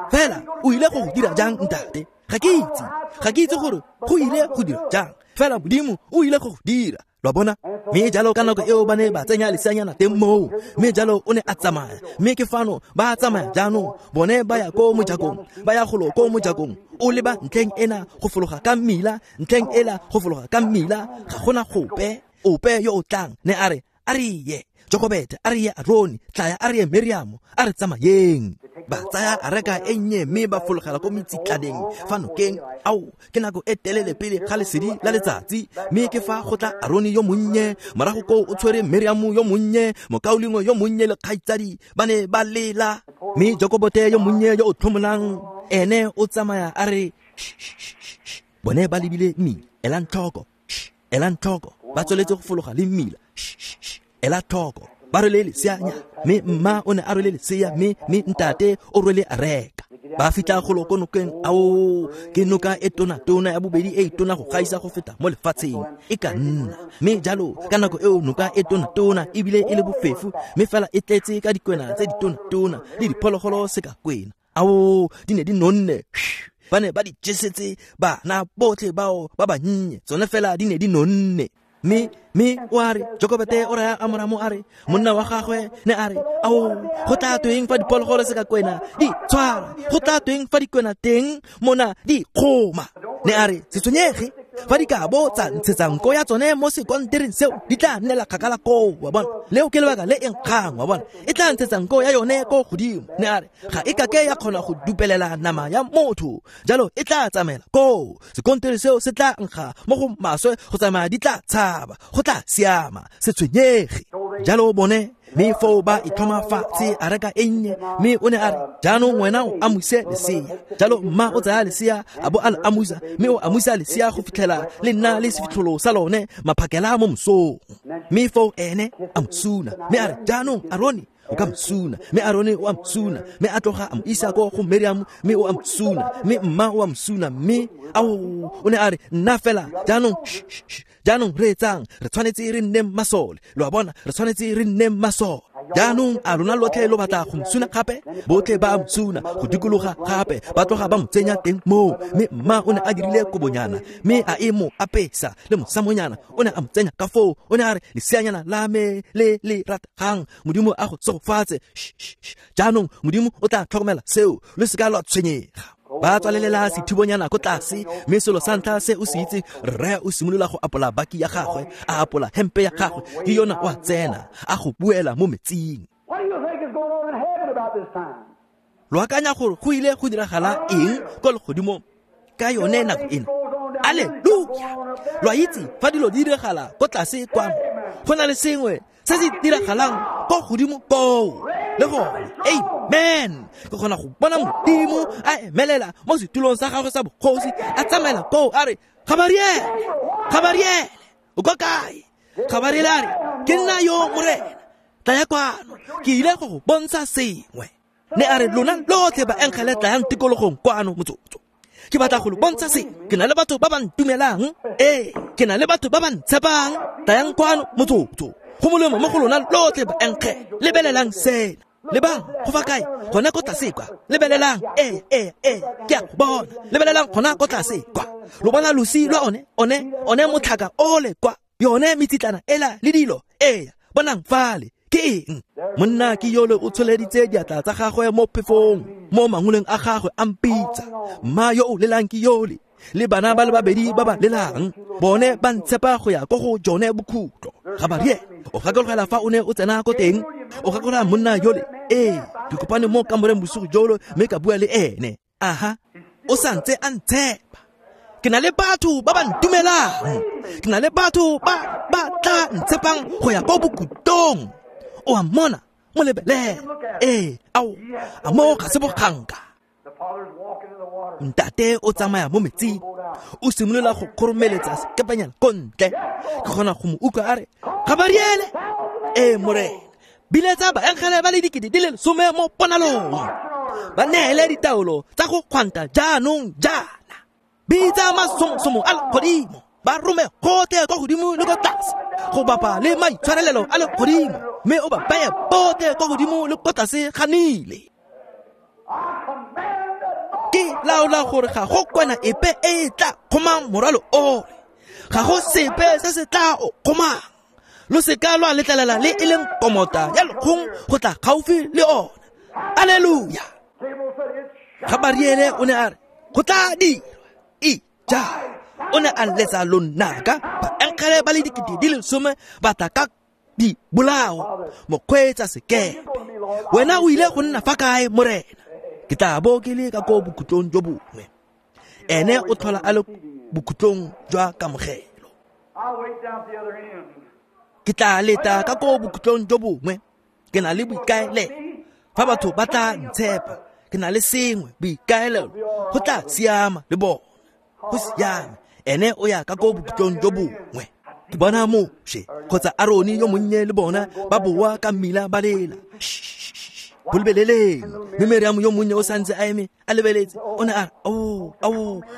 Fela o ile go dira jang, ntate? Ga ke itse gore go ile go dira jang, fela Modimo o ile go dira. Lo a bona? Mme jalo ka nako eo ba ne ba tsenya leseanyana teng moo, mme jalo o ne a tsamaya. Mme ke fano ba tsamaya jaanong, bone ba ya ko mojakong, ba ya golo ko mojakong, o leba ntlheng ena go fologa ka mmila, ntlheng ela go fologa ka mmila, ga gona gope ope yo o tlang. Ne a re, a re ye Jokobete, a re ye Arone, tlaya a re ye Miriamo, a re tsamayeng. Ba tsaya areka e nnye mme ba fologela ko metsitlaneng fa nokeng. Ao, ke nako e telele pele ga lesedi la letsatsi. Mme ke fa go tla Arone yo monnye, morago koo o tshwere Miriamo yo monnye, mokaulengwe yo monnye le kgaitsadi, ba ne ba lela. Mme Jokobote yo monnye yo o tlhomolang, ene o tsamaya a re, bone ba lebile mmila, elang tlhoko, elang tlhoko, ba tsweletse go fologa le mmila, ela tlhoko, ba rwele leseanya. Mme mma o ne a rwele lesea, mme ntate o rwele areka. Ba fitlha golo ko nokeng. Ao, ke noka e tona-tona ya bobedi e tona go gaisa go feta mo lefatsheng e ka nna. Mme jalo ka nako eo noka e tona-tona ebile e le bofefo, mme fela e tletse ka dikwena tse di tona-tona le diphologolo se ka kwena. Ao, di ne di nonne, ba ne ba di jesetse bana botlhe bao ba bannye, tsone fela di ne di nonne. Mme o a re, Jokobete o raya Amoramo a re, monna wa gagwe ne a re, ao, go tla tweng fa diphologolo se ka kwena di tshwara, go tla tweng fa dikwena teng mona di kgoma. Ne a re, se tshwenyege, fa di ka bo tsa ntshetsa nko ya tsone mo sekontereng seo, di tla nnela kgakala koo. Wa bona, leo ke lebaka le e nkgang. Wa bona, e tla ntshetsa nko ya yone ko godimo. Ne a re, ga e kake ya kgona go dupelela nama ya motho, jalo e tla tsamaela koo. Sekontere seo se tla nkga mo go maswe go tsamaya, di tla tshaba, go tla siama, se tshwenyege. Jalo bone, mme foo ba itlhoma fatshe areka e nnye. Mme o ne a re, jaanong wena o amuse lesea. Jalo mma o tsaya lesea a bo a le amusa, mme o amusa lesea go fitlhela le nna le sefitlholo sa lone maphakela mo mosong. Mme foo ene a mo suna, mme a re, jaanong Arone o ka mosuna. Mme Arone o a mosuna, mme a tloga a mo isa ko go Miriam, mme o a mosuna, mme mma o a mosuna. Mme ao, o ne a re, nna fela jaanong, jaanong reetsang, re tshwanetse re nne masole. Lo a bona, re tshwanetse re nne masole. Jaanong a lona lotlhe lo batla go mosuna gape? Botlhe ba mosuna go dikologa gape, ba tloga ba mo tsenya teng moo. Mme mma o ne a dirile kobonyana, mme a e mo apesa le mosamonyana, o ne a mo tsenya ka foo. O ne a re, leseanyana la me le le rategang, Modimo a go tsogofatse. Jaanong Modimo o tla tlhokomela seo, lo seka lwa tshwenyega. Ba tswalelela sethibonyana ko tlase, mme selo sa ntlha se o se itse, rre o simolola go apola baki ya gagwe, a apola hempe ya gagwe, ke yona o a tsena, a go buela mo metsing. Lo akanya gore go ile go diragala eng ko legodimong ka yone nako ena? Alleluia! Lo a itse fa dilo di diragala ko tlase kwano, go na le sengwe se se diragalang ko godimo koo. Le gone, amen. Ke kgona go bona Modimo a emelela mo setulong sa gagwe sa bogosi, a tsamaela koo a re, Gabariele, Gabariele, o kwa kae? Gabariele a re, ke nna yo Morena, tlaya kwano, ke ile go go bontsha sengwe. Ne a re, lona lotlhe baengele tlayang tikologong kwano motsotso. Ke batla go lo bontsha sengwe. Ke na le batho ba ba ntumelang. Ee, ke na le batho ba ba ntshepang. Tlayang kwano motsotso. Go molemo mo go lona lotlhe baengele. Lebelelang sena. Lebang, go fa kae? Gona ko tlase kwa. Lebelelang, ee, ke a go bona. Lebelelang gona ko tlase kwa. Lo bona losi lwa one motlhaka ole kwa. Yone metsitlana ela le dilo. Ee, bonang fale. Ke eng? Monna ke yole o tsholeditse diatla tsa gagwe mo phefong, mo mangoleng a gagwe a mpitsa. Mma yo o lelang ke yole, le bana ba le babedi ba ba lelang, bone ba ntshepa go ya ko go jone bokhutlo. Gabariele, o gakologela fa o ne o tsena ko teng, o gakologela monna yole. Ee, ke kopane mo kamoreng bosigo jolo mme ka bua le ene. Aha, o santse a ntshepa. Ke na le batho ba ba ntumelang. Ke na le batho ba ba tla ntshepang go ya ko bokhutlong. O a mmona, mo lebelele. Ee, ao, a mo ga se boganka. Ntate o tsamaya mo metsing, o simolola go kgoromeletsa sekepanyana ko ntle. Ke kgona go mo utlwa a re, Gabariele, ee Morena, biletsa baengele ba le 10,000 mo ponalong, ba neele ditaolo tsa go kgwanta jaanong jaana. Bitsa masomosomo a legodimo, ba rome gotlhe kwa godimo le ko tlase, go bapa le maitshwarelelo a legodimo, mme o ba beye botlhe kwa godimo le ko tlase ga Nile. Ke laola gore ga go kwena epe e e tla kgomang morwalo ole, ga go sepe se se tla o kgomang. Lo seka lwa letlelela le e leng komota ya lekgong go tla gaufi le ona. Alleluia. Gabariele o ne a re, go tla dirwa. Ija, o ne a letsa lonaka, baengele ba le 10,000 ba tla ka dibolao, mokgweetsa sekepe. Wena o ile go nna fa kae, Morena? Ke tla bo ke le ka ko bokhutlong jo bongwe. Ene o tlhola a le bokhutlong jwa kamogelo. Ke tla leta ka ko bokhutlong jo bongwe. Ke na le boikaelelo. Fa batho ba tla ntshepa, ke na le sengwe, boikaelelo, go tla siama le bona. Go siame. Ene o ya ka ko bokhutlong jo bongwe. Ke bona Moshe kgotsa Arone yo monnye le bona ba boa ka mmila ba lela. Bo lebeleleng. Mme Miriam yo monnye o santse a eme a lebeletse. O ne a re, ao,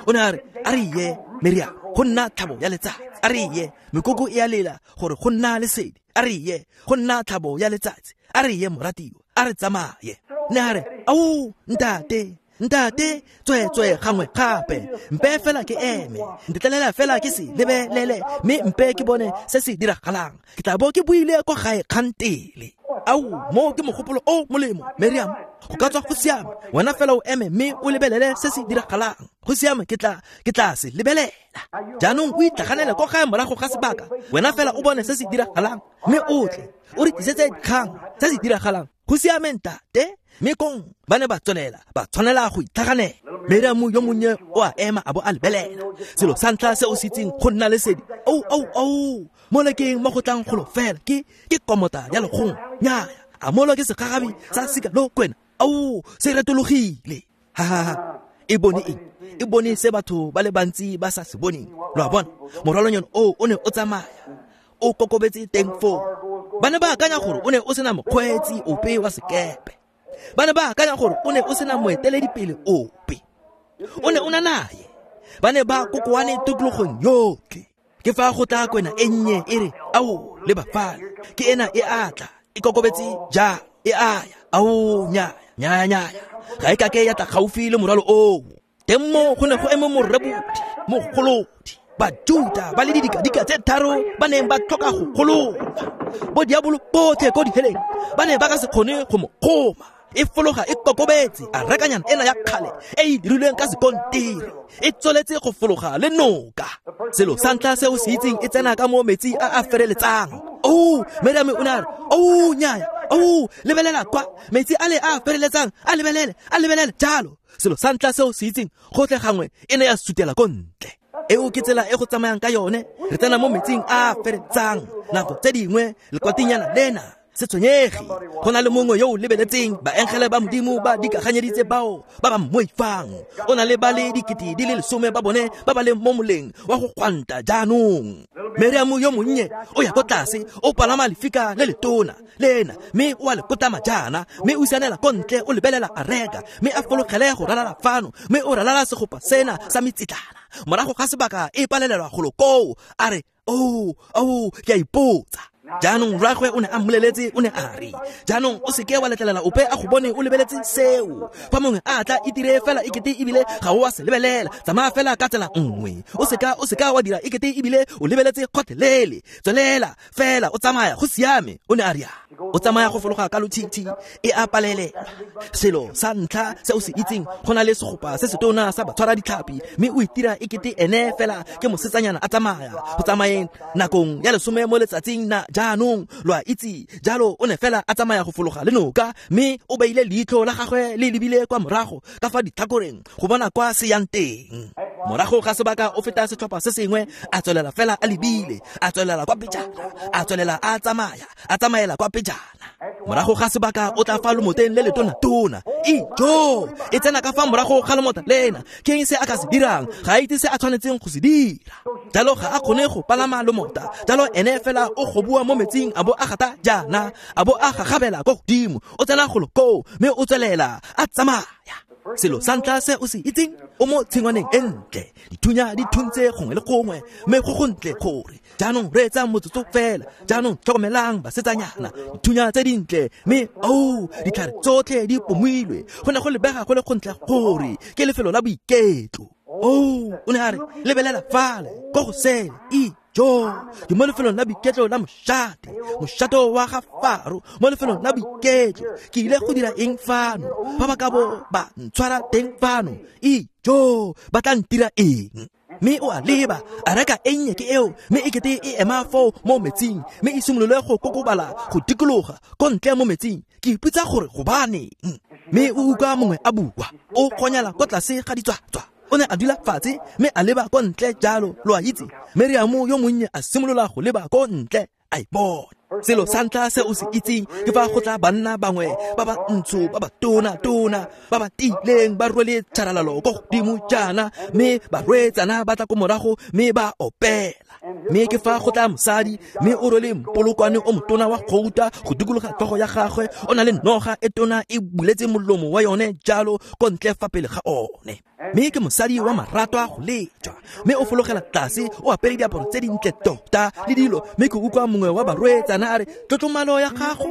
o ne a re, a re ye, Miriam, go nna tlhabo ya letsatsi. A re ye, mekoko e a lela gore go nna lesedi. A re ye, go nna tlhabo ya letsatsi. A re ye, moratiwa, a re tsamaye. Ne a re, ao, ntate, ntate, tsweetswe gangwe gape, mpe fela ke eme, ntetlelela fela ke se lebelele, mme mpe ke bone se se diragalang. Ke tla bo ke buile kwa gae kgantele. Ao, mo ke mogopolo o molemo, Miriam, go ka tswa go siame. Wena fela o eme mme o lebelele se se diragalang. Go siame, ke tla se lebelela. Jaanong o itlhaganele kwa gae morago ga sebaka. Wena fela o bone se se diragalang, mme o tle o re tlisetse dikgang se se diragalang. Go siame, ntate. Mme kong ba ne ba tswelela, ba tshwanela go itlhaganela. Miriam yo monnye o a ema a bo a lebelela. Selo sa ntlha se o se itseng go nna lesedi. Ao, mo lekeng mo go tlang golo fela ke komota ya lekgong. Nnyaya, a molo ke segagabi sa sika lo kwena. Ao, se retologile. Ha, e bone eng? E bone se batho ba le bantsi ba sa se boneng. Lo a bona, morwalonyana o ne o tsamaya, o kokobetse teng foo. Ba ne ba akanya gore o ne o sena mokgweetsi ope wa sekepe. Ba ne ba akanya gore o ne o sena moeteledipele ope. O ne o na naye. Ba ne ba kokoane tikologong yotlhe. Ke fa go tla kwena e nnye e re, ao, le bafala. Ke ena e atla, e kokobetse jalo, e aya. Ao, nyaya, nyaya, nyaya. Ga e kake ya tla gaufi le morwalo oo. Teng mo go ne go eme morebodi, mogolodi, Bajuta ba le didikadika tse tharo ba neng ba tlhoka go gololwa. Bo diabolo botlhe ko diheleng ba ne ba ka se kgone go mo kgoma. E fologa e kokobetse, a rekanyana ena ya kgale e e dirilweng ka sekontiri, e tsweletse go fologa le noka. Selo sa ntlha se o se itseng e tsena ka mo metsi a a fereletsang. Oh, Miriam o ne a re, oh, nyaya, oh, lebelela kwa, metsi a le a fereletsang, a lebelele, a lebelele jalo. Selo sa ntlha se o se itseng, gotlhe gangwe e ne ya sutela ko ntle. Eo ke tsela e go tsamayang ka yone. Re tsena mo metsing a a feretsang. Nako tse dingwe lekwatinyana lena Se tshwenyege, go na le mongwe yo o lebeletseng baengele ba Modimo ba dikaganyeditse bao ba ba mmoifang. O na le ba le 10 ba le 10 ba bone ba ba leng mo moleng wa go gwanta jaanong. Meriamo yo monnye o ya ko tlase, o palama lefika le letona lena, mme o a le kotama jaana, mme o sianela ko ntle, o lebelela areka, mme a fologele go ralala fano, mme o ralala segopa sena sa metsitlana. Morago ga sebaka e palelelwa golo koo, a re, oh, ke a ipotsa. Jaanong rragwe o ne a mmoleletse, o ne a re, jaanong o seke wa letlelela ope a go bone o lebeletse seo. Fa mongwe a tla itire fela ekete ebile ga o a se lebelela, tsamaya fela ka tsela nngwe. O seka wa dira ekete ebile o lebeletse kgotlhelele. Tswelela fela o tsamaya, go siame, o ne a rialo. O tsamaya go fologa ka lotshitshi, e a palelelwa. Selo sa ntlha se o se itseng, go na le segopa se setona sa batshwara ditlhapi, mme o itira ekete ene fela ke mosetsanyana a tsamaya. Go tsamayeng nakong ya 10 mo letsatsing na jaanong, lo a itse jalo, o ne fela a tsamaya go fologa le noka, mme o beile leitlho la gagwe le lebile kwa morago ka fa ditlhakoreng go bona kwa se yang teng. Morago ga sebaka o feta setlhopha se sengwe, a tswelela fela a lebile, a tswelela kwa pejana, a tswelela a tsamaya, a tsamaela kwa pejana. Morago ga sebaka o tla fa lomoteng le letona-tona. Ijo, e tsena ka fa morago ga lomota lena. Ke eng se a ka se dirang? Ga a itse se a tshwanetseng go se dira. Jalo ga a kgone go palama lomota. Jalo ene fela o goboa mo metsing, a bo a gata jaana, a bo a gagabela ko godimo. O tsena golo koo, mme o tswelela a tsamaya. Selo sa ntlha se o se itseng, o mo tshingwaneng e ntle, dithunya di thuntse gongwe le gongwe, mme go gontle gore jaanong reetsa motsotso fela. Jaanong tlhokomelang basetsanyana, dithunya tse dintle, mme oh, ditlhare tsotlhe di pomilwe. Go ne go lebega go le gontle gore ke lefelo la boiketlo. Oh, o ne a re, lebelela fale ko go sele, ijo, ke mo lefelong la boiketlo la mošate, mošato wa ga Faro, mo lefelong la boiketlo. Ke ile go dira eng fano? Fa ba ka bo ba ntshwara teng fano, ijo, ba tla ntira eng? Mme o a leba, a reka e nnye ke eo, mme e kete e ema foo mo metsing, mme e simolole go kokobala go dikologa ko ntle mo metsing. Ke ipotsa gore gobaneng. Mme o utlwa mongwe a bua, o kgonyela ko tlase ga ditswatswa. O ne a dula fatshe mme a leba ko ntle jalo, lo a itse. Meriamo yo monnye a simolola go leba ko ntle, a e bona. Selo sa ntlha se o se itseng ke fa go tla banna bangwe ba ba ntsho, ba ba tona-tona, ba ba tiileng, ba rwele tšharalalo ko godimo jaana, mme barwetsana ba tla ko morago mme ba opela. Mme ke fa go tla mosadi, mme o rwele mpolokwane o motona wa gouta go dikologa tlhogo ya gagwe, o na le noga e tona e buletse molomo wa yone jalo ko ntle fa pele ga one. Mme ke mosadi wa maratwa go lejwa, mme o fologela tlase, o apere diaparo tse dintle tota le dilo. Mme ke utlwa mongwe wa barwetsana a re, tlotlomalo ya gago,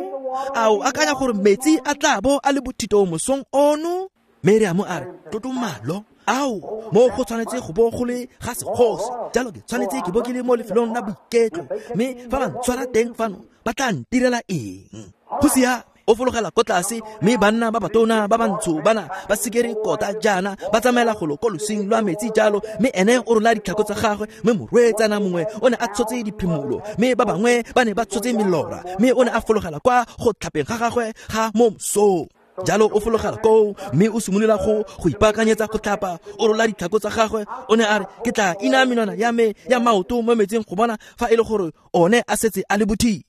a o akanya gore metsi a tla bo a le bothito mosong ono? Meriamo a re, tlotlomalo, ao, mo go tshwanetse go bo go le ga segosi, jalo ke tshwanetse ke bo ke le mo lefelong la boiketlo, mme fa ba ntshwara teng fano ba tla ntirela eng? Go siame. O fologela ko tlase, mme banna ba batona ba bantsho bana ba sikere kota jaana ba tsamaela golo ko losing lwa metsi jalo, mme ene o rola ditlhako tsa gagwe. Mme morwetsana mongwe o ne a tshotse diphimolo, mme ba bangwe ba ne ba tshotse melora, mme o ne a fologela kwa go tlhapeng ga gagwe ga mo mosong. Jalo o fologela koo, mme o simolola go ipaakanyetsa go tlhapa, o rola ditlhako tsa gagwe. O ne a re, ke tla ina menwana ya me ya maoto mo metsing go bona fa e le gore one a setse a le bothito.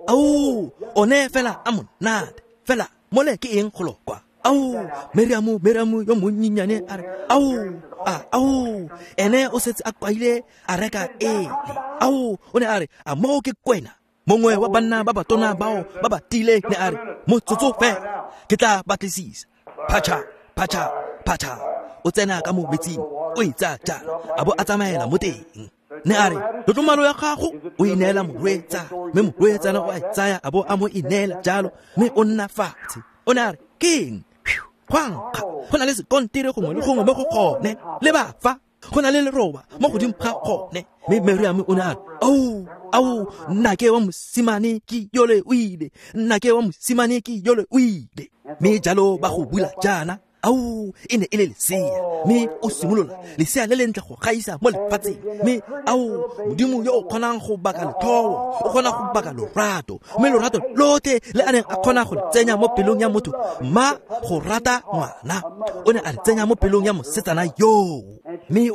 Ao, one fela a monate fela mole ke eng go lokwa. Ao, Meriamo yo monnyenyane a re, ao, ene o setse a kwaile a reka ele. Ao, o ne a re, a moo ke kwena? Mongwe wa banna ba batona bao ba ba tiileng ne a re, motsotso fela, ke tla batlisisa. Phatša, phatša, phatša. O tsena ka mo metsing, o e tsaya jana, a bo a tsamaela mo teng. Ne a re, tlotlomalo ya gago o e neela morwetsana, mme morwetsana o a e tsaya a bo a mo e neela jalo, mme o nna fatshe. O ne a re, keng? Go a nkga, go na le sekontiri gongwe le gongwe mo go gone, le ba fa, go na le leroba mo godimo ga gone. Mme Meriamo o ne a re, ao, nnake wa mosimane ke yole o ile, nnake wa mosimane ke yole o ile. Mme jalo ba go bula jaana, ao, e ne e le lesea, mme o simolola lesea le lentle go gaisa mo lefatsheng. Mme ao, Modimo yo o kgonang go baka letlhoo, o kgona go baka lorato, mme lorato lotlhe le a neng a kgona go le tsenya mo pelong ya motho, mma go rata ngwana, o ne a le tsenya mo pelong ya mosetsana yoo. Mme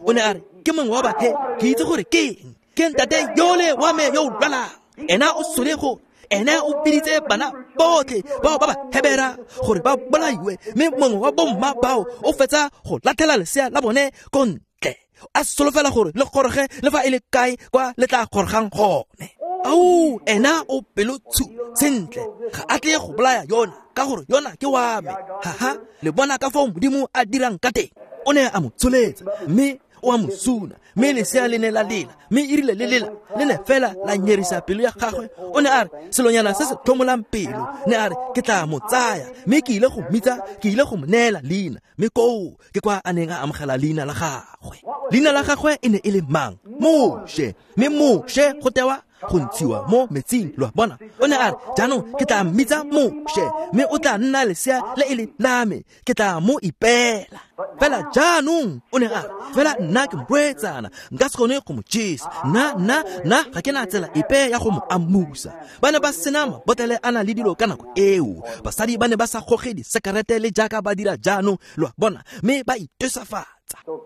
o ne a re, ke mongwe wa bathe, ke itse gore ke eng, ke ntate yole wa me yo o lwalang, ena o sole go Ene o biditse bana botlhe bao ba ba Hebera gore ba bolaiwe, mme mongwe wa bomma bao o fetsa go latlhela lesea la bone ko ntle, a solofela gore le goroge le fa e le kae kwa le tla gorogang gone. Ao, ena o pelotshu sentle, ga a tle go bolaya yona ka gore yona ke wa me. Haha, le bona ka foo Modimo a dirang ka teng. O ne a mo tsholetsa mme o a mo suna, mme lesea le ne la lela, mme e rile le lela le ne fela la nyerisa pelo ya gagwe. O ne a re, selonyana se se tlhomolang pelo, ne a re, ke tla mo tsaya mme ke ile go mmitsa, ke ile go mo neela leina. Mme koo ke kwa a neng a amogela leina la gagwe. Leina la gagwe e ne e le mang? Moshe. Mme Moshe go tewa go ntshiwa mo metsing, lo a bona. O ne a re, jaanong ke tla mmitsa Moshe, mme o tla nna lesea le e le la me, ke tla mo ipeela. Fela jaanong o ne a re, fela nna ke morwetsana, nka se kgone go mo jesa, nna ga ke na tsela epe ya go mo amusa. Ba ne ba sena mabotlele a na le dilo ka nako eo, basadi ba ne ba sa goge disekerete le jaaka ba dira jaanong, lo a bona, mme ba itesafatsa.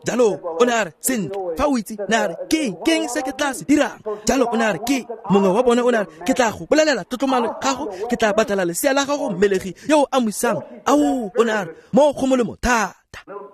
Jalo o ne a re, sentle, fa o itse, ne a re, ke eng se ke tla se dirang? Jalo o ne a re, ke mongwe wa bone o ne a re, ke tla go bolelela tlotlomalo gago, ke tla batlela lesea la gago mmelegi yo o amusang. Ao, o ne a re, mo go molemo thata.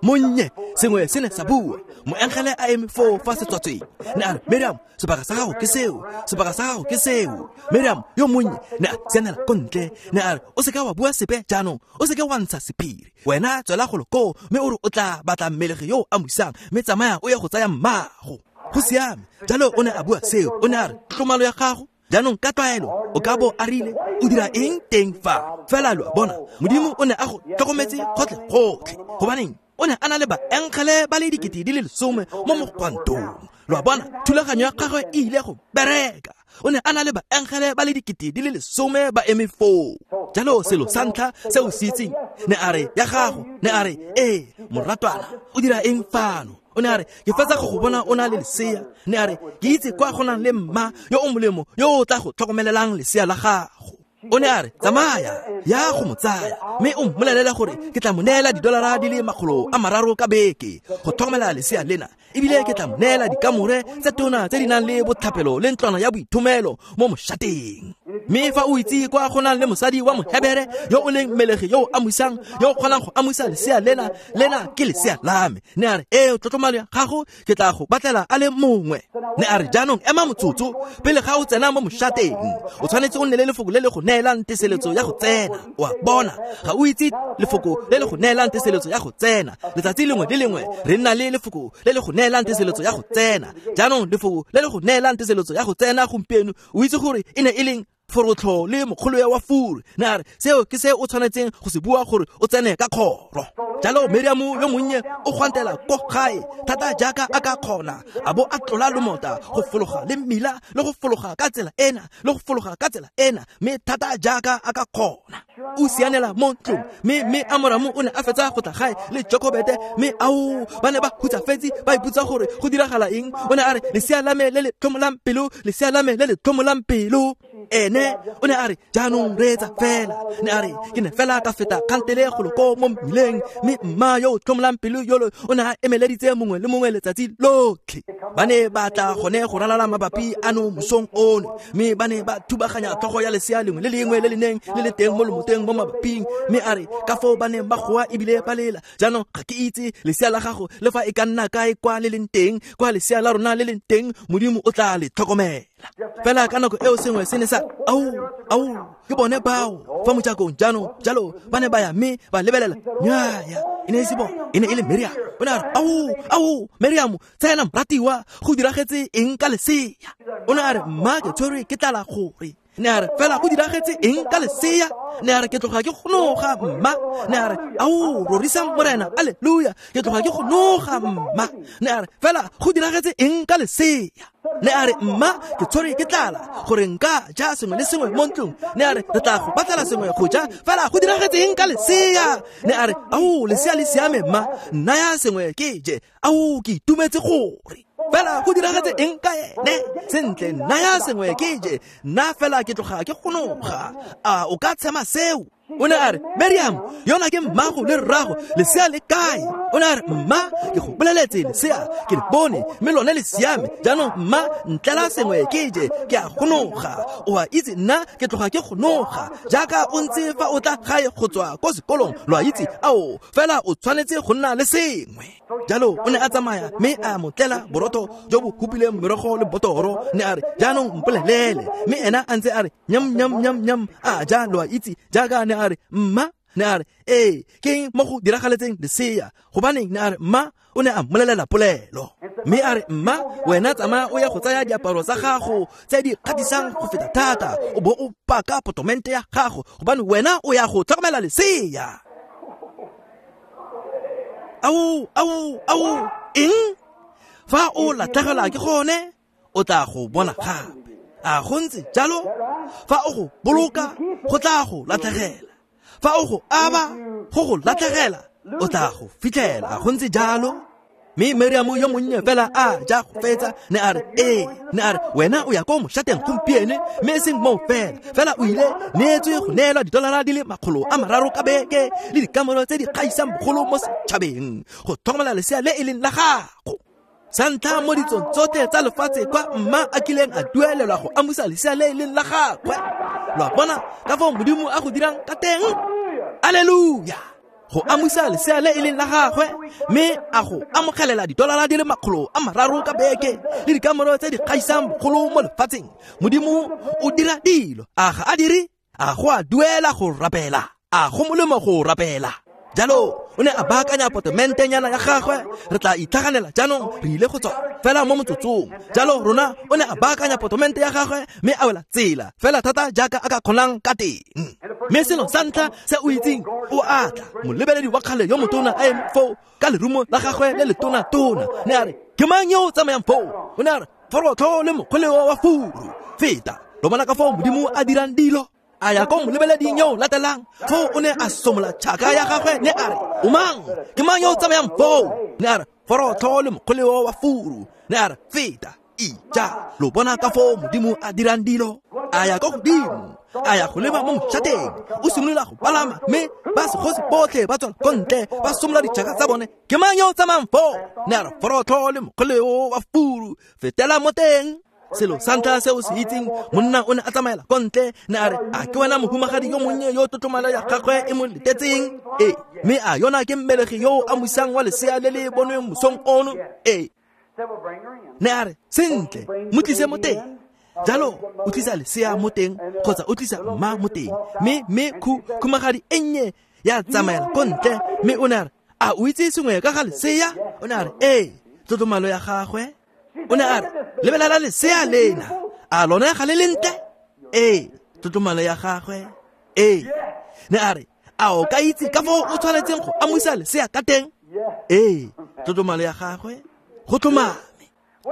Monnye sengwe se ne sa bua, moengele a eme foo fa setswatsweng, ne a re, Miriam, sebaka sa gago ke seo, sebaka sa gago ke seo. Miriam yo monnye ne a sianela ko ntle, ne a re, o seka wa bua sepe jaanong, o seke wa ntsha sephiri, wena tswela golo koo mme o re o tla batla mmelegi yo o amusang, mme tsamaya o ye go tsaya mmago. Go siame. Jalo o ne a bua seo, o ne a re, tlomalo ya gago jaanong ka tlwaelo o ka bo a rile, o dira eng teng fa? Fela lo a bona, Modimo o ne a go tlhokometse gotlhe-gotlhe. Gobaneng? O ne a na le baengele ba le 10,000 mo mogwantong. Lo a bona, thulaganyo ya gagwe e ile go bereka. O ne a na le baengele ba le 10,000 ba eme foo. Jalo selo sa ntlha se o se itseng, ne a re, ya gago, ne a re, ee, moratwana, o dira eng fano? O ne a re, ke fetsa go go bona o na le lesea. Ne a re, ke itse kwa go nang le mma yo o molemo yo o tla go tlhokomelelang lesea la gago. O ne a re, tsamaya, ya go mo tsaya, mme o mmolelele gore ke tla mo neela $300 ka beke go tlhokomela lesea lena, ebile ke tla mo neela dikamore tse tona tse di nang le botlhapelo le ntlwana ya boithomelo mo moshateng. Mme fa o itse kwa go nang le mosadi wa Mohebere yo o leng mmelegi yo o amusang, yo o kgonang go amusa lesea lena, lena ke lesea la me. Ne a re, ee, tlotlomalo ya gago ke tla go batlela a le mongwe. Ne a re, jaanong ema motsotso pele ga o tsena mo moshateng, o tshwanetse o nne le lefoko le le go neelang teseletso ya go tsena. O a bona, ga o itse lefoko le le go neelang teseletso ya go tsena. Letsatsi lengwe le lengwe re nna le lefoko le le go neelang teseletso ya go tsena. Jaanong lefoko le le go neelang teseletso ya go tsena gompieno, o itse gore e ne e leng forotlho le mokgolo wa furu. Ne a re, seo ke se o tshwanetseng go se bua gore o tsene ka kgoro. Jalo Miriam yo monnye o gwantela ko gae thata jaaka a ka kgona, a bo a tlola lomota go fologa le mmila le go fologa ka tsela ena le go fologa ka tsela ena, mme thata jaaka a ka kgona. O sianela mo ntlong, mme Amoramo o ne a fetsa go tla gae le Jokobete, mme ao, ba ne ba hutsafetse ba ipotsa gore go diragala eng. O ne a re, lesea la me le le tlhomolang pelo, lesea la me le le tlhomolang pelo. Ene o ne a re, jaanong reetsa fela. Ne a re, ke ne fela ka feta kgantele golo ko mo mmileng, mme mma yo o tlhomolang pelo yolo o ne a emeleditse mongwe le mongwe letsatsi lotlhe. Ba ne ba tla gone go ralala mabapi ano mosong ono, mme ba ne ba thubaganya tlhogo ya lesea lengwe le lengwe le le neng le le teng mo lomoteng mo mabaping. Mme a re, ka foo ba neng ba goa ebile ba lela. Jaanong ga ke itse lesea la gago le fa e ka nna kae kwa le leng teng, kwa lesea la rona le leng teng, Modimo o tla le tlhokomela. Fela ka nako eo sengwe se ne sa, ao, ao, ke bone bao fa mojakong. Jaanong jalo ba ne ba ya mme ba lebelela, nnyaya, e ne e se bone, e ne e le Miriam. O ne a re, ao, ao, Miriam, tsena moratiwa, go diragetse eng ka lesea? O ne a re, mma ke tshwerwe ke tlala gore. Ne a re, fela go diragetse eng ka lesea? Ne a re, ke tloga ke gonoga, mma. Ne a re, ao, rorisang Morena, alleluia, ke tloga ke gonoga, mma. Ne a re, fela go diragetse eng ka lesea? Ne a re, mma ke tshwerwe ke tlala gore nka ja sengwe le sengwe mo ntlong. Ne a re, re tla go batlela sengwe go ja, fela go diragetse eng ka lesea? Ne a re, ao, lesea le siame, mma, nnaya sengwe ke je. Ao, ke itumetse gore fela go diragetse eng ka ene. Sentle, nnaya sengwe ke je, nna fela ke tloga ke gonoga. A o ka tshema seo? O ne a re, Miriam, yona ke mmago le rrago, lesea le kae? O ne a re, mma, ke go boleletse lesea, ke le bone, mme lone le siame. Jaanong mma, ntlela sengwe ke je, ke a gonoga. O a itse nna ke tloga ke gonoga, jaaka o ntse fa o tla gae go tswa ko sekolong, lo a itse, ao, fela o tshwanetse go nna le sengwe. Jalo o ne a tsamaya mme a mo tlela borotho jo bo hupileng merogo le botoro. Ne a re, jaanong mpolelele. Mme ena a ntse a re, nyam nyam nyam nyam, a ja, lo a itse, jaaka ne a re, mma, ne a re, ee, ke eng mo go diragaletseng lesea? Gobaneng, ne a re, mma, o ne a mmolelela polelo. Mme a re, mma, wena tsamaya o ya go tsaya diaparo tsa gago tse di kgatisang go feta thata, o bo o paka potomente ya gago, gobane wena o ya go tlhokomela lesea. Ao, ao, ao, eng? Fa o latlhegelwa ke gone, o tla go bona gape. A go ntse jalo? Fa o go boloka, go tla go latlhegela. Fa o go aba, go go latlhegela, o tla go fitlhela. A go ntse jalo? Mme Miriam yo monnye fela a ja go fetsa, ne a re, ee, ne a re, wena o ya ko moshateng gompieno, mme e seng moo fela, fela o ile neetswe go neelwa didolara di le 300 ka beke le dikamoro tse di kgaisang bogolo mo setšhabeng go tlhokomela lesea le e leng la gago. Sa ntlha mo ditsong tsotlhe tsa lefatshe kwa mma a kileng a duelelwa go amusa lesea le e leng la gagwe. Lo a bona ka foo Modimo a go dirang ka teng? Alleluia! Go amusa lesea le e leng la gagwe, mme a go amogelela didolara di le 300 ka beke le dikamoro tse di kgaisang bogolo mo lefatsheng. Modimo o dira dilo, a ga a dire? A go a duela go rapela? A go molemo go rapela? Jalo o ne a baakanya potomentenyana ya gagwe, re tla itlhaganela jaanong, re ile go tswa fela mo motsotsong. Jalo rona o ne a baakanya potomente ya gagwe mme a wela tsela fela thata jaaka a ka kgonang ka teng. Mme selo sa ntlha se o itseng, o a tla, molebeledi wa kgale yo motona a eme foo ka lerumo la gagwe le letona-tona. Ne a re, ke mang yo o tsamayang foo? O ne a re, forotho le mokgoleo wa furu, feta. Lo bona ka foo Modimo a dirang dilo? A ya ko molebeleding yo o latelang, foo o ne a somola tšhaka ya gagwe, ne a re, o mang? Ke mang yo o tsamayang foo? Ne a re, forotho le mokgoleo wa furu. Ne a re, feta. Ija, lo bona ka foo Modimo a dirang dilo? A ya ko godimo, a ya go leba mo moshateng, o simolola go palama, mme ba segosi botlhe ba tswa ko ntle, ba somola ditšhaka tsa bone. Ke mang yo o tsamayang foo? Ne a re, forotho le mokgoleo wa furu, fetela mo teng. Selo sa ntlha se o se itseng, monna o ne a tsamaela ko ntle, ne a re, a ke wena mohumagadi yo monnye yo tlotlomalo ya gagwe e mo letetseng? Ee, mme a yona ke mmelegi yo o amusang wa lesea le le bonweng mosong ono? Ee. Ne a re, sentle, mo tlise mo teng. Jalo o tlisa lesea mo teng, kgotsa o tlisa mma mo teng. Mme khumagadi e nnye ya tsamaela ko ntle, mme o ne a re, a o itse sengwe ka ga lesea? O ne a re, ee, tlotlomalo ya gagwe. O ne a re, lebelela lesea lena, a lone ga le lentle? Ee, tlotlomalo ya gagwe. Ee. Ne a re, a o ka itse ka foo o tshwanetseng go amusa lesea ka teng? Ee, tlotlomalo ya gagwe. Go tlhomame.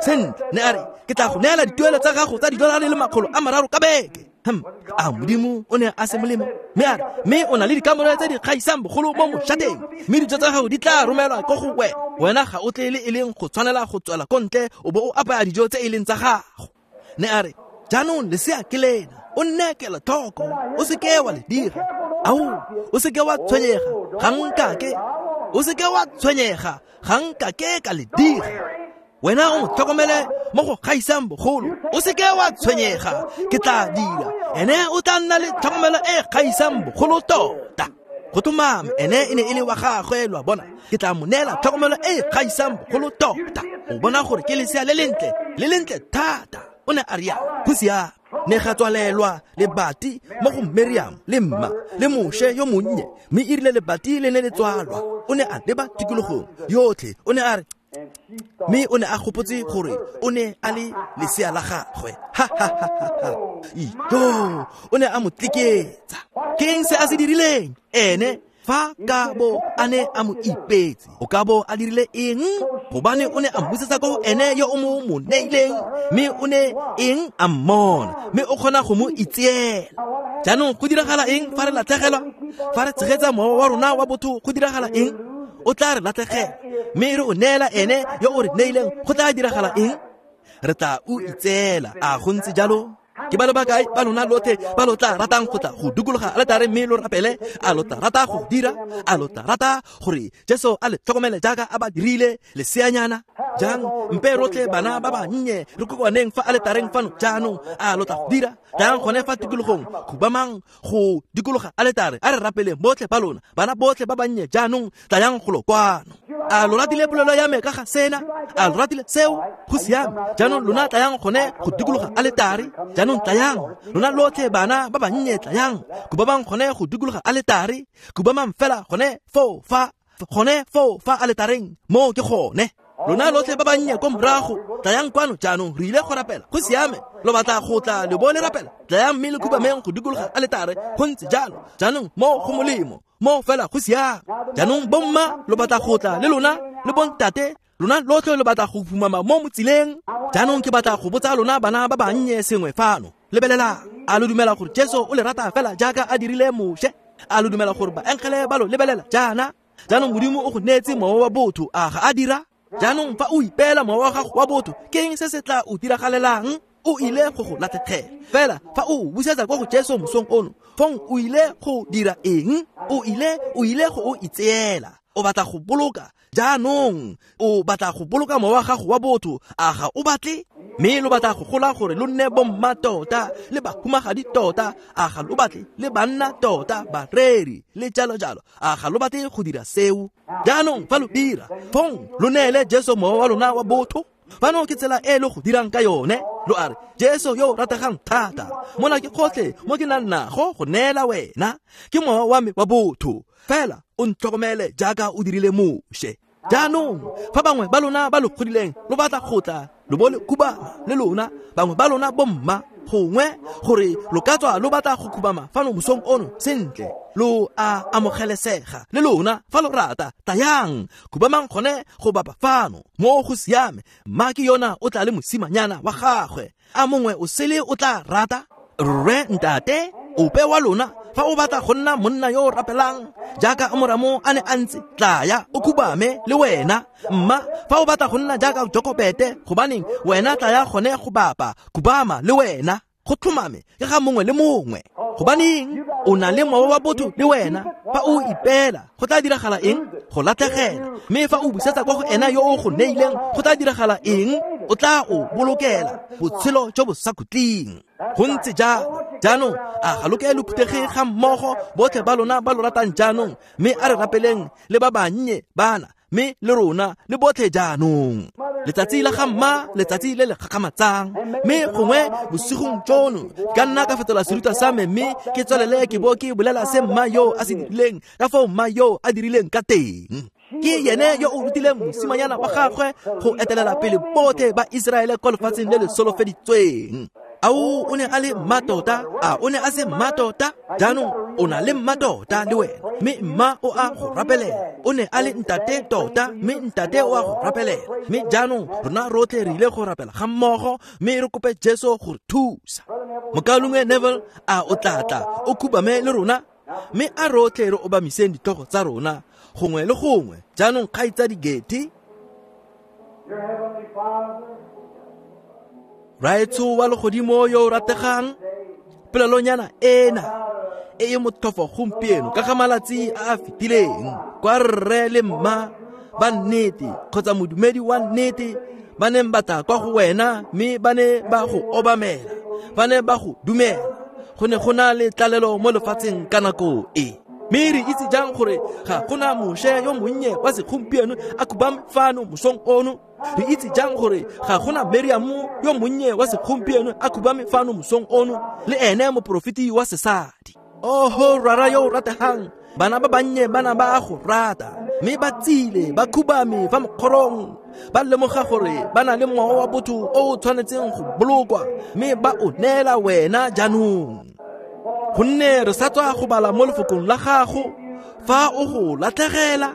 Sentle, ne a re, ke tla go neela dituelo tsa gago tsa didolara di le 300 ka beke. A Modimo o ne a se molemo? Mme a re, mme o na le dikamore tse di kgaisang bogolo mo moshateng, mme dijo tsa gago di tla romelwa ko go wena. Wena ga o tle le e leng go tshwanela go tswela ko ntle o bo o apaya dijo tse e leng tsa gago. Ne a re, jaanong lesea ke lena, o nne kelotlhoko, o seke wa le dira. Ao, o seke wa tshwenyega, ga nkake. O seke wa tshwenyega, ga nkake ka le dira. Wena o mo tlhokomele mo go gaisang bogolo, o seke wa tshwenyega, ke tla dira. Ene o tla nna le tlhokomelo e gaisang bogolo tota. Go tlhomame, ene e ne e le wa gagwe, lo a bona. Ke tla mo neela tlhokomelo e gaisang bogolo tota. O bona gore ke lesea le lentle, le lentle thata. O ne a rialo, go siame. Ne ga tswalelwa lebati mo go Miriam le mma le Moshe yo monnye, mme e rile lebati le ne le tswalwa, o ne a leba tikologong yotlhe. O ne a re, mme o ne a gopotse gore o ne a le lesea la gagwe. Ha ha ha ha ha. Ijo, o ne a mo tliketsa. Ke eng se a se dirileng? Ene fa ka bo a ne a mo ipetse, o ka bo a dirile eng? Gobane o ne a mmusetsa ko ene yo o mo neileng, mme o ne eng a mmona, mme o kgona go mo itseela. Jaanong go diragala eng fa re latlhegelwa? Fa re tshegetsa mowa wa rona wa botho, go diragala eng? O tla re latlhegela, mme re o neela ene yo o re neileng, go tla diragala eng? Re tla o itseela. A go ntse jalo? Ke ba le bakae ba lona lotlhe ba lo tla ratang go tla go dikologa aletare mme lo rapele? A lo tla rata go dira? A lo tla rata gore Jesu a le tlhokomele jaaka a ba dirile leseanyana? Jang mpe rotlhe bana ba bannye re kokoaneng fa aletareng fano jaanong. A lo tla go dira? Tlayang gone fa tikologong, khubamang go dikologa aletare, a re rapeleng botlhe ba lona, bana botlhe ba bannye jaanong, tlayang golo kwano. A lo ratile polelo ya me ka ga sena? A lo ratile seo? Go siame. Jaanong lona tlayang gone go dikologa aletare. Jaanong tlayang lona lotlhe bana ba bannye, tlayang khubamang gone go dikologa aletare, khubamang fela gone foo fa, gone foo fa aletareng, moo ke gone. Lona lotlhe ba bannye ko morago, tlayang kwano jaanong, re ile go rapela. Go siame. Lo batla go tla le bo le rapela? Tlayang mme le khubameng go dikologa aletare. Go ntse jalo. Jaanong mo go molemo, mo fela go siame. Jaanong bomma lo batla go tla le lona le bontate, lona lotlhe lo batla go phumama mo motsileng. Jaanong ke batla go botsa lona bana ba bannye sengwe fano. Lebelelang, a lo dumela gore Jesu o le rata fela jaaka a dirile Moshe? A lo dumela gore baengele ba lo lebelela jaana? Jaanong Modimo o go neetse mowa wa botho, a ga a dira? Jaanong fa o ipeela mowa wa gago wa botho, ke eng se se tla o diragalelang? O ile go go latlhegela. Fela fa o busetsa kwa go Jesu mosong ono, fong o ile go dira eng? O ile go o itseela. O batla go boloka. Jaanong o batla go boloka mowa wa gago wa botho, a ga o batle? Mme lo batla go gola gore lo nne bomma tota le bahumagadi tota, a ga lo batle? Le banna tota, bareri le jalo jalo, a ga lo batle go dira seo? Jaanong fa lo dira, fong lo neele Jesu mowa wa lona wa botho. Fano ke tsela e lo go dirang ka yone. Lo a re, Jesu yo o rategang thata, mona ke gotlhe mo ke nang nago go neela wena, ke mowa wa me wa botho, fela o ntlhokomele jaaka o dirile Moshe. Jaanong fa bangwe ba lona ba lo godileng lo batla go tla lo bo le khubama le lona, bangwe ba lona bomma gongwe gore lo ka tswa lo batla go khubama fano mosong ono, sentle, lo a amogelesega le lona fa lo rata. Tlayang, khubamang gone go bapa fano, mo go siame. Mma ke yona o tla le mosimanyana wa gagwe. A mongwe o sele o tla rata? Rre, ntate, ope wa lona, fa o batla go nna monna yo o rapelang jaaka Amoramo a ne a ntse, tlaya o khubame le wena. Mma, fa o batla go nna jaaka Jokobete, gobaneng wena tlaya gone go bapa, khubama le wena. Go tlhomame ke ga mongwe le mongwe. Gobaneng o na le mowa wa botho le wena? Fa o ipeela, go tla diragala eng? Go latlhegela. Mme fa o busetsa kwa go ena yo o go neileng, go tla diragala eng? O tla o bolokela botshelo jo bo sa khutleng. Go ntse jalo. Jaanong a ga lo ke lo phuthege ga mmogo botlhe ba lona ba lo ratang jaanong, mme a re rapeleng le ba bannye bana, mme le rona le botlhe jaanong. Letsatsi la ga mma, letsatsi le le gakgamatsang. Mme gongwe bosigong jono ka nna ka fetola serutwa sa me mme ke tswelele ke bo ke bolela se mma yo a se dirileng, ka fao mma yo a dirileng ka teng. Ke yene yo o rutileng mosimanyana wa gagwe go etelela pele botlhe ba Iseraele kwa lefatsheng le le solofeditsweng. Ao, o ne a le mma tota? A o ne a se mma tota? Jaanong o na le mma tota le wena, mme mma o a go rapelela. O ne a le ntate tota, mme ntate o a go rapelela. Mme jaanong rona rotlhe re ile go rapela ga mmogo, mme re kope Jesu go re thusa. Mokaulengwe Neville, a o tla tla o khubame le rona? Mme a rotlhe re obamiseng ditlhogo tsa rona gongwe le gongwe. Jaanong kgaitsadi Getty, Raetsho wa legodimo yo o rategang, polelonyana ena e e motlhofo gompieno ka ga malatsi a a fetileng, kwa rre le mma ba nnete kgotsa modumedi wa nnete ba neng ba tla kwa go wena mme ba ne ba go obamela, ba ne ba go dumela. Go ne go na le tlalelo mo lefatsheng ka nako e. Mme re itse jang gore ga gona Moshe yo monnye wa segompieno a khubame fano mosong ono? Re itse jang gore ga gona Miriamo yo monnye wa segompieno a khubame fano mosong ono, le ene moporofeti wa sesadi? Oho rara yo o rategang, bana ba bannye bana ba go rata, mme ba tsile ba khubame fa mokgorong, ba lemoga gore ba na le mowa wa botho o o tshwanetseng go bolokwa, mme ba o neela wena jaanong. Gonne re sa tswa go bala mo lefokong la gago, fa o go latlhegela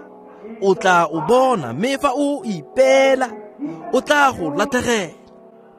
o tla o bona, mme fa o ipeela o tla go latlhegela.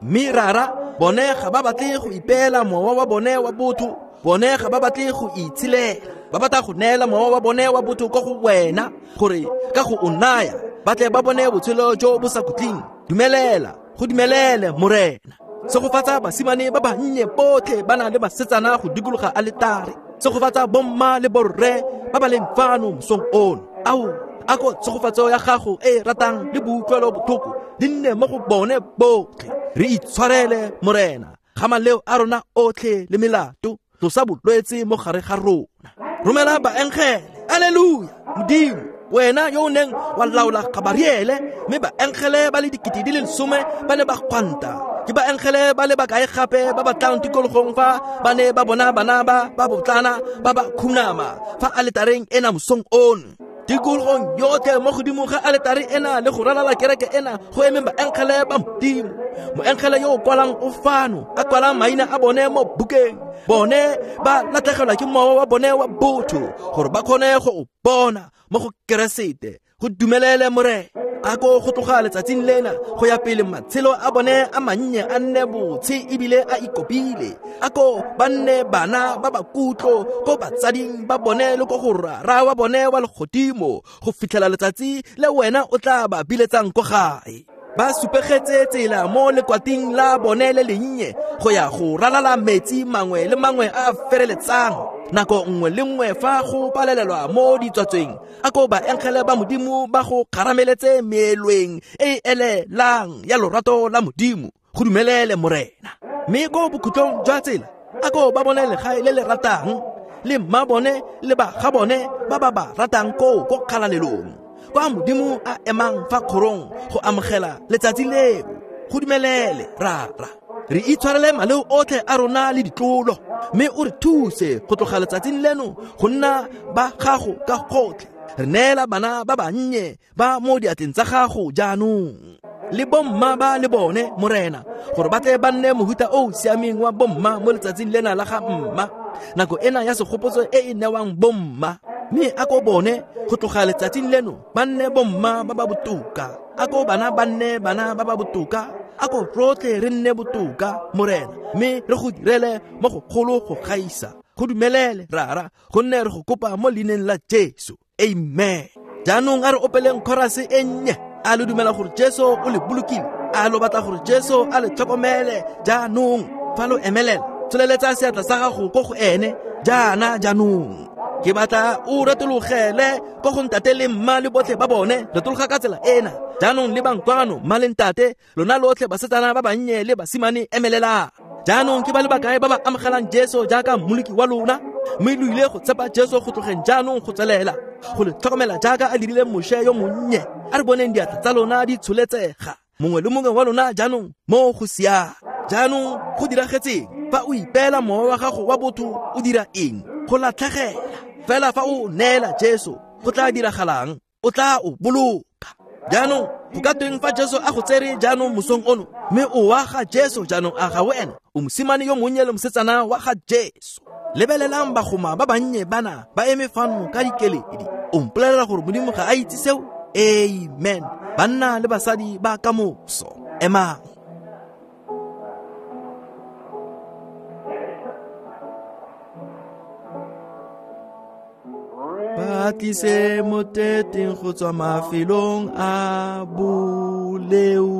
Mme rara, bone ga ba batle go ipeela mowa wa bone wa botho, bone ga ba batle go itshilela, ba batla go neela mowa wa bone wa botho kwa go wena, gore ka go o naya ba tle ba bone botshelo jo bo sa khutleng. Dumelela, go dumelele Morena. Segofatsa basimane ba bannye botlhe ba na le basetsana go dikologa aletare. Segofatsa bomma le borre ba ba leng fano mosong ono. Ao, a ko tshegofatso ya gago e e ratang le boutlwelo botlhoko di nne mo go bone botlhe. Re itshwarele, Morena, ga maleo a rona otlhe le melato, tlosa bolwetse mo gare ga rona. Romela baengele, alleluia, Modimo, wena yo o neng wa laola Gabariele, mme baengele ba le 10,000 ba ne ba gwanta. Ke baengele ba le bakae gape ba ba tlang tikologong fa ba ne ba bona bana ba ba botlana ba ba khunama fa aletareng ena mosong ono. Tikologong yotlhe mo godimo ga aletare ena le go ralala kereke ena go emeng baengele ba Modimo. Moengele yo o kwalang o fano, a kwalang maina a bone mo bukeng. Bone ba latlhegelwa ke mowa wa bone wa botho gore ba kgone go o bona mo go Keresete. Go dumelele, Morena, a ko go tloga letsatsing lena go ya pele matshelo a bone a mannye a nne botshe ebile a ikopile. A ko ba nne bana ba ba kutlo ko batsading ba bone le ko go rara wa bone wa legodimo go fitlhela letsatsi le wena o tla ba biletsang ko gae. Ba supegetse tsela mo lekwating la bone le lennye go ya go ralala metsi mangwe le mangwe a a fereletsang. Nako nngwe le nngwe fa go palelelwa mo ditswatsweng, a ko baengele ba Modimo ba go kgarameletse meelweng e e elelang ya lorato la Modimo. Go dumelele, Morena. Mme ko bokhutlong jwa tsela, a ko ba bone legae le le ratang, le mma bone le ba ga bone ba ba ba ratang koo ko kgalalelong, kwa Modimo a emang fa kgorong go amogela letsatsi leo. Go dumelele, Rara. Re itshwarele maleo otlhe a rona le ditlolo, mme o re thuse go tloga letsatsing leno go nna ba gago ka gotlhe. Re neela bana ba bannye ba mo diatleng tsa gago jaanong, le bomma ba le bone, Morena, gore ba tle ba nne mohuta o o siameng wa bomma mo letsatsing lena la ga mma, nako ena ya segopotso e e newang bomma. Mme a ko bone go tloga letsatsing leno ba nne bomma ba ba botoka. A ko bana ba nne bana ba ba botoka. A ko rotlhe re nne botoka, Morena, mme re go direle mo go golo go gaisa. Go dumelele, Rara, gonne re go kopa mo leineng la Jesu. Amen. Jaanong a re opeleng chorus e nnye. A le dumela gore Jesu o le bolokile? A lo batla gore Jesu a le tlhokomele jaanong? Fa lo emelela, tsholeletsa seatla sa gago ko go ene jaana jaanong. Ke batla o retologele ko go ntate le mma le botlhe ba bone. Retologa ka tsela ena jaanong. Le bankwano, mma le ntate, lona lotlhe basetsana ba bannye le basimane, emelela jaanong. Ke ba le bakae ba ba amogelang Jesu jaaka mmoloki wa lona, mme lo ile go tshepa Jesu go tlogeng jaanong go tswelela go le tlhokomela jaaka a dirile Moshe yo monnye? A re boneng diatla tsa lona di tsholetsega, mongwe le mongwe wa lona jaanong mo go siame. Jaanong go diragetseng fa o ipeela mowa wa gago wa botho? O dira eng? Go latlhegela. Fela fa o neela Jesu, go tla diragalang? O tla o boloka. Jaanong go ka tweng fa Jesu a go tsere jaanong mosong ono, mme o wa ga Jesu jaanong? A ga wena o mosimane yo monnye le mosetsana wa ga Jesu? Lebelelang bagoma ba bannye bana ba eme fano ka dikeledi. O mpolelela gore Modimo ga a itse seo? Amen. Banna le basadi ba ka moso, emang. Ba tlise mo teteng go tswa mafelong a boleo.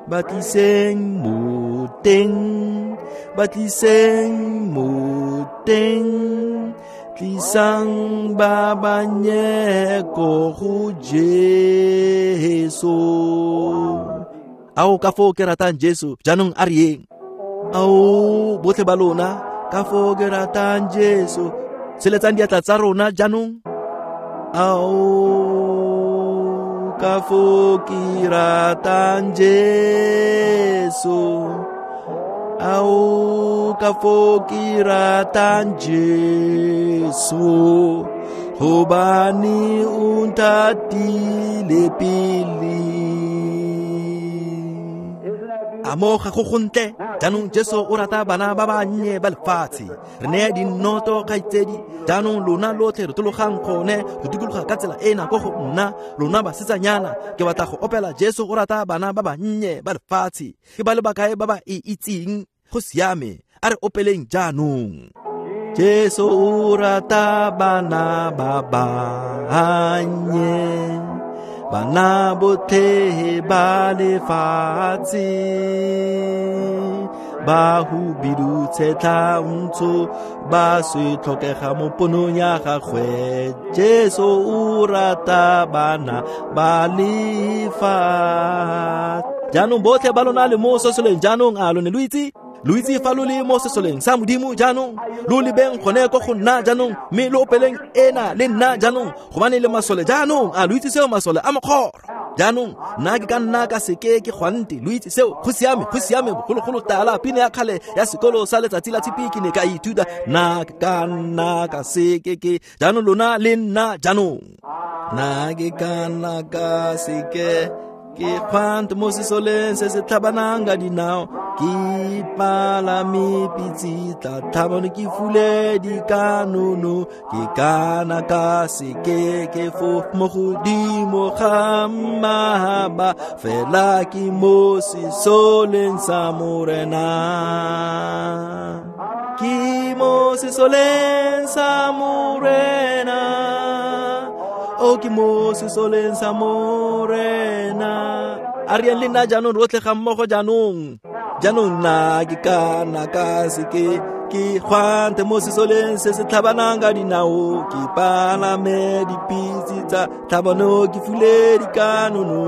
Ba tliseng mo teng, ba tliseng mo teng. Tlisang ba bannye ko go Jesu. Ao, ka foo ke ratang Jesu. Jaanong a re yeng. Ao, botlhe ba lona, ka foo ke ratang Jesu. Tsheletsang diatla tsa rona jaanong. Ao, ka foo ke ratang Jesu. Ao, ka foo ke ratang Jesu, gobane o nthatile pele. A mo ga go gontle. Jaanong Jesu o rata bana ba bannye ba lefatshe. Re nea dinnoto, kgaitsedi. Jaanong lona lotlhe retologang gone go dikologa ka tsela ena ko go nna, lona basetsanyana. Ke batla go opela Jesu o rata bana ba bannye ba lefatshe. Ke ba le bakae ba ba e itseng? Go siame, a re opeleng jaanong. Jesu o rata bana ba bannye, bana botlhe ba lefatshe. Ba hubidu tshetlha ntsho ba se tlhokega mo ponong ya gagwe. Jesu o rata bana ba lefa. Jaanong botlhe ba lona le mo sesoleng jaanong, a lo ne lo itse? Lo itse fa lo le mo sesoleng sa Modimo jaanong, lo lebeng gone ko go nna jaanong, mme lo opeleng ena le nna jaanong, gobane le masole jaanong. A lo itse seo, masole a mokgoro? Jaanong nna ke ka nna ka seke ke gwante, lo itse seo, go siame, go siame. Bogologolo tala pina ya kgale ya sekolo sa letsatsi la tshipi ke ne ka ithuta, nna ke ka nna ka seke ke. Jaanong lona le nna jaanong, nna ke ka nna ka seke ke gwante mo sesoleng se se tlhabanang ka dinao, ke palame pitse tla tlhabano ke fule dikanono, ke kana ka seke ke fo mo godimo ga mahaba, fela ke mo sesoleng sa Morena. Ke mo sesoleng sa Morena, o ke mo sesoleng sa Morena. A re yang le nna jaanong rotlhe ga mmogo jaanong. Jaanong nna ke ka nna ka seke ke gwante mo sesoleng se se tlhabanang ka dinao, ke palame dipitse tsa tlhabano ke fule dikanono.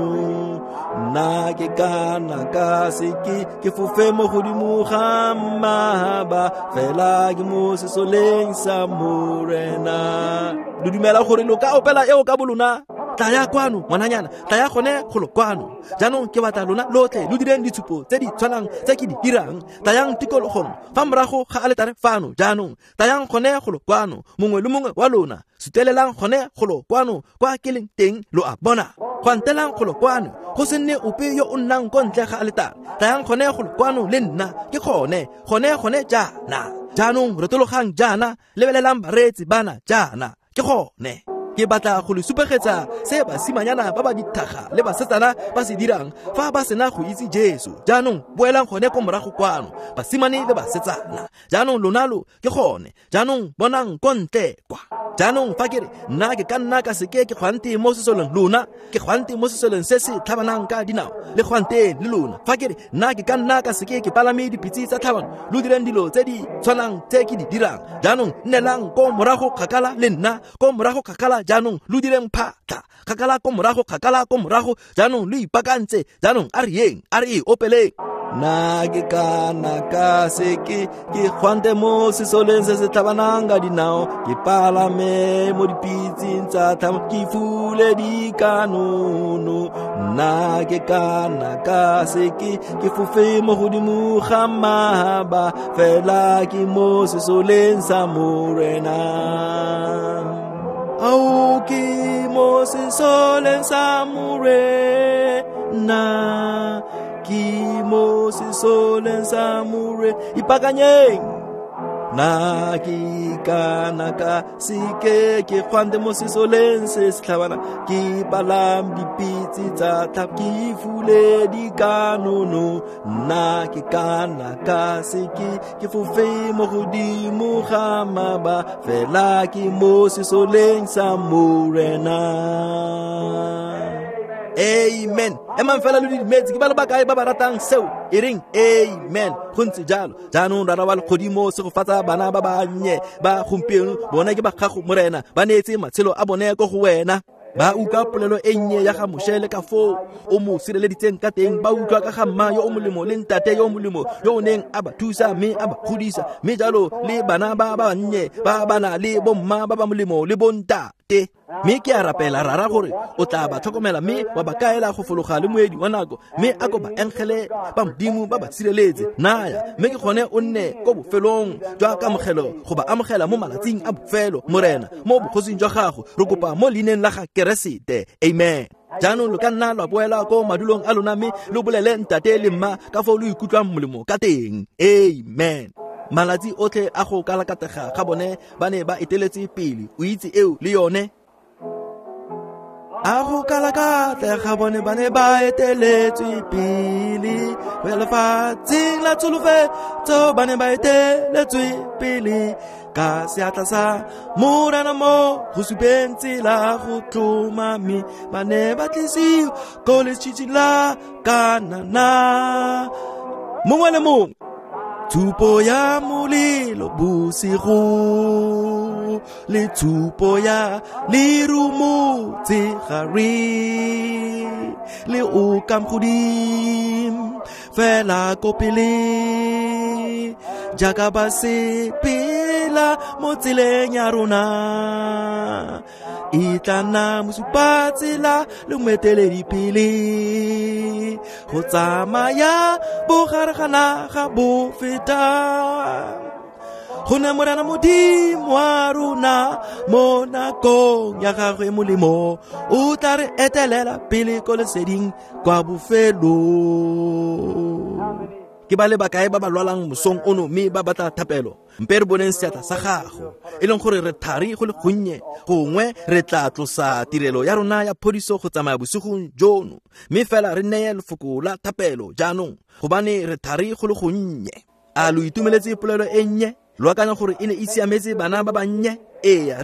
Nna ke ka nna ka seke ke fofe mo godimo ga mahaba, fela ke mo sesoleng sa Morena. Lo dumela gore lo ka opela eo ka bolona? Tlaya kwano ngwananyana, tlaya gone golo kwano. Jaanong ke batla lona lotlhe lo direng ditshupo tse di tshwanang tse ke di dirang. Tlayang tikologong fa morago ga aletare fano jaanong, tlayang gone golo kwano, mongwe le mongwe wa lona. Sutelelang gone golo kwano kwa ke leng teng, lo a bona. Gwantelang golo kwano, go se nne ope yo o nnang ko ntle ga aletare. Tlayang gone golo kwano le nna, ke gone, gone gone jaana. Jaanong retologang jaana, lebelelang bareetsi bana jaana, ke gone. Ke batla go le supegetsa se basimanyana ba ba dithaga le basetsana ba se dirang fa ba sena go itse Jesu. Jaanong boelang gone ko morago kwano, basimane le basetsana. Jaanong lona lo ke gone. Jaanong bonang ko ntle kwa. Jaanong fa ke re nna ke ka nna ka seke ke gwante mo sesoleng lona, ke gwante mo sesoleng se se tlhabanang ka dinao, le gwanteng le lona. Fa ke re nna ke ka nna ka seke ke palame dipitse tsa tlhabano, lo direng dilo tse di tshwanang tse ke di dirang. Jaanong nnelang ko morago kgakala le nna, ko morago kgakala. Jaanong lo direng phatla kgakala ko morago, kgakala ko morago. Jaanong lo ipakantse. Jaanong a re yeng, a re e opeleng. Nna ke ka nna ka seke ke gwante mo sesoleng se se tlhabanang ka dinao, ke palame mo dipitseng tsa tlhamo, ke fule dikanono. Nna ke ka nna ka seke ke fofe mo godimo ga mahaba, fela ke mo sesoleng sa Morena. Ao ke mo sesoleng sa Morena, ke mo sesoleng sa Morena. Ipakanyeng. Nna ke ka nna ka seke ke gwante mo sesoleng se se tlhabana, ke palame dipitse tsa tlhabo, ke fule dikanono. Nna ke ka nna ka seke ke fofe mo godimo ga maba, fela ke mo sesoleng sa Morena. Amen. Emang fela lo didimetse, ke ba le bakae ba ba ratang seo? E reng amen. Go ntse jalo. Jaanong Rara wa legodimo, segofatsa bana ba bannye ba gompieno, bona ke ba gago Morena, ba neetse matshelo a bone ko go wena. Ba utlwa polelo e nnye ya ga Moshe le ka foo o mo sireleditseng ka teng, ba utlwa ka ga mma yo o molemo le ntate yo o molemo yo o neng a ba thusa mme a ba godisa, mme jalo le bana ba bannye ba ba na le bomma ba ba molemo le bontate. Mme ke a rapela Rara gore o tla ba tlhokomela mme wa ba kaela go fologa le moedi wa nako, mme a ko ba engele ba Modimo ba ba sireletse. Naya, mme ke gone o nne ko bofelong jwa kamogelo go ba amogela mo malatsing a bofelo, Morena, mo bogosing jwa gago. Re kopa mo leineng la ga Keresete. Amen. Jaanong lo ka nna lwa boela ko madulong a lona mme lo bolele ntate le mma ka foo lo ikutlwang molemo ka teng. Amen. Malatsi otlhe a go kalakatega ga bone ba ne ba eteletse pele, o itse eo le yone. A go kalakatega bone ba ne ba eteletswe pele, go ya lefatsheng la tsholofetso ba ne ba eteletswe pele, ka seatla sa Morena mo go supeng tsela go tlhomame, ba ne ba tlisiwa ko letšhitšhing la Kanana. Mongwe le mongwe. Tshupo ya molelo bosigo le tshupo ya lerumo tshegare le o ka godimo fela ko pele jaaka ba sepela mo tseleng ya rona e tla nna mosupatsela le moeteledipele go tsamaya bogare ga naga bo feta gonne Morena Modimo wa rona mo nakong ya gagwe molemo o tla re etelela pele ko leseding kwa bofelong. Ke ba le bakae ba ba lwalang mosong ono mme ba batla thapelo? Mpe re boneng seatla sa gago, e leng gore re thari go le gonnye, gongwe re tla tlosa tirelo ya rona ya phodiso go tsamaya bosigong jono, mme fela re neye lefoko la thapelo jaanong, gobane re thari go le gonnye. A lo itumeletse polelo e nnye? Lo akanya gore e ne e siametse bana ba bannye? Ee,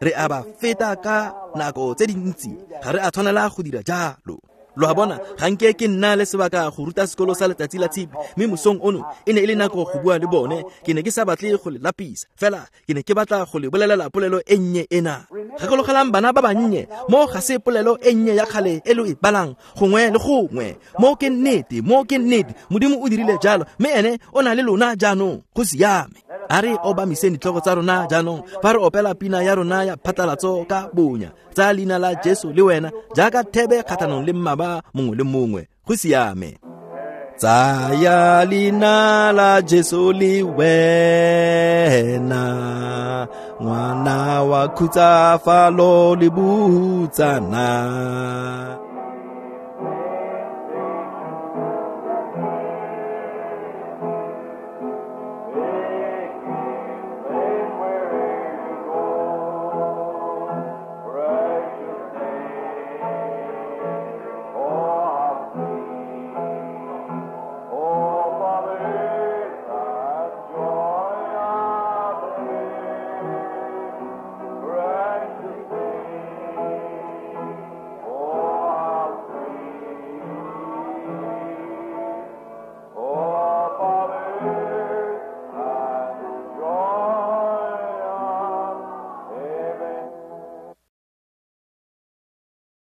re a ba feta ka nako tse dintsi, ga re a tshwanela go dira jalo. Lo a bona, ga nke ke nna le sebaka go ruta sekolo sa letsatsi la tshipi, mme mosong ono e ne e le nako go bua le bone. Ke ne ke sa batle go le lapisa, fela ke ne ke batla go le bolelela polelo e nnye ena. Gakologelang bana ba bannye, mo ga se polelo e nnye ya kgale e lo e balang gongwe le gongwe. Mo ke nnete, mo ke nnete. Modimo o dirile jalo, mme ene o na le lona jaanong. Go siame. A re obamiseng ditlhogo tsa rona jaanong fa re opela pina ya rona ya phatlalatso ka bonya. Tsa leina la Jesu le wena jaaka thebe kgatlhanong le mmaba mongwe le mongwe. Go siame. Tsaya leina la Jesu le wena, ngwana wa khutsafalo le bohutsana.